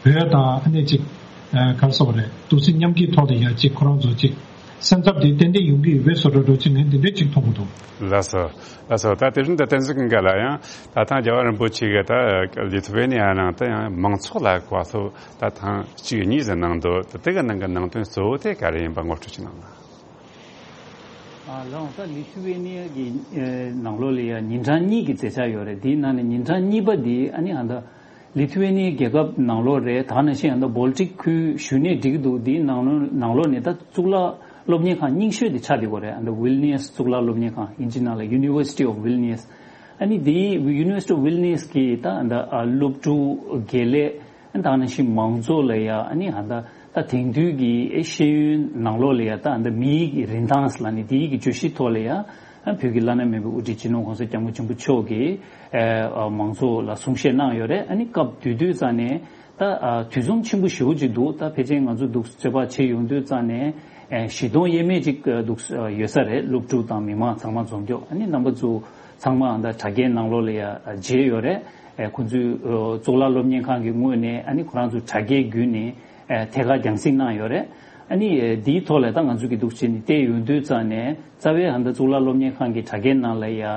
བོད་དང་ཨ་ནི་ཅིག་ཨ་ག་རེ་ཟེར་བ་རེད། གདུང་སེམས་མཉམ་སྐྱེད་ཐོག་ལ་ཡ་ཅིག་ཁོ་རང་ཚོ་ཅིག་སེམས་འཚབ་དེ་ཏན་ཏན་ཡོང་གི་ཡོད་པའི་བཟོ་འདྲ་འདྲ་ཅིག་ངས་འདི་འདྲ་ཅིག་མཐོང་གི་འདུག་ལགས་སོ། ལགས་སོ། ད་དེ་རིང་ད་བསྟན་འཛིན་ཀུན་དགའ་ལགས་ཡང་ད་ཐང་རྒྱལ་བ་རིན་པོ་ཆེ་གིས་ད་ལི་ཐུ་ཝེ་ནི་ཡ་ནང་ད་ཡང་མང་ཚོགས་ལ་གོ་སློབ་ད་ཐེངས་གཅིག་གཉིས་ཟིག་གནང་འདུག་ད་དེ་གི་ནང་གི་ནང་དོན་གཙོ་བོ་དེ་ག་རེ་ཡིན་པ་ངོ་སྤྲོད་ཅིག་གནང་ན། ཨ་ལའོ། ད་ལི་ཐུ་ཝེ་ནི་ཡ་གི་ཨེ་ནང་ལོགས་ལ་ཡ་ཉིན་གྲངས་གཉིས་ཀྱི་མཛད་འཆར་ཡོད་རེད། དེའི་ནང་ནས་ཉིན་གྲངས་གཉིས་པ་འདི་ཨ་ནི་ཨ་ད་ལི་ཐུ་ཝེ་ནི་ཡའི་རྒྱལ་ཁབ་ནང་ལོགས་རེད། ད་ནང་བཞིན་ཨ་ད་བོལ་ཊིག་ཁུལ་ཞུས་ནས་འགྲིག་གི་འདུག་དེའི་ནང་ལོགས་ནང་ལོགས་ནས་ད་གཙུག་ལག་སློབ་གཉེར་ཁང་རྙིང་ཤོས་དེ་ཆགས་བསྡད་ཡོད་རེད། ཨ་ད་ཝིལ་ནི་ཡས་གཙུག་ལག་སློབ་གཉེར་ཁང་། ཨིན་ཇི་ནང་ལ་University of Vilnius། ཨ་ནི་དེའི་University of Vilnius གི་ད་ཨ་ད་སློབ་ཕྲུག་དགེ་ལས། ཨ་ནི་ད་ནང་བཞིན་མང་ཚོགས་ལ་ཡ་ཨ་ནི་ཨ་ད་ད་དེང་དུས་ཀྱི་ཨེ་ཤེས་ཡོན་ནང་ལོགས་ལ་ཡ་ད་ཨ་ད་མིའི་གི་རིན་ཐང་ལབ་ནི་དེའི་གི་བརྗོད་གཞི་ཐོག་ལ་ཡ་ཨ་བོད་ཀྱི་བླ་ན་མེད་པའི་དབུ་ཁྲིད་སྤྱི་ནོར་༸གོང་ས་༸སྐྱབས་མགོན་ཆེན་པོ་མཆོག་གིས་ཨེ་ཨ་མང་ཚོགས་ལ་གསུང་བཤད་གནང་ཡོད་རེད། ཨ་ནི་སྐབས་དེ་དུས་ཙང་ནས་ད་ཨ་དུས་མཚུངས་ཆེན་པོ་ཞེ་པོ་ཅིག་འདུག་ད་ཕལ་ཆེར་ང་ཚོ་འདུག་རྩོད་པ་བྱེད་ཡོང་དུས་ཙང་ནས་ཨེ་བཞི་སྟོང་ཡས་མས་ཅིག་འདུག་ཡོད་ས་རེད། སློབ་ཕྲུག་དང་མི་མང་ཚང་མ་འཛོམས་ཀྱོག་ཨ་ནི་རྣམ་པ་ཚོ་ཚང་མ་ཨ་ད་དྲ་རྒྱའི་ནང་ལོགས་ལ་ཡ་མཇལ་ཡོད་རེད། ཨེ་ཁོང་ཚོའི་ཨོ་གཙུག་ལག་སློབ་གཉེར་ཁང་གི་ངོས་ནས་ཨ་ནི་ཁོ་རང་ཚོ་དྲ་རྒྱའི་བརྒྱུད་ནས་ཨེ་ཐད་ཀར་རྒྱང་སྲིང་གནང་ཡོད་རེད། ཨ་ནི་ཨེ་འདིའི་ཐོག་ལ་ད་ང་ཚོ་གི་འདུག་བྱས་ནས་བལྟས་ཡོང་དུས་ཙང་ནས་རྩ་བའི་ཨ་ད་གཙུག་ལག་སློབ་གཉེར་ཁང་གི་དྲ་རྒྱའི་ནང་ལ་ཡ་ཨ་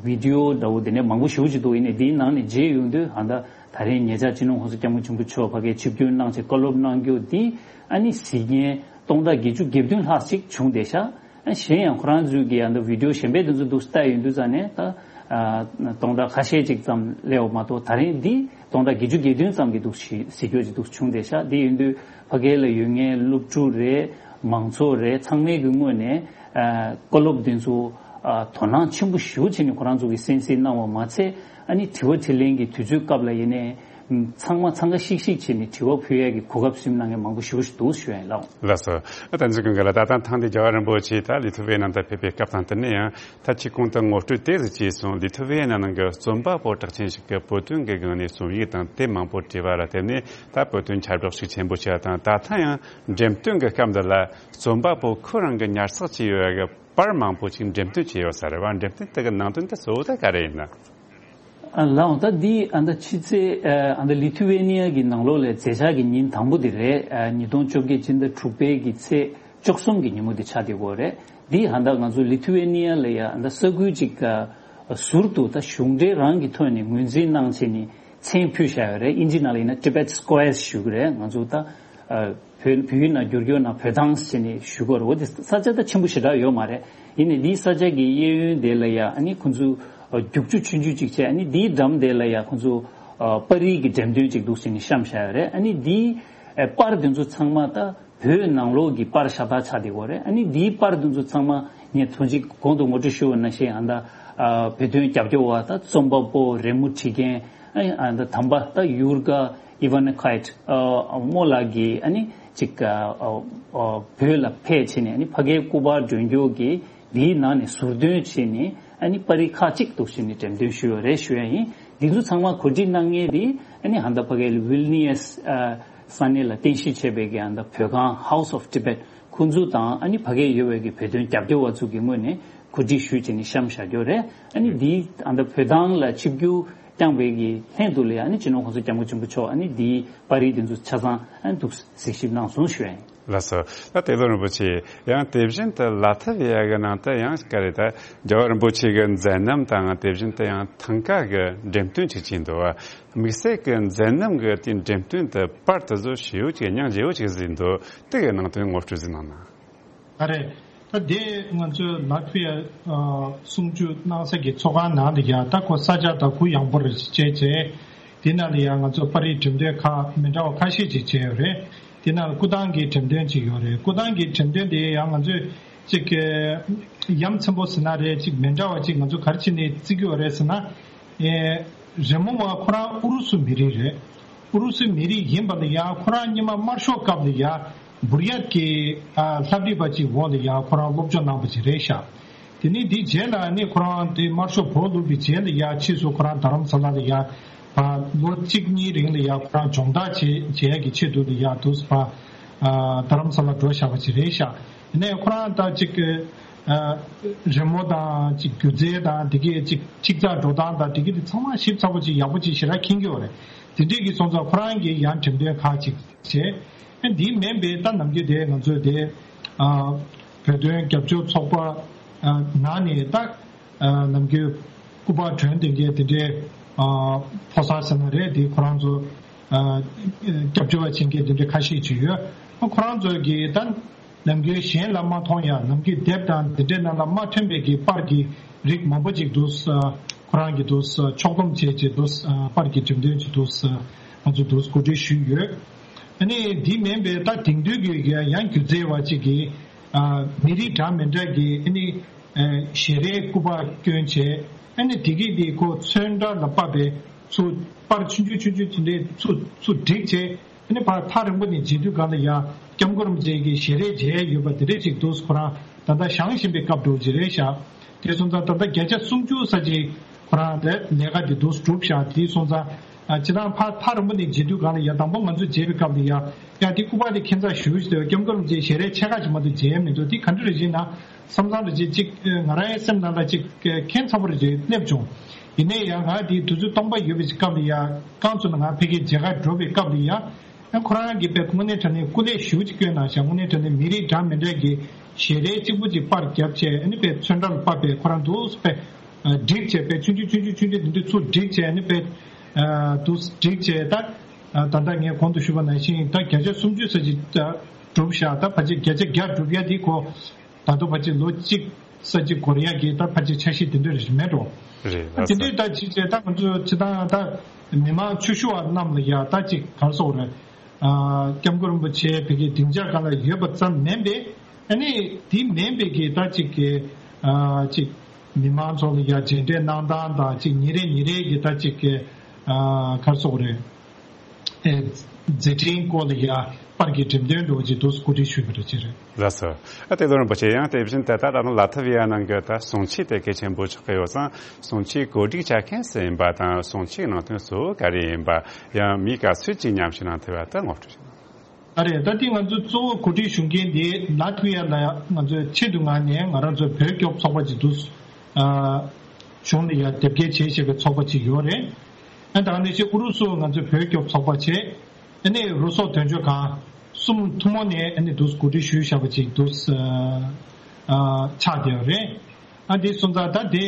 བི་ཌི་ཨོ་འདྲ་བོ་དེ་ནས་མང་པོ་ཞེ་པོ་ཅིག་འདུག་ཡིན་ནའི་འདིའི་ནང་ནས་མཇལ་ཡོང་དུས་ཨ་ད་ད་རེས་ཉེ་ཆར་སྤྱི་ནོར་༸གོང་ས་༸སྐྱབས་མགོན་ཆེན་པོ་མཆོག་ཕ་གིར་ཆིབས་བསྒྱུར་གནང་བྱས་བཀའ་སློབ་གནང་རྒྱུ་འདི་ཨ་ནི་གཟིགས་མཁན་སྟོང་ཕྲག་བརྒྱད་ཅུ་གྱ་བདུན་ལྷག་ཅིག་བྱུང་བསྡད་ཤག་ཨ་གཞན་ཡང་ཁོ་རང་ཚོའི་གི་ཨ་ད་བི་ཌི་ཨོ་གཞན་པའི་དེ་ཚོ་འདུག་ལྟ་ཡོང་དུས་ཙང་ནས་ད་ཨ་སྟོང་ཕྲག་ཁ་ཤས་ཅིག་ཙམ་སླེབས་པ་མ་གཏོགས་ད་རིང་འདི་སྟོང་ཕྲག་བརྒྱད་ཅུ་གྱ་བདུན་ཙམ་གྱི་འདུག་གཟིགས་རྒྱུ་ཅིག་འདུག་བྱུང་བསྡད་ཤག་འདི་ཡིན་དུས་ཕ་གི་ལ་ཡོད་མཁན་སློབ་ཕྲུག་རེད། མང་ཚོགས་རེད། ཚང་མའི་གི་ངོས་ནས་ཨ་བཀའ་སློབ་འདི་ཚོ་ཨ་དོ་སྣང་ཆེན་པོ་ཞེ་པོ་བྱས་ནས་ཁོ་རང་ཚོ་གིས་གསན་གཟིགས་གནང་བ་མ་ཚད་ཨ་ནི་དྲི་བ་དྲིས་ལན་གྱི་དུས་ཚོད་སྐབས་ལ་ཡིན་ནའི་ཚང་མ་འཚང་ཁ་ཤིག་ཤིག་བྱས་ནས་དྲི་བ་ཕུལ་ཡས་ཀྱི་གོ་སྐབས་ཟིན་གནང་མཁན་མང་པོ་ཞེ་པོ་ཞིག་འདུག་ཞུ་ཡ་ཡིན་ལགས། ལགས་སོ། ཨ་ད་ཚོ་ཀུན་དགའ་ལགས། ད་ལྟ་ཐེངས་འདི་རྒྱལ་བ་རིན་པོ་ཆེ་ད་ལི་ཐུ་ཝེ་ནང་དུ་ཕེབས་པའི་སྐབས་དང་དེ་ནས་ཡང་ད་ཁྱེད་ཁོང་དུ་ངོ་སྤྲོད་དེ་ཟིག་བྱས་སོང་། ལི་ཐུ་ཝེ་ནང་གི་རྩོམ་པ་པོ་གྲགས་ཅན་ཞིག་གིས་བོད་དོན་གྱི་སྒང་ནས་རྩོམ་ཡིག་དང་དེབ་མང་པོ་བྲིས་པ་ལ་བརྟེན་ནས་ད་བོད་དོན་ཁྱབ་བསྒྲགས་ཤུགས་ཆེན་པོ་བྱས་པ་དང་། ད་ཐེངས་ཡང་འགྲེམས་སྟོན་གྱི་སྐབས་འདི་ལ་རྩོམ་པ་པོ་ཁོ་རང་གི་ཉར་ཚགས་བྱས་ཡོད་པའི་པར་མང་པོ་ཅིག་འགྲེམས་སྟོན་བྱས་ཡོད་ས་རེད་བ། འགྲེམས་སྟོན་དེ་གི་ནང་དོན་དེ་གཙོ་བོ་དེ་ག་རེ་ཡིན་ན། ཨ་ལའོ། ད་འདི་ཨ་ད་ཕྱི་ཚེས་ཨ་ད་ལི་ཐུ་ཝེ་ནི་ཡ་གི་ནང་ལོགས་ལ་མཛད་འཆར་གྱི་ཉིན་དང་པོ་དེ་རེད། ཨ་ཉིས་སྟོང་བཅོ་བརྒྱད་སྤྱི་ཟླ་དྲུག་པའི་གི་ཚེས་བཅུ་གསུམ་གྱི་ཉིན་མོ་དེ་ཆགས་བསྡད་ཡོད་རེད། འདི་ཨ་ད་ང་ཚོ་ལི་ཐུ་ཝེ་ནི་ཡ་ལ་ཡ་ཨ་ད་ས་ཁུལ་ཅིག་ཨ་ཟུར་དུ་ད་གཞུང་འབྲེལ་རང་གི་ཐོག་ནས་ངོས་འཛིན་གནང་བྱས་ནས་མཚན་ཕུལ་བཞག་ཡོད་རེད། ཨིན་ཇི་ནང་ལ་ཡིན་ན་Tibet Squares ཞུ་གི་རེད། ང་ཚོ་ད་ཨ་བོད་བོད་ཡིག་ནང་བསྒྱུར་རྒྱུ་ན་བོད་ཐང་ཟེར་ནས་ཞུ་གི་རེད། འོ་དེ་ས་ཆ་ད་ཆེན་པོ་ཞེ་དྲག་ཡོད་མ་རེད། ཡིན་ནའི་འདིའི་ས་ཆ་གི་གཡས་གཡོན་དེ་ལ་ཡ་ཨ་ནི་ཁོང་ཚོ་ཨ་རྒྱུག་ཆུ་ཆུང་ཆུང་ཅིག་བྱས། ཨ་ནི་འདིའི་འགྲམ་དེ་ལ་ཡ་ཁོང་ཚོ་ཨ་པར་རིས་ཀྱི་འགྲེམས་སྟོན་ཅིག་འདུག་ཟེར་ནས་བཤམས་བཞག་ཡོད་རེད། ཨ་ནི་འདིའི་ཨ་པར་དེ་ཚོ་ཚང་མ་ད་བོད་ནང་ལོགས་ཀྱི་པར་ཤ་སྟག་ཆགས་བསྡད་ཡོད་རེད། ཨ་ནི་འདིའི་པར་དེ་ཚོ་ཚང་མ་ངས་ཐོན་ཅིག་གོང་དུ་ངོ་སྤྲོད་ཞུས་པ་ནང་བཞིན་ཨ་ད་ཨ་བོད་དོན་རྒྱབ་སྐྱོར་བ་ད་རྩོམ་པ་པོ་རི་མོ་བྲིས་མཁན། ཨ་ནི་ཨ་ད་དམ་པ་ད་ཡུར་ག་ཨི་ཝན་ནི་ཁའེ་ཊི་ཨ་རྨོ་ལགས་ཀྱིས་ཨ་ནི་ཅིག་ཨ་ཨ་ཨ་བོད་ལ་ཕེབས་བྱས་ནས་ཨ་ནི་ཕ་གིའི་སྐུ་པར་སྒྲོན་སྐྱོར་གྱིས་འདིའི་ནང་ནས་ཟུར་འདོན་བྱས་ནས་ཨ་ནི་པར་རིས་ཁག་ཅིག་འདུག་བྱས་ནས་འགྲེམས་སྟོན་ཞུས་ཡོད་རེད་ཞུ་ཡ་ཡིན། འདི་ཚོ་ཚང་མ་གོ་སྒྲིག་གནང་མཁན་དེ་ཨ་ནི་ཨ་ད་ཕ་གིའི་ཝིལ་ནི་ཡས་ཨ་ས་གནས་ལ་རྟེན་གཞི་བྱས་པའི་གི་ཨ་ད་བོད་ཁང་House of Tibet ཁོང་ཚོ་དང་ཨ་ནི་ཕ་གིར་ཡོད་པའི་གི་བོད་དོན་རྒྱབ་སྐྱོར་བ་ཚོ་གི་ངོས་ནས་གོ་སྒྲིག་ཞུས་བྱས་ནས་བཤམས་བཞག་རྒྱུ་རེད། ཨ་ནི་འདིའི་ཨ་ད་བོད་ཐང་ལ་ཆིབས་བསྒྱུར་བསྐྱངས་པའི་གི་ལྷན་དུ་ལ་ཡ་ཨ་ནི་སྤྱི་ནོར་༸གོང་ས་༸སྐྱབས་མགོན་ཆེན་པོ་མཆོག་ཨ་ནི་འདིའི་པར་རིས་འདི་ཚོ་ཆ་ཚང་ཨ་ནི་འདུག་གཟིགས་ཞིབ་གནང་སོང་ཞུ་ཡ་ཡིན། ལགས་སོ། ད་དེ་ལོ་རིན་པོ་ཆེ་ཡང་དེ་བཞིན་དུ་ལ་ཐ་བི་ཡ་གི་ནང་དུ་ཡང་ག་རེ་ད་རྒྱལ་བ་རིན་པོ་ཆེ་གི་མཛད་རྣམ་དང་དེ་བཞིན་དུ་ཡང་ཐང་ཀ་གི་འགྲེམས་སྟོན་ཅིག་བྱས་འདུག་བ། དམིགས་བསལ་གྱི་མཛད་རྣམ་གྱི་དེའི་འགྲེམས་སྟོན་དུ་པར་དེ་ཚོ་ཞེ་པོ་ཅིག་སྙིང་རྗེ་པོ་ཅིག་བཟོས་འདུག་དེ་གའི་ནང་དོན་ངོ་སྤྲོད་ཟིག་གནང་ན། ཨ་རེད། ད་དེ་ང་ཚོས་ལ་ཐི་ཝི་ཡ་གསུང་ཆོས་གནང་ས་གི་ཚོགས་ཁང་ནང་དུ་ཡ་ད་ཁོ་ས་ཆ་ད་གུ་ཡངས་པོ་རེད་བྱས་བྱས། དེ་ནང་ལ་ཡ་ང་ཚོ་པར་རིས་འགྲེམས་སྟོན་ཁག་མི་འདྲ་བ་ཁ་ཤས་ཅིག་བྱས་ཡོད་རེད། དེ་ནང་ལ་སྐུ་ཐང་གི་འགྲེམས་སྟོན་ཅིག་ཡོད་རེད། སྐུ་ཐང་གི་འགྲེམས་སྟོན་དེ་ཡང་ང་ཚོས་ཅིག་ཡ་མཚན་པོ་ཟེར་ན་རེད། ཅིག་མི་འདྲ་བ་ཅིག་ང་ཚོ་ག་རེ་བྱས་ནས་བརྩི་གི་ཡོད་རེད་ཟེར་ན། ཨེ། རི་མོ་བ་ཁོ་རང་ཨུ་རུ་སུ་མི་རིགས་རེད། ཨུ་རུ་སུ་མི་རིགས་ཡིན་པ་ལ་ཡང་ཁོ་རང་སྔོན་མ་དམར་ཤོག་སྐབས་ལ་ཡང་བུར་ཡག་གི་ཨ་ལྷ་བྲིས་པ་ཅིག་འོག་ལ་ཡང་ཁོ་རང་སློབ་སྦྱོང་གནང་པ་ཅིག་རེད་ཤག་དེ་ནས་དེའི་རྗེས་ལ་ནི་ཁོ་རང་དེ་དམར་ཤོག་བོར་བླུགས་པའི་རྗེས་ལ་ཡང་ཕྱིས་སུ་ཁོ་རང་རྡ་རམ་ས་ལ་ལ་ཡང་ཕ་ལོ་གཅིག་གཉིས་རིང་ལ་ཡང་ཁོ་རང་སྦྱོང་བརྡར་བྱེད་བྱེད་ཡག་གི་ཆེད་དུ་ལ་ཡང་དུས་སུ་ཕ་ཨ་རྡ་རམ་ས་ལ་འགྲོ་བཞག་པ་ཅིག་རེད་ཤག་དེ་ནས་ཁོ་རང་ད་ཅིག་ཨ་རི་མོ་དང་ཅིག་སྒྱུ་རྩལ་དང་དེ་གའི་ཅིག་ཅིག་ཅར་འགྲོ་སྟངས་དང་དེ་གའི་དེ་ཚང་མ་ཞིབ་ཚགས་པོ་ཅིག་ཡག་པོ་ཅིག་ཞེ་དྲག་མཁྱེན་གྱི་ཡོད་རེད། དེ་འདྲས་ཀྱི་སོང་ཙང་ཁོ་རང་གིས་ཡང་འགྲེམས་སྟོན་ཁག་ཅིག་བྱས། ཨ་འདི་མིན་པའི་ད་ནམ་རྒྱུན་དེ་ང་ཚོའི་དེ་ཨ་བོད་དོན་རྒྱབ་སྐྱོར་ཚོགས་པ་ཨ་ནང་ནས་ད་ཨ་ནམ་རྒྱུན་སྐུ་པར་སྒྲོན་དེ་འདྲས་དེ་འདྲས་ཨ་ཕོ་གསར་ཟེར་ན་རེད། དེ་ཁོ་རང་ཚོ་ཨ་རྒྱབ་སྐྱོར་བ་བྱེད་མཁན་དེ་འདྲས་ཁ་ཤས་ཅིག་ཡོད། ཨ་ཁོ་རང་ཚོ་གིས་ད། ནམ་རྒྱུན་གཞན་ལ་མ་མཐོང་ཡང་ནམ་རྒྱུན་དེབ་དང་འདི་འདྲའི་ནང་ལ་མ་ཐོན་པའི་གི་པར་གྱི་རིགས་མང་པོ་ཅིག་འདུག་ཁོ་རང་གི་འདུག་ཕྱོགས་བསྡོམས་བྱས་ཀྱི་འདུག་པར་གྱི་འགྲེམས་སྟོན་ཅིག་འདུག་ང་ཚོ་འདུག་གོ་སྒྲིག་ཞུས་ཡོད། ཨ་ནི་འདི་མིན་པའི་ད་དེང་དུས་ཀྱི་ཡང་སྒྱུ་རྩལ་བ་ཅིག་གིས་མི་རིགས་འདྲ་མི་འདྲ་གི་ཨ་ནི་ཞལ་རས་སྐུ་པར་བསྐྱོན་བྱས། ཨ་ནི་དེ་གི་དེ་ཁོ་ཚོན་ཁྲ་ལ་ཕབ་པའི་ཚུར་པར་ཆུང་ཆུང་ཆུང་ཆུང་དེ་འདྲའི་ཚུར་ཚུར་བསྒྲིགས་བྱས། ཨ་ནི་ཕར་ཐག་རིང་པོ་ནས་མཇལ་དུས་སྒང་ལ་ཡ་སྐྱབས་མགོན་རིན་པོ་ཆེ་གི་ཞལ་རས་མཇལ་ཡོད་པ་དེ་འདྲ་ཅིག་འདུག་ཁོ་རང་ད་ལྟ་བཞེངས་བཞིན་པའི་སྐབས་འགྲོ་གི་རེད་ཤག་དེ་སོང་ཙང་ད་ལྟ་བརྒྱ་ཆ་སུམ་ཅུ་ཙམ་ཅིག་ཁོ་རང་ལས་ལས་ཀ་དེ་འདུག་གྲུབ་ཤག་དེ་སོང་ཙང་ཨ་སྤྱིར་བཏང་ཕར་ཐག་རིང་པོ་ནས་མཇལ་དུས་སྒང་ལ་ཡ་དང་པོ་ང་ཚོ་མཇལ་བའི་སྐབས་ལ་ཡ་ཡ་དེ་སྐུ་པར་དེ་ཁྱད་མཚར་ཞེ་པོ་ཞིག་འདུག་སྐྱབས་མགོན་རིན་པོ་ཆེའི་ཞལ་རས་ཕྱེད་ཀ་ཅིག་མ་གཏོགས་མཇལ་མི་འདུག་དེ་ག་འདྲ་རེད་ཅེ་ན། བསམ་བློ་རེ་ཅིག་ཅིག་ང་རང་ཡང་སེམས་ནང་ལ་ཅིག་ཁེངས་ཚ་པོ་རེ་ཅིག་སླེབས་བྱུང་། ཡིན་ནའི་ཡང་ང་དེའི་དུས་ཚོད་སྟོང་པ་ཡོད་པའི་སྐབས་ལ་ཡ་རྐང་བཙུགས་ནས་ང་ཕ་གིར་མཇལ་ཁ་འགྲོ་བའི་སྐབས་ལ་ཡ་ཡང་ཁོ་རང་གིས་དཔེ་དངོས་གནས་དྲང་གནས་སྐུ་ལས་ཞེ་པོ་ཅིག་བསྐྱོན་གནང་ཤག་དངོས་གནས་དྲང་གནས་མི་རིགས་འདྲ་མི་འདྲ་གི་ཞལ་རས་གཅིག་པུ་ཅིག་པར་བརྒྱབ་བྱས་ཨ་ནི་དཔེ་ཚོན་ཁྲ་ལ་ཕབ་པའི་ཁོ་རང་འདུག་དཔེ་བསྒྲིགས་བྱས་དཔེ་ཆུང་ཆུང་ཆུང་ཆུང་ཆུང་ཆུང་དེ་འདྲ་ཚུར་བསྒྲིགས་བྱས་ཨ་ནི་དཔེ་འདུག་བསྒྲིགས་བྱས་ད་ད་ལྟ་ངས་གོང་དུ་ཞུས་པ་ནང་བཞིན་ད་བརྒྱ་ཆ་སུམ་ཅུ་ཙམ་ཅིག་གྲུབ་ཤག་ད་ཕལ་ཆེར་བརྒྱ་ཆ་བརྒྱ་གྲུབ་ཡ་དེ་ཁོ། ད་དུང་ཕལ་ཆེར་ལོ་གཅིག་ཙམ་ཅིག་འགོར་ཡག་གི་ད་ཕལ་ཆེར་འཆར་གཞི་དེ་འདྲ་རེ་མེད་འགྲོ། རེད་ལགས་སོ། དེ་འདྲའི་ད་ཅིག་བྱས་ད་ང་ཚོ་སྤྱིར་བཏང་ད་མི་མང་ཆོས་ཞུ་བ་རྣམས་ལ་ཡ་ད་ཅིག་ག་རེ་ཟེར་དགོས་རེད། ཨ་སྐྱབས་མགོན་རིན་པོ་ཆེ་བོད་ཀྱི་སྡིངས་ཆ་སྒང་ལ་ཡོད་པ་ཙམ་མིན་པས་ཨ་ནི་དེ་མིན་པའི་གི་ད་ཅིག་གི་ཨ་ཅིག་མི་མང་ཚོ་ལ་ཡ་མཇལ་འཕྲད་གནང་སྟངས་དང་ཅིག་ཉིན་རེ་ཉིན་རེ་གི་ད་ཅིག་གི་ཨ་ག་རེ་ཟེར་དགོས་རེད། ཨེ། མཛད་འཕྲིན་སྐོར་ལ་ཡ་པར་གྱི་འགྲེམས་སྟོན་འདྲ་བོ་ཅིག་འདུག་གོ་སྒྲིག་ཞུས་པ་རེད་ཅེས་རེད། ལགས་སོ། ཨ་ཏེ་ལོ་རིན་པོ་ཆེ་ཡང་དེ་བཞིན་དེ་ལྟར་ད་ལྟ་ལ་ཐི་བི་ཡ་ནང་གི་ད་གསུང་ཆོས་དེ་གལ་ཆེན་པོ་ཆགས་ཀྱི་ཡོད་ཙང་གསུང་ཆོས་གོ་སྒྲིག་བྱ་མཁན་སུ་ཡིན་པ་དང་གསུང་ཆོས་ནང་དོན་གཙོ་བོ་ག་རེ་ཡིན་པ་ཡང་མི་ག་ཚོད་ཅིག་ཉམས་ཞིབ་གནང་ཐུབ་པ་ད་ངོ་སྤྲོད་ཞུ། ཨ་རེད་ད་ལྟའི་ང་ཚོ་གཙོ་བོ་གོ་སྒྲིག་ཞུ་མཁན་དེ་ལ་ཐི་བི་ཡ་ལ་ང་ཚོའི་ཆེད་དུ་མངགས་ནས་ང་རང་ཚོའི་བོད་སྐྱོབ་ཚོགས་པ་ཅིག་འདུག་ཨ། གཞུང་ལ་ཡ་དེབ་སྐྱེལ་བྱས་བྱས་པའི་ཚོགས་པ་ཅིག་ཡོད་རེད། ཨ་ད་ནས་ཅིག་ཨུ་རུ་སུ་ང་ཚོའི་བོད་སྐྱོབ་ཚོགས་པ་བྱས། ཨ་ནི་རུ་སོག་དོན་གཅོད་ཁང་གསུམ་ཐུན་མོང་ནས་ཨ་ནི་འདུག་གོ་སྒྲིག་ཞུས་བཞག་པ་ཅིག་འདུག་ཨ། ཆགས་བསྡད་ཡོད་རེད། ཨ་འདི་སོང་ཙང་ད་དེ།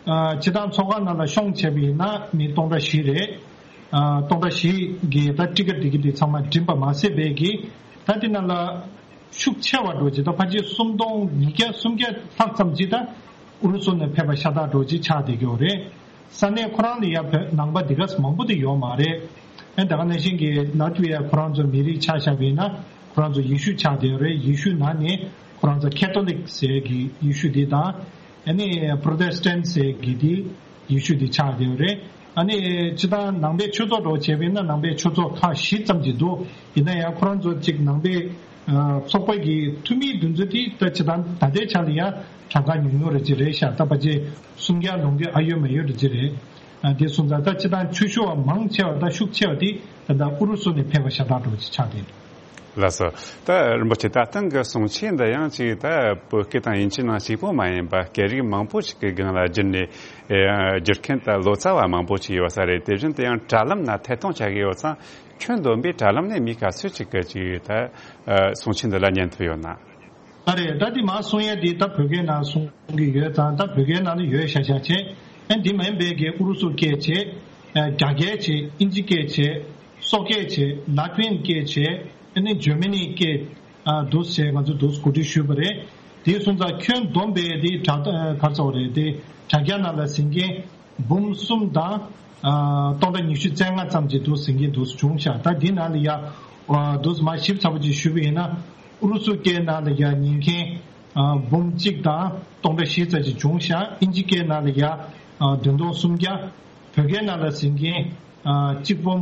ཨ་སྤྱིར་བཏང་ཚོགས་ཁང་ནང་ལ་ཤོང་བྱས་པ་ཡིན་ན་མི་སྟོང་ཕྲག་བཞི་རེད། ཨ་སྟོང་ཕྲག་བཞི་གི་ད་ཊི་ཀེ་ཊི་དེ་གི་དེ་ཚང་མ་འགྲིམ་པ་མ་ཟད་པའི་གི་ད་དེ་ནང་ལ་ཤུགས་ཆེ་བ་འགྲོ་ཅིག་ད་ཕལ་ཆེར་སུམ་སྟོང་ཉིས་བརྒྱ་སུམ་བརྒྱ་ལྷག་ཙམ་ཅིག་ད་ཨུ་རུ་སུ་ནས་ཕེབས་པ་ཤ་སྟག་འགྲོ་ཅིག་ཆགས་བསྡད་ཀྱི་ཡོད་རེད། ས་གནས་ཁོ་རང་ལ་ཡ་བོད་ནང་པ་འདི་ག་ས་མང་པོ་དེ་ཡོད་མ་རེད། ཨ་ད་ག་ནང་བཞིན་གྱི་ལ་ཐི་བི་ཡ་ཁོ་རང་ཚོ་མི་རིགས་ཆ་བཞག་པ་ཡིན་ན་ཁོ་རང་ཚོ་ཡེ་ཤུ་ཆགས་བསྡད་ཡོད་རེད། ཡེ་ཤུ་ནང་ནས་ཁོ་རང་ཚོ་ཁེ་ཐོ་ལིག་ཟེར་གྱི་ཡེ་ཤུ་འདི་དང་། ཨ་ནི་པྲོ་ཏེ་སི་ཊན་ཟེར་གྱི་དེ་ཡེ་ཤུ་དེ་ཆགས་བསྡད་ཡོད་རེད། ཨ་ནི་སྤྱིར་བཏང་ནང་པའི་ཆོས་ཚོགས་འདྲ་བོ་བྱས་པ་ཡིན་ན་ནང་པའི་ཆོས་ཚོགས་ཁག་བཞི་ཙམ་ཅིག་འདུག་ཡིན་ན་ཡང་ཁོ་རང་ཚོ་གཅིག་ནང་པའི་ཨ་ཚོགས་པ་གི་འཐུས་མིའི་འདུ་འཛོམས་དེ་ད་སྤྱིར་བཏང་ད་ལྟའི་ཆ་ལ་ཡང་གྲངས་ཀ་ཉུང་ཉུང་རེ་ཅིག་རེད་ཤག་ད་ཕལ་ཆེར་སུམ་བརྒྱ་ལོངས་ཀྱི་ཨ་ཡོད་མ་ཡོད་རེ་ཅིག་རེད། ཨ་དེ་སོང་ཙང་ད་སྤྱིར་བཏང་ཆོས་ཞུ་བ་མང་ཆེ་བ་ད་ཤུགས་ཆེ་བ་དེ་ད་ལྟ་ཨུ་རུ་སུ་ནས་ཕེབས་པ་ཤ་སྟག་འདྲ་བོ་ཅིག་ཆགས་བསྡད་འདུག་ལགས་སོ། ད་རིན་པོ་ཆེ་ད་ཐེངས་ཀྱི་གསུང་ཆོས་འདི་ཡང་ཅིག་ད་བོད་སྐད་དང་དབྱིན་ཇི་ནང་གཅིག་པོ་མ་ཡིན་པ་སྐད་རིགས་མང་པོ་ཞིག་གི་སྒང་ལ་བསྒྱུར་ནས་ཨེ་བསྒྱུར་མཁན་ད་ལོ་ཙཱ་བ་མང་པོ་ཞིག་ཡོད་ས་རེད། དེ་བཞིན་དུ་ཡང་དྲ་ལམ་ན་ཐད་གཏོང་བྱ་གི་ཡོད་ཙང་ཁྱོན་བསྡོམས་པའི་དྲ་ལམ་ནས་མི་ག་ཚོད་ཅིག་གི་ཅིག་ད་གསུང་ཆོས་འདི་ལ་ཉན་ཐུབ་ཡོད་ན། ད་རེད་ད་འདི་མ་གསུང་ཡ་འདི་ད་བོད་སྐད་ནང་གསུང་གི་ཡོད་ཙང་ད་བོད་སྐད་ནང་ལ་ཡོད་ཤག་ཤག་བྱས། ཨ་འདི་མིན་པའི་གི་ཨུ་རུ་སུ་སྐད་བྱས། ཨ་རྒྱ་སྐད་བྱས་ཨིན་ཇི་སྐད་བྱས། སོག་སྐད་བྱས་ལ་ཏི་ཝན་སྐད་བྱས། ཨ་ནི་འཇར་མ་ནི་སྐད་ཨ་འདུག་བྱས་ང་ཚོ་འདུག་གོ་སྒྲིག་ཞུས་པ་རེད། དེ་སོང་ཙང་ཁྱོན་བསྡོམས་པའི་དེ་དྲ་ཨ་ག་རེ་ཟེར་དགོས་རེད་དེ་དྲ་རྒྱ་ནང་ལ་ཟིན་མཁན་འབུམ་གསུམ་དང་ཨ་སྟོང་ཕྲག་ཉི་ཤུ་རྩ་ལྔ་ཙམ་ཅིག་འདུག་ཟིན་མཁན་འདུག་བྱུང་ཤག་ད་འདི་ནང་ལ་ཡ་ཨ་འདུག་མ་ཞིབ་ཚགས་པོ་ཅིག་ཞུས་པ་ཡིན་ན་ཨུ་རུ་སུ་སྐད་ནང་ལ་ཡ་ཉན་མཁན་ཨ་འབུམ་གཅིག་དང་སྟོང་ཕྲག་བཞི་ཙམ་ཅིག་བྱུང་ཤག་ཨིན་ཇི་སྐད་ནང་ལ་ཡ་ཨ་བདུན་སྟོང་སུམ་བརྒྱ། བོད་སྐད་ནང་ལ་ཟིན་མཁན་ཨ་གཅིག་འབུམ་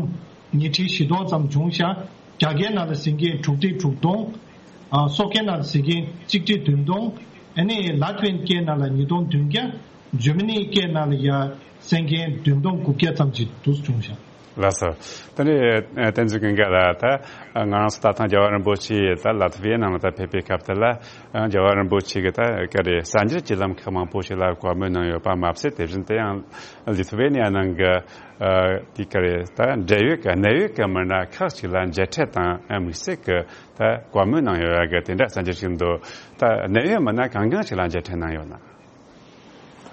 ཉིས་ཁྲི་བཞི་སྟོང་ཙམ་བྱུང་ཤག་རྒྱ་སྐད་ནང་ལ་ཟིན་མཁན་དྲུག་ཁྲི་དྲུག་སྟོང་། ཨ་སོག་སྐད་ནང་ལ་ཟིན་མཁན་གཅིག་ཁྲི་བདུན་སྟོང་། ཨ་ནི་ལ་ཏི་ཝན་སྐད་ནང་ལ་ཉིས་སྟོང་བདུན་བརྒྱ། འཇར་མ་ནི་སྐད་ནང་ལ་ཡ་གསན་མཁན་བདུན་སྟོང་དགུ་བརྒྱ་ཙམ་ཅིག་འདུག་བྱུང་ཤག་ལགས་སོ། ད་ནི་བསྟན་འཛིན་ཀུན་དགའ་ལགས་ད་ང་རང་ཚོ་ད་ཐེངས་རྒྱལ་བ་རིན་པོ་ཆེ་ད་ལ་ཐི་བི་ཡའི་ནང་ལ་ད་ཕེབས་པའི་སྐབས་དེ་ལ་རྒྱལ་བ་རིན་པོ་ཆེ་གི་ད་ག་རེ་གསར་འགྱུར་གྱི་ལམ་ཁག་མང་པོ་ཞིག་ལ་བཀའ་མོལ་གནང་ཡོད་པ་མ་ཟད་དེ་བཞིན་དུ་ཡང་ལི་ཐི་ཝེ་ནི་ཡ་ནང་གི་ཨ་དེ་ག་རེ་ད་འབྲེལ་ཡོད་ཀྱི་གནད་ཡོད་ཀྱི་མི་སྣ་ཁག་ཅིག་ལ་མཇལ་འཕྲད་དང་ཨ་དམིགས་བསལ་གྱི་ད་བཀའ་མོལ་གནང་ཡོད་ཡ་གི་དེ་འདྲ་གསར་འགྱུར་ཞིག་འདུག་ད་གནད་ཡོད་མི་སྣ་གང་གང་ཞིག་ལ་མཇལ་འཕྲད་གནང་ཡོད་ན།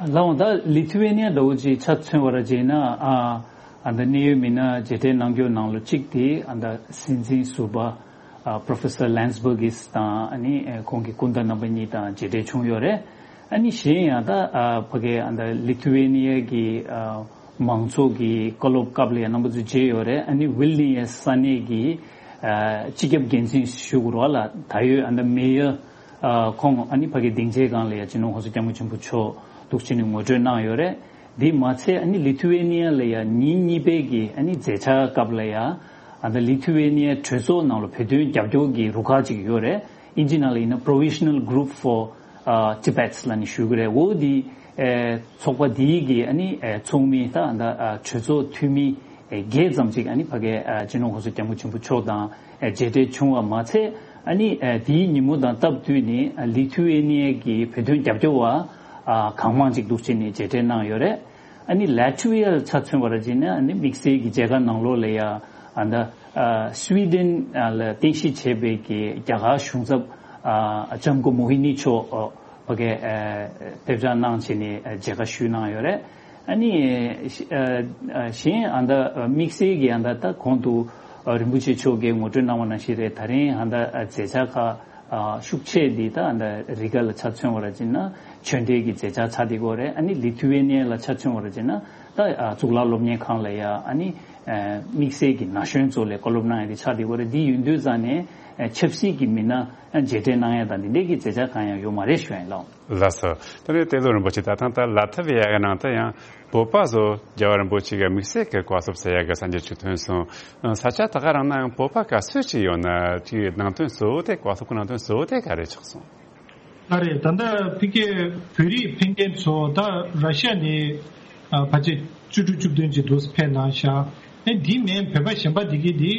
ལགས་འོང་ད་ལི་ཐི་ཝེ་ནི་ཡ་འདྲ་བོ་ཅིག་ཆ་མཚོན་པ་ར་བྱས་ན་ཨ་ཨ་ད་གནད་ཡོད་མི་སྣ་མཇལ་འཕྲད་གནང་རྒྱུ་ནང་ལོ་གཅིག་དེ་ཨ་ད་སྲིད་འཛིན་ཟུར་པ་ ཨ། Professor Landsbergis དང་ཨ་ནི་ཨ་ཁོང་གི་སྐུ་ཟླ་རྣམ་པ་གཉིས་དང་མཇལ་འཕྲད་བྱུང་ཡོད་རེད། ཨ་ནི་གཞན་ཡང་ད་ཨ་ཕ་གི་ཨ་ད་ལི་ཐུ་ཝེ་ནི་ཡ་གི་ཨ་མང་ཚོགས་ཀྱི་བཀའ་སློབ་སྐབས་ལ་ཡང་རྣམ་པ་ཚོ་མཇལ་ཡོད་རེད། ཨ་ནི་ཝིལ་ནི་ཡ་ས་གནས་ཀྱི་ཨ་སྤྱི་ཁྱབ་འགན་འཛིན་ཞུ་དགོས་རེད་ལ། ད་ཡོད་ཨ་ད་མེ་ཡར་ཨ་ཁོང་ཨ་ནི་ཕ་གི་སྡིངས་ཆའི་སྒང་ལ་ཡང་སྤྱི་ནོར་གོང་ས་སྐྱབས་མགོན་ཆེན་པོ་མཆོག་འདུག་བྱས་ནས་ངོ་སྤྲོད་གནང་ཡོད་རེད། འདི་མ་ཚད་ཨ་ནི་ལི་ཐུ་ཝེ་ནི་ཡ་ལ་ཡང་ཉིན་གཉིས་པའི་གི་ཨ་ནི་མཛད་འཆར་སྐབས་ལ་ཡང་ཨ་ད་ལི་ཐུ་ཝེ་ནི་ཡ་གྲོས་ཚོགས་ནང་ལ་བོད་དོན་རྒྱབ་སྐྱོར་གྱི་རུ་ཁག་ཅིག་ཡོད་རེད། ཨིན་ཇི་ནང་ལ་ཡིན་ན་Provisional Group for ཨ་Tibet ལབ་ནས་ཞུ་གི་རེད། འོ་འདི་ཨེ་ཚོགས་པ་འདིའི་གི་ཨ་ནི་ཨེ་ཚོགས་མི་ད་ཨ་ད་ཨ་གྲོས་ཚོགས་འཐུས་མི་ཨེ་བརྒྱད་ཙམ་ཅིག་ཨ་ནི་ཕ་གི་ཨ་སྤྱི་ནོར་གོང་ས་སྐྱབས་མགོན་ཆེན་པོ་མཆོག་དང་ཨེ་མཇལ་འཕྲད་བྱུང་བ་མ་ཚད། ཨ་ནི་ཨེ་དེའི་ཉིན་མོ་དང་སྟབས་བསྟུན་ནས་ཨ་ལི་ཐུ་ཝེ་ནི་ཡ་གི་བོད་དོན་རྒྱབ་སྐྱོར་བ་ཨ་གང་མང་ཅིག་འདུག་བྱས་ནས་མཇལ་འཕྲད་གནང་ཡོད་རེད། ཨ་ནི་ལ་ཐུ་ཝི་ཡ་ལ་ཆ་མཚོན་པར་བྱས་ན་ཨ་ནི་དམིགས་བསལ་གྱི་མཇལ་ཁ་ནང་ལོགས་ལ་ཡ་ཨ་ད་ཨ་སུའི་ཌེན་ཨ་ལ་རྟེན་གཞི་བྱས་པའི་གི་རྒྱ་གར་གཞུང་ཚབ་ཨ་ལྕམ་སྐུ་མོ་ཧི་ནི་མཆོག་ཨ་ཕ་གི་ཨ་ཕེབས་བཅར་གནང་བྱས་ནས་ཨ་མཇལ་ཁ་ཞུས་གནང་ཡོད་རེད། ཨ་ནི་ཨ་ཨ་གཞན་ཨ་ད་དམིགས་བསལ་གྱི་ཨ་ད་ད་གོང་དུ་ཨ་རིན་པོ་ཆེ་མཆོག་གིས་ངོ་སྤྲོད་གནང་བ་ནང་བཞིན་རེད། ད་རིང་ཨ་ད་ཨ་མཛད་འཆར་ཁག་ཨ་ཤུགས་ཆེ་འདི་ད་ཨ་ད་རི་ག་ལ་ཆ་མཚོན་པར་བྱས་ན་ཆོས་འབྲེལ་གྱི་མཛད་འཆར་ཆགས་བསྡད་ཡོད་རེད། ཨ་ནི་ལི་ཐུ་ཝེ་ནི་ཡ་ལ་ཆ་མཚོན་པར་བྱས་ན་ད་ཨ་གཙུག་ལག་སློབ་གཉེར་ཁང་ལ་ཡ་ཨ་ནི་ཨ་དམིགས་བསལ་གྱི་ན་གཞོན་ཚོ་ལ་བཀའ་སློབ་གནང་ཡ་དེ་ཆགས་བསྡད་ཡོད་རེད། འདི་ཡིན་དུས་ཙང་ནས་ཨ་ཆབ་སྲིད་ཀྱི་མི་སྣ་ཨ་མཇལ་འཕྲད་གནང་ཡ་དང་འདི་འདྲའི་གི་མཛད་འཆར་གང་ཡང་ཡོད་མ་རེད་ཞུ་ཡ་ཡིན་ལགས། ལགས་སོ། དེ་ནས་ཏེ་ལོ་རིན་པོ་ཆེ་ད་ཐེངས་ད་ལ་ཐ་བི་ཡ་གི་ནང་དུ་ཡང་བོད་པ་ཚོ་རྒྱལ་བ་རིན་པོ་ཆེ་གི་དམིགས་བསལ་གྱི་བཀའ་སློབ་ཟེར་ཡ་གི་གསར་འགྱུར་ཅིག་ཐོན་སོང་། ས་ཆ་ད་ག་རང་ན་ཡང་བོད་པ་ག་ཚོད་ཅིག་ཡོད་ན་དེའི་ནང་དོན་གཙོ་བོ་དེ་བཀའ་སློབ་ཀྱི་ནང་དོན་གཙོ་བོ་དེ་ག་རེ་ཆགས་སོང་། ལགས་རེད། ད་ལྟ་ཕ་གིའི་བོད་རིགས་ཕེབས་མཁན་ཚོ་ད་ར་ཤི་ཡ་ནས་ཨ་ཕལ་ཆེར་བཅུ་དྲུག་བཅུ་བདུན་ཅིག་འདུག་ཕེབས་གནང་ཤག་ཨེ་འདི་མིན་བོད་པ་གཞན་པ་འདི་གི་འདི་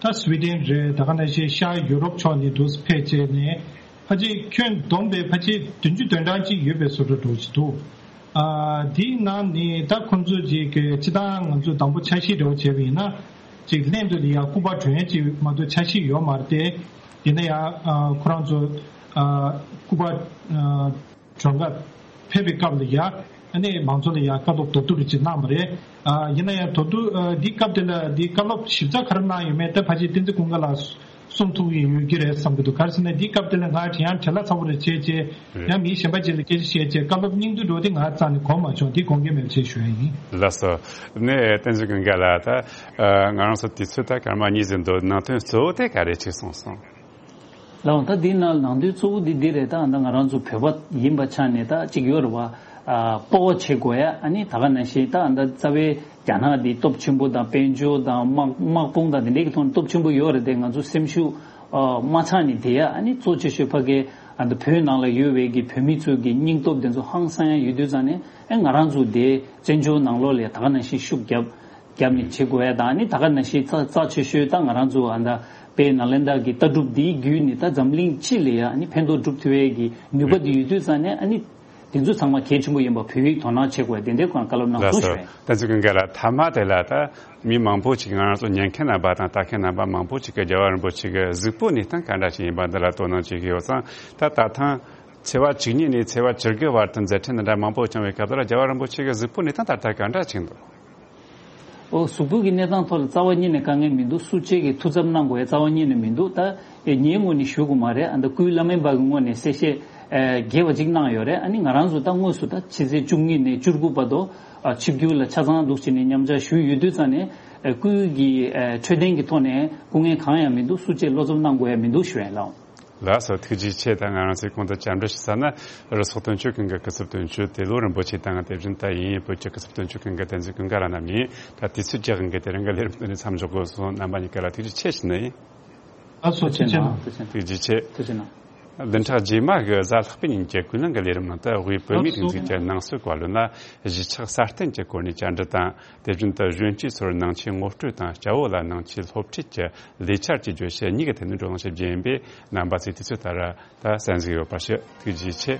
ད་སུའི་ཌེན་རེད། ད་ག་ནང་བཞིན་ཤར་ཡུ་རོབ་ཕྱོགས་ནས་འདུག་ཕེབས་བྱས་ནས་ཕལ་ཆེར་ཁྱོན་བསྡོམས་པས་ཕལ་ཆེར་བདུན་ཅུ་དོན་གྲངས་ཅིག་ཡོད་པའི་བཟོ་འདྲ་འདྲ་ཅིག་འདུག་ཨ་འདིའི་ནང་ནས་ད་ཁོང་ཚོ་ཅིག་གི་སྤྱིར་བཏང་ང་ཚོ་དང་པོ་འཆར་གཞི་འདྲ་བོ་བྱས་པ་ཡིན་ན་ཅིག་ལྷན་དུ་ཡ་སྐུ་པར་སྒྲོན་ཡ་ཅིག་མ་གཏོགས་འཆར་གཞི་ཡོད་མ་རེད་དེ། ཡིན་ན་ཡང་ཨ་ཁོ་རང་ཚོ་ཨ་སྐུ་པར་ཨ་སྒྲོན་ག་ཕེབས་པའི་སྐབས་ལ་ཡ་ཨ་ནི་མང་ཚོགས་ལ་ཡ་བཀའ་སློབ་མདོར་བསྡུས་རེ་ཅིག་གནང་བ་རེད། ཨ་ཡིན་ན་ཡང་མདོར་བསྡུས་ཨ་འདི་སྐབས་དེ་ལ་འདི་བཀའ་སློབ་ཞིབ་ཚགས་ག་རེ་གནང་ཡོད་མེད་ད་ཕལ་ཆེར་བསྟན་འཛིན་ཀུན་དགའ་ལགས་གསུང་ཐུབ་ཀྱི་ཡོད་ཀྱི་རེད་བསམ་གྱི་འདུག་ག་རེ་ཟེར་ན་འདི་སྐབས་དེ་ལ་ང་དྲན་ཡང་བྲེལ་བ་ཚ་པོ་རེ་བྱས་བྱས་རེད། ཡང་མི་གཞན་པ་ཅིག་ལ་སྐད་ཆ་བཤད་བྱས་བཀའ་སློབ་སྙིང་བསྡུས་འགྲོ་དེ་ང་རྩ་ནས་གོ་མ་བྱུང་། འདི་དགོངས་འགལ་མེད་པ་བྱས་ཞུ་ཡ་ཡིན། ལགས་སོ། ནས་བསྟན་འཛིན་ཀུན་དགའ་ལགས་ད་ཨ་ང་རང་ཚོ་དུས་ཚོད་ད་སྐར་མ་གཉིས་ཟིན་འདུག་ནང་དོན་གཙོ་བོ་དེ་ག་རེ་ཆགས་སོང་སོང་། ལགས་འོང་། ད་འདི་ནང་ནང་དོན་གཙོ་བོ་འདི་འདི་རེད། ད་ད་ང་རང་ཚོ་བོད་པ་ཡིན་པ་ཆ་ནས་ད་ཅིག་ཡོད་རེད་བ། ཨ་སྤོབས་པ་བྱེད་དགོས་ཡ། ཨ་ནི་ད་ག་ནང་བཞིན་ད་ད་རྩ་བའི་རྒྱ་ནག་འདི་སྟོབས་ཆེན་པོ་དང་དཔལ་འབྱོར་དང་དམག་དམག་དཔུང་དང་འདི་འདྲའི་གི་ཐོག་ནས་སྟོབས་ཆེན་པོ་ཡོད་རེད་དེ། ང་ཚོ་སེམས་ཤུགས་ཨ་མ་ཆག་ནས་བསྡད་ཡ། ཨ་ནི་གཙོ་ཆེ་ཤོས་ཕ་གི་ཨ་ད་བོད་ནང་ལ་ཡོད་པའི་གི་བོད་མི་ཚོའི་གི་སྙིང་སྟོབས་དེ་ཚོ་ཧང་སང་ཡ་ཡོད་དུས་ཙང་ནས་ཨ་ང་རང་ཚོ་དེ་བཙན་བྱོལ་ནང་ལོགས་ལ་ད་ག་ནང་བཞིན་ཤུགས་རྒྱབ་རྒྱབ་ནས་བྱེད་དགོས་ཡ་དང་། ཨ་ནི་ད་ག་ནང་བཞིན་རྩ་རྩ་ཆེ་ཤོས་ད་ང་རང་ཚོ་ཨ་ད་དཔལ་ནཱ་ལེནྡྲ་གི་ལྟ་གྲུབ་འདིའི་བརྒྱུད་ནས་ད་འཛམ་གླིང་སྤྱི་ལ་ཡ་ཨ་ནི་ཕན་ཐོགས་སྒྲུབ་ཐུབ་ཡའི་གི་ནུས་པ་འདི་ཡོད་དུས་ཙང་ནས་ཨ་ནི་དེ་ཚོ་ཚང་མ་གལ་ཆེན་པོ་ཡིན་པ་བོད་ཡིག་དོ་སྣང་བྱེད་དགོས་ཡ་དེ་འདྲའི་སྐོར་བཀའ་སློབ་གནང་སོང་ཞུ་ཡ་ཡིན། ལགས་སོ། བསྟན་འཛིན་ཀུན་དགའ་ལགས་མཐའ་མ་དེ་ལ་ད་མི་མང་པོ་ཅིག་ང་རང་ཚོ་ཉན་མཁན་རྣམ་པ་དང་ལྟ་མཁན་རྣམ་པ་མང་པོ་ཅིག་གི་རྒྱལ་བ་རིན་པོ་ཆེ་གི་གཟུགས་པོ་གནས་སྟངས་ག་འདྲ་ཞིག་ཡིན་པ་འདི་ལ་དོ་སྣང་བྱེད་ཀྱི་ཡོད་ཙང་། ད་ད་ཐེངས་ཚེས་པ་བཅུ་གཉིས་ནས་ཚེས་པ་བཅུ་དགུ་བར་དུ་མཛད་འཕྲིན་འདི་འདྲ་མང་པོ་བསྐྱངས་པའི་སྐབས་དེ་ལ་རྒྱལ་བ་རིན་པོ་ཆེ་གི་གཟུགས་པོ་གནས་སྟངས་ད་ལྟ་ག་འདྲ་ཞིག་འདུག་ཨོ། གཟུགས་པོ་གི་གནས་སྟངས་ཐོག་ལ་རྩ་བ་ཉིད་ནས་དཀའ་ངལ་མི་འདུག་སུ་གཅིག་གིས་ཐུགས་འཚབ་གནང་དགོས་ཡ་རྩ་བ་ཉིད་ནས་མི་འདུག་ད་ངའི་ངོས་ནས་ཞུ་དགོས་མ་རེད། ཨ་ད་སྐུའི་བླ་སྨན་པ་གི་ངོས་ནས་གསལ་བཤད་ཨ་རྒྱས་པ་ཅིག་གནང་ཡོད་རེད། ཨ་ནི་ང་རང་ཚོ་ད་དངོས་སུ་ད་ཕྱི་ཚེས་བཅུ་གཉིས་ནས་བཅུ་དགུ་བར་དུ་ཨ་ཆིབས་བསྒྱུར་ལ་ཆ་ཚང་འདུག་བྱས་ནས་མཉམ་ཞུགས་ཞུས་ཡོད་དུས་ཙང་ནས་ཨ་སྐུའི་གི་ཨ་འཕྲོད་བསྟེན་གྱི་ཐོག་ནས་སྐུ་ངལ་གང་ཡང་མི་འདུག་སུ་གཅིག་བློ་འཚབ་གནང་དགོས་ཡ་མི་འདུག་ཞུ་ཡ་ཡིན་ལགས། ལགས་སོ། ཐུགས་རྗེ་ཆེ། ད་ང་རང་ཚོའི་གོང་དུ་བཅར་འདྲི་ཞུ་ས་ན་རུ་ཚོགས་དོན་གཅོད་ཁང་གི་སྐུ་ཚབ་དོན་གཅོད་ཏེ་ལོ་རིན་པོ་ཆེ་དང་། དེ་བཞིན་ད་དབྱིན་ཡུལ་བོད་ཀྱི་སྐུ་ཚབ་དོན་གཅོད་ཁང་གི་བསྟན་འཛིན་ཀུན་དགའ་ལགས་རྣམ་གཉིས། ད་དུས་ཚོད་རྒྱག་གི་དེ་རིང་གི་ལས་རིམ་འདི་ནས་མཚམས་འཇོག་དགོས་སོང་། རྣམ་པ་གཉིས་ཀ་ལ་ཐུགས་རྗེ་ཆེ་ཞུ་ནི་ཡིན། ལགས་སོ། ཐུགས་རྗེ་གནང་། ཐུགས་རྗེ་གནང་། ཐུགས་རྗེ་ཆེ། ཐུགས་རྗེ་གནང་། བདུན་ཕྲག་རྗེས་མ་གི་གཟའ་ལྷག་པའི་ཉིན་གྱི་ཀུན་གླེང་གི་ལས་རིམ་ནང་དུ་དབུས་བོད་མིའི་སྒྲིག་འཛུགས་ཀྱི་ནང་སྲིད་བཀའ་བློན་ལ་གཞིས་ཆགས་སྲ་བརྟན་གྱི་སྐོར་ནས་བཅར་འདྲི་དང་། དེ་བཞིན་དུ་གཞོན་སྐྱེས་ཚོར་ནང་ཆོས་ངོ་སྤྲོད་དང་། སྐྱ་བོ་ལ་ནང་ཆོས་སློབ་ཁྲིད་ཀྱི་ལས་འཆར་གྱི་བརྗོད་གཞི་གཉིས་ཀྱི་ཐད་ནས་བགྲོ་གླེང་ཞིག་བརྒྱུད་ཡིན་པས། རྣམ་པ་ཚོས་དུས་ཚོད་ལྟར་ད་གསན་གཟིགས་ཡོད་པར་ཞུ། ཐུགས་རྗེ་ཆེ།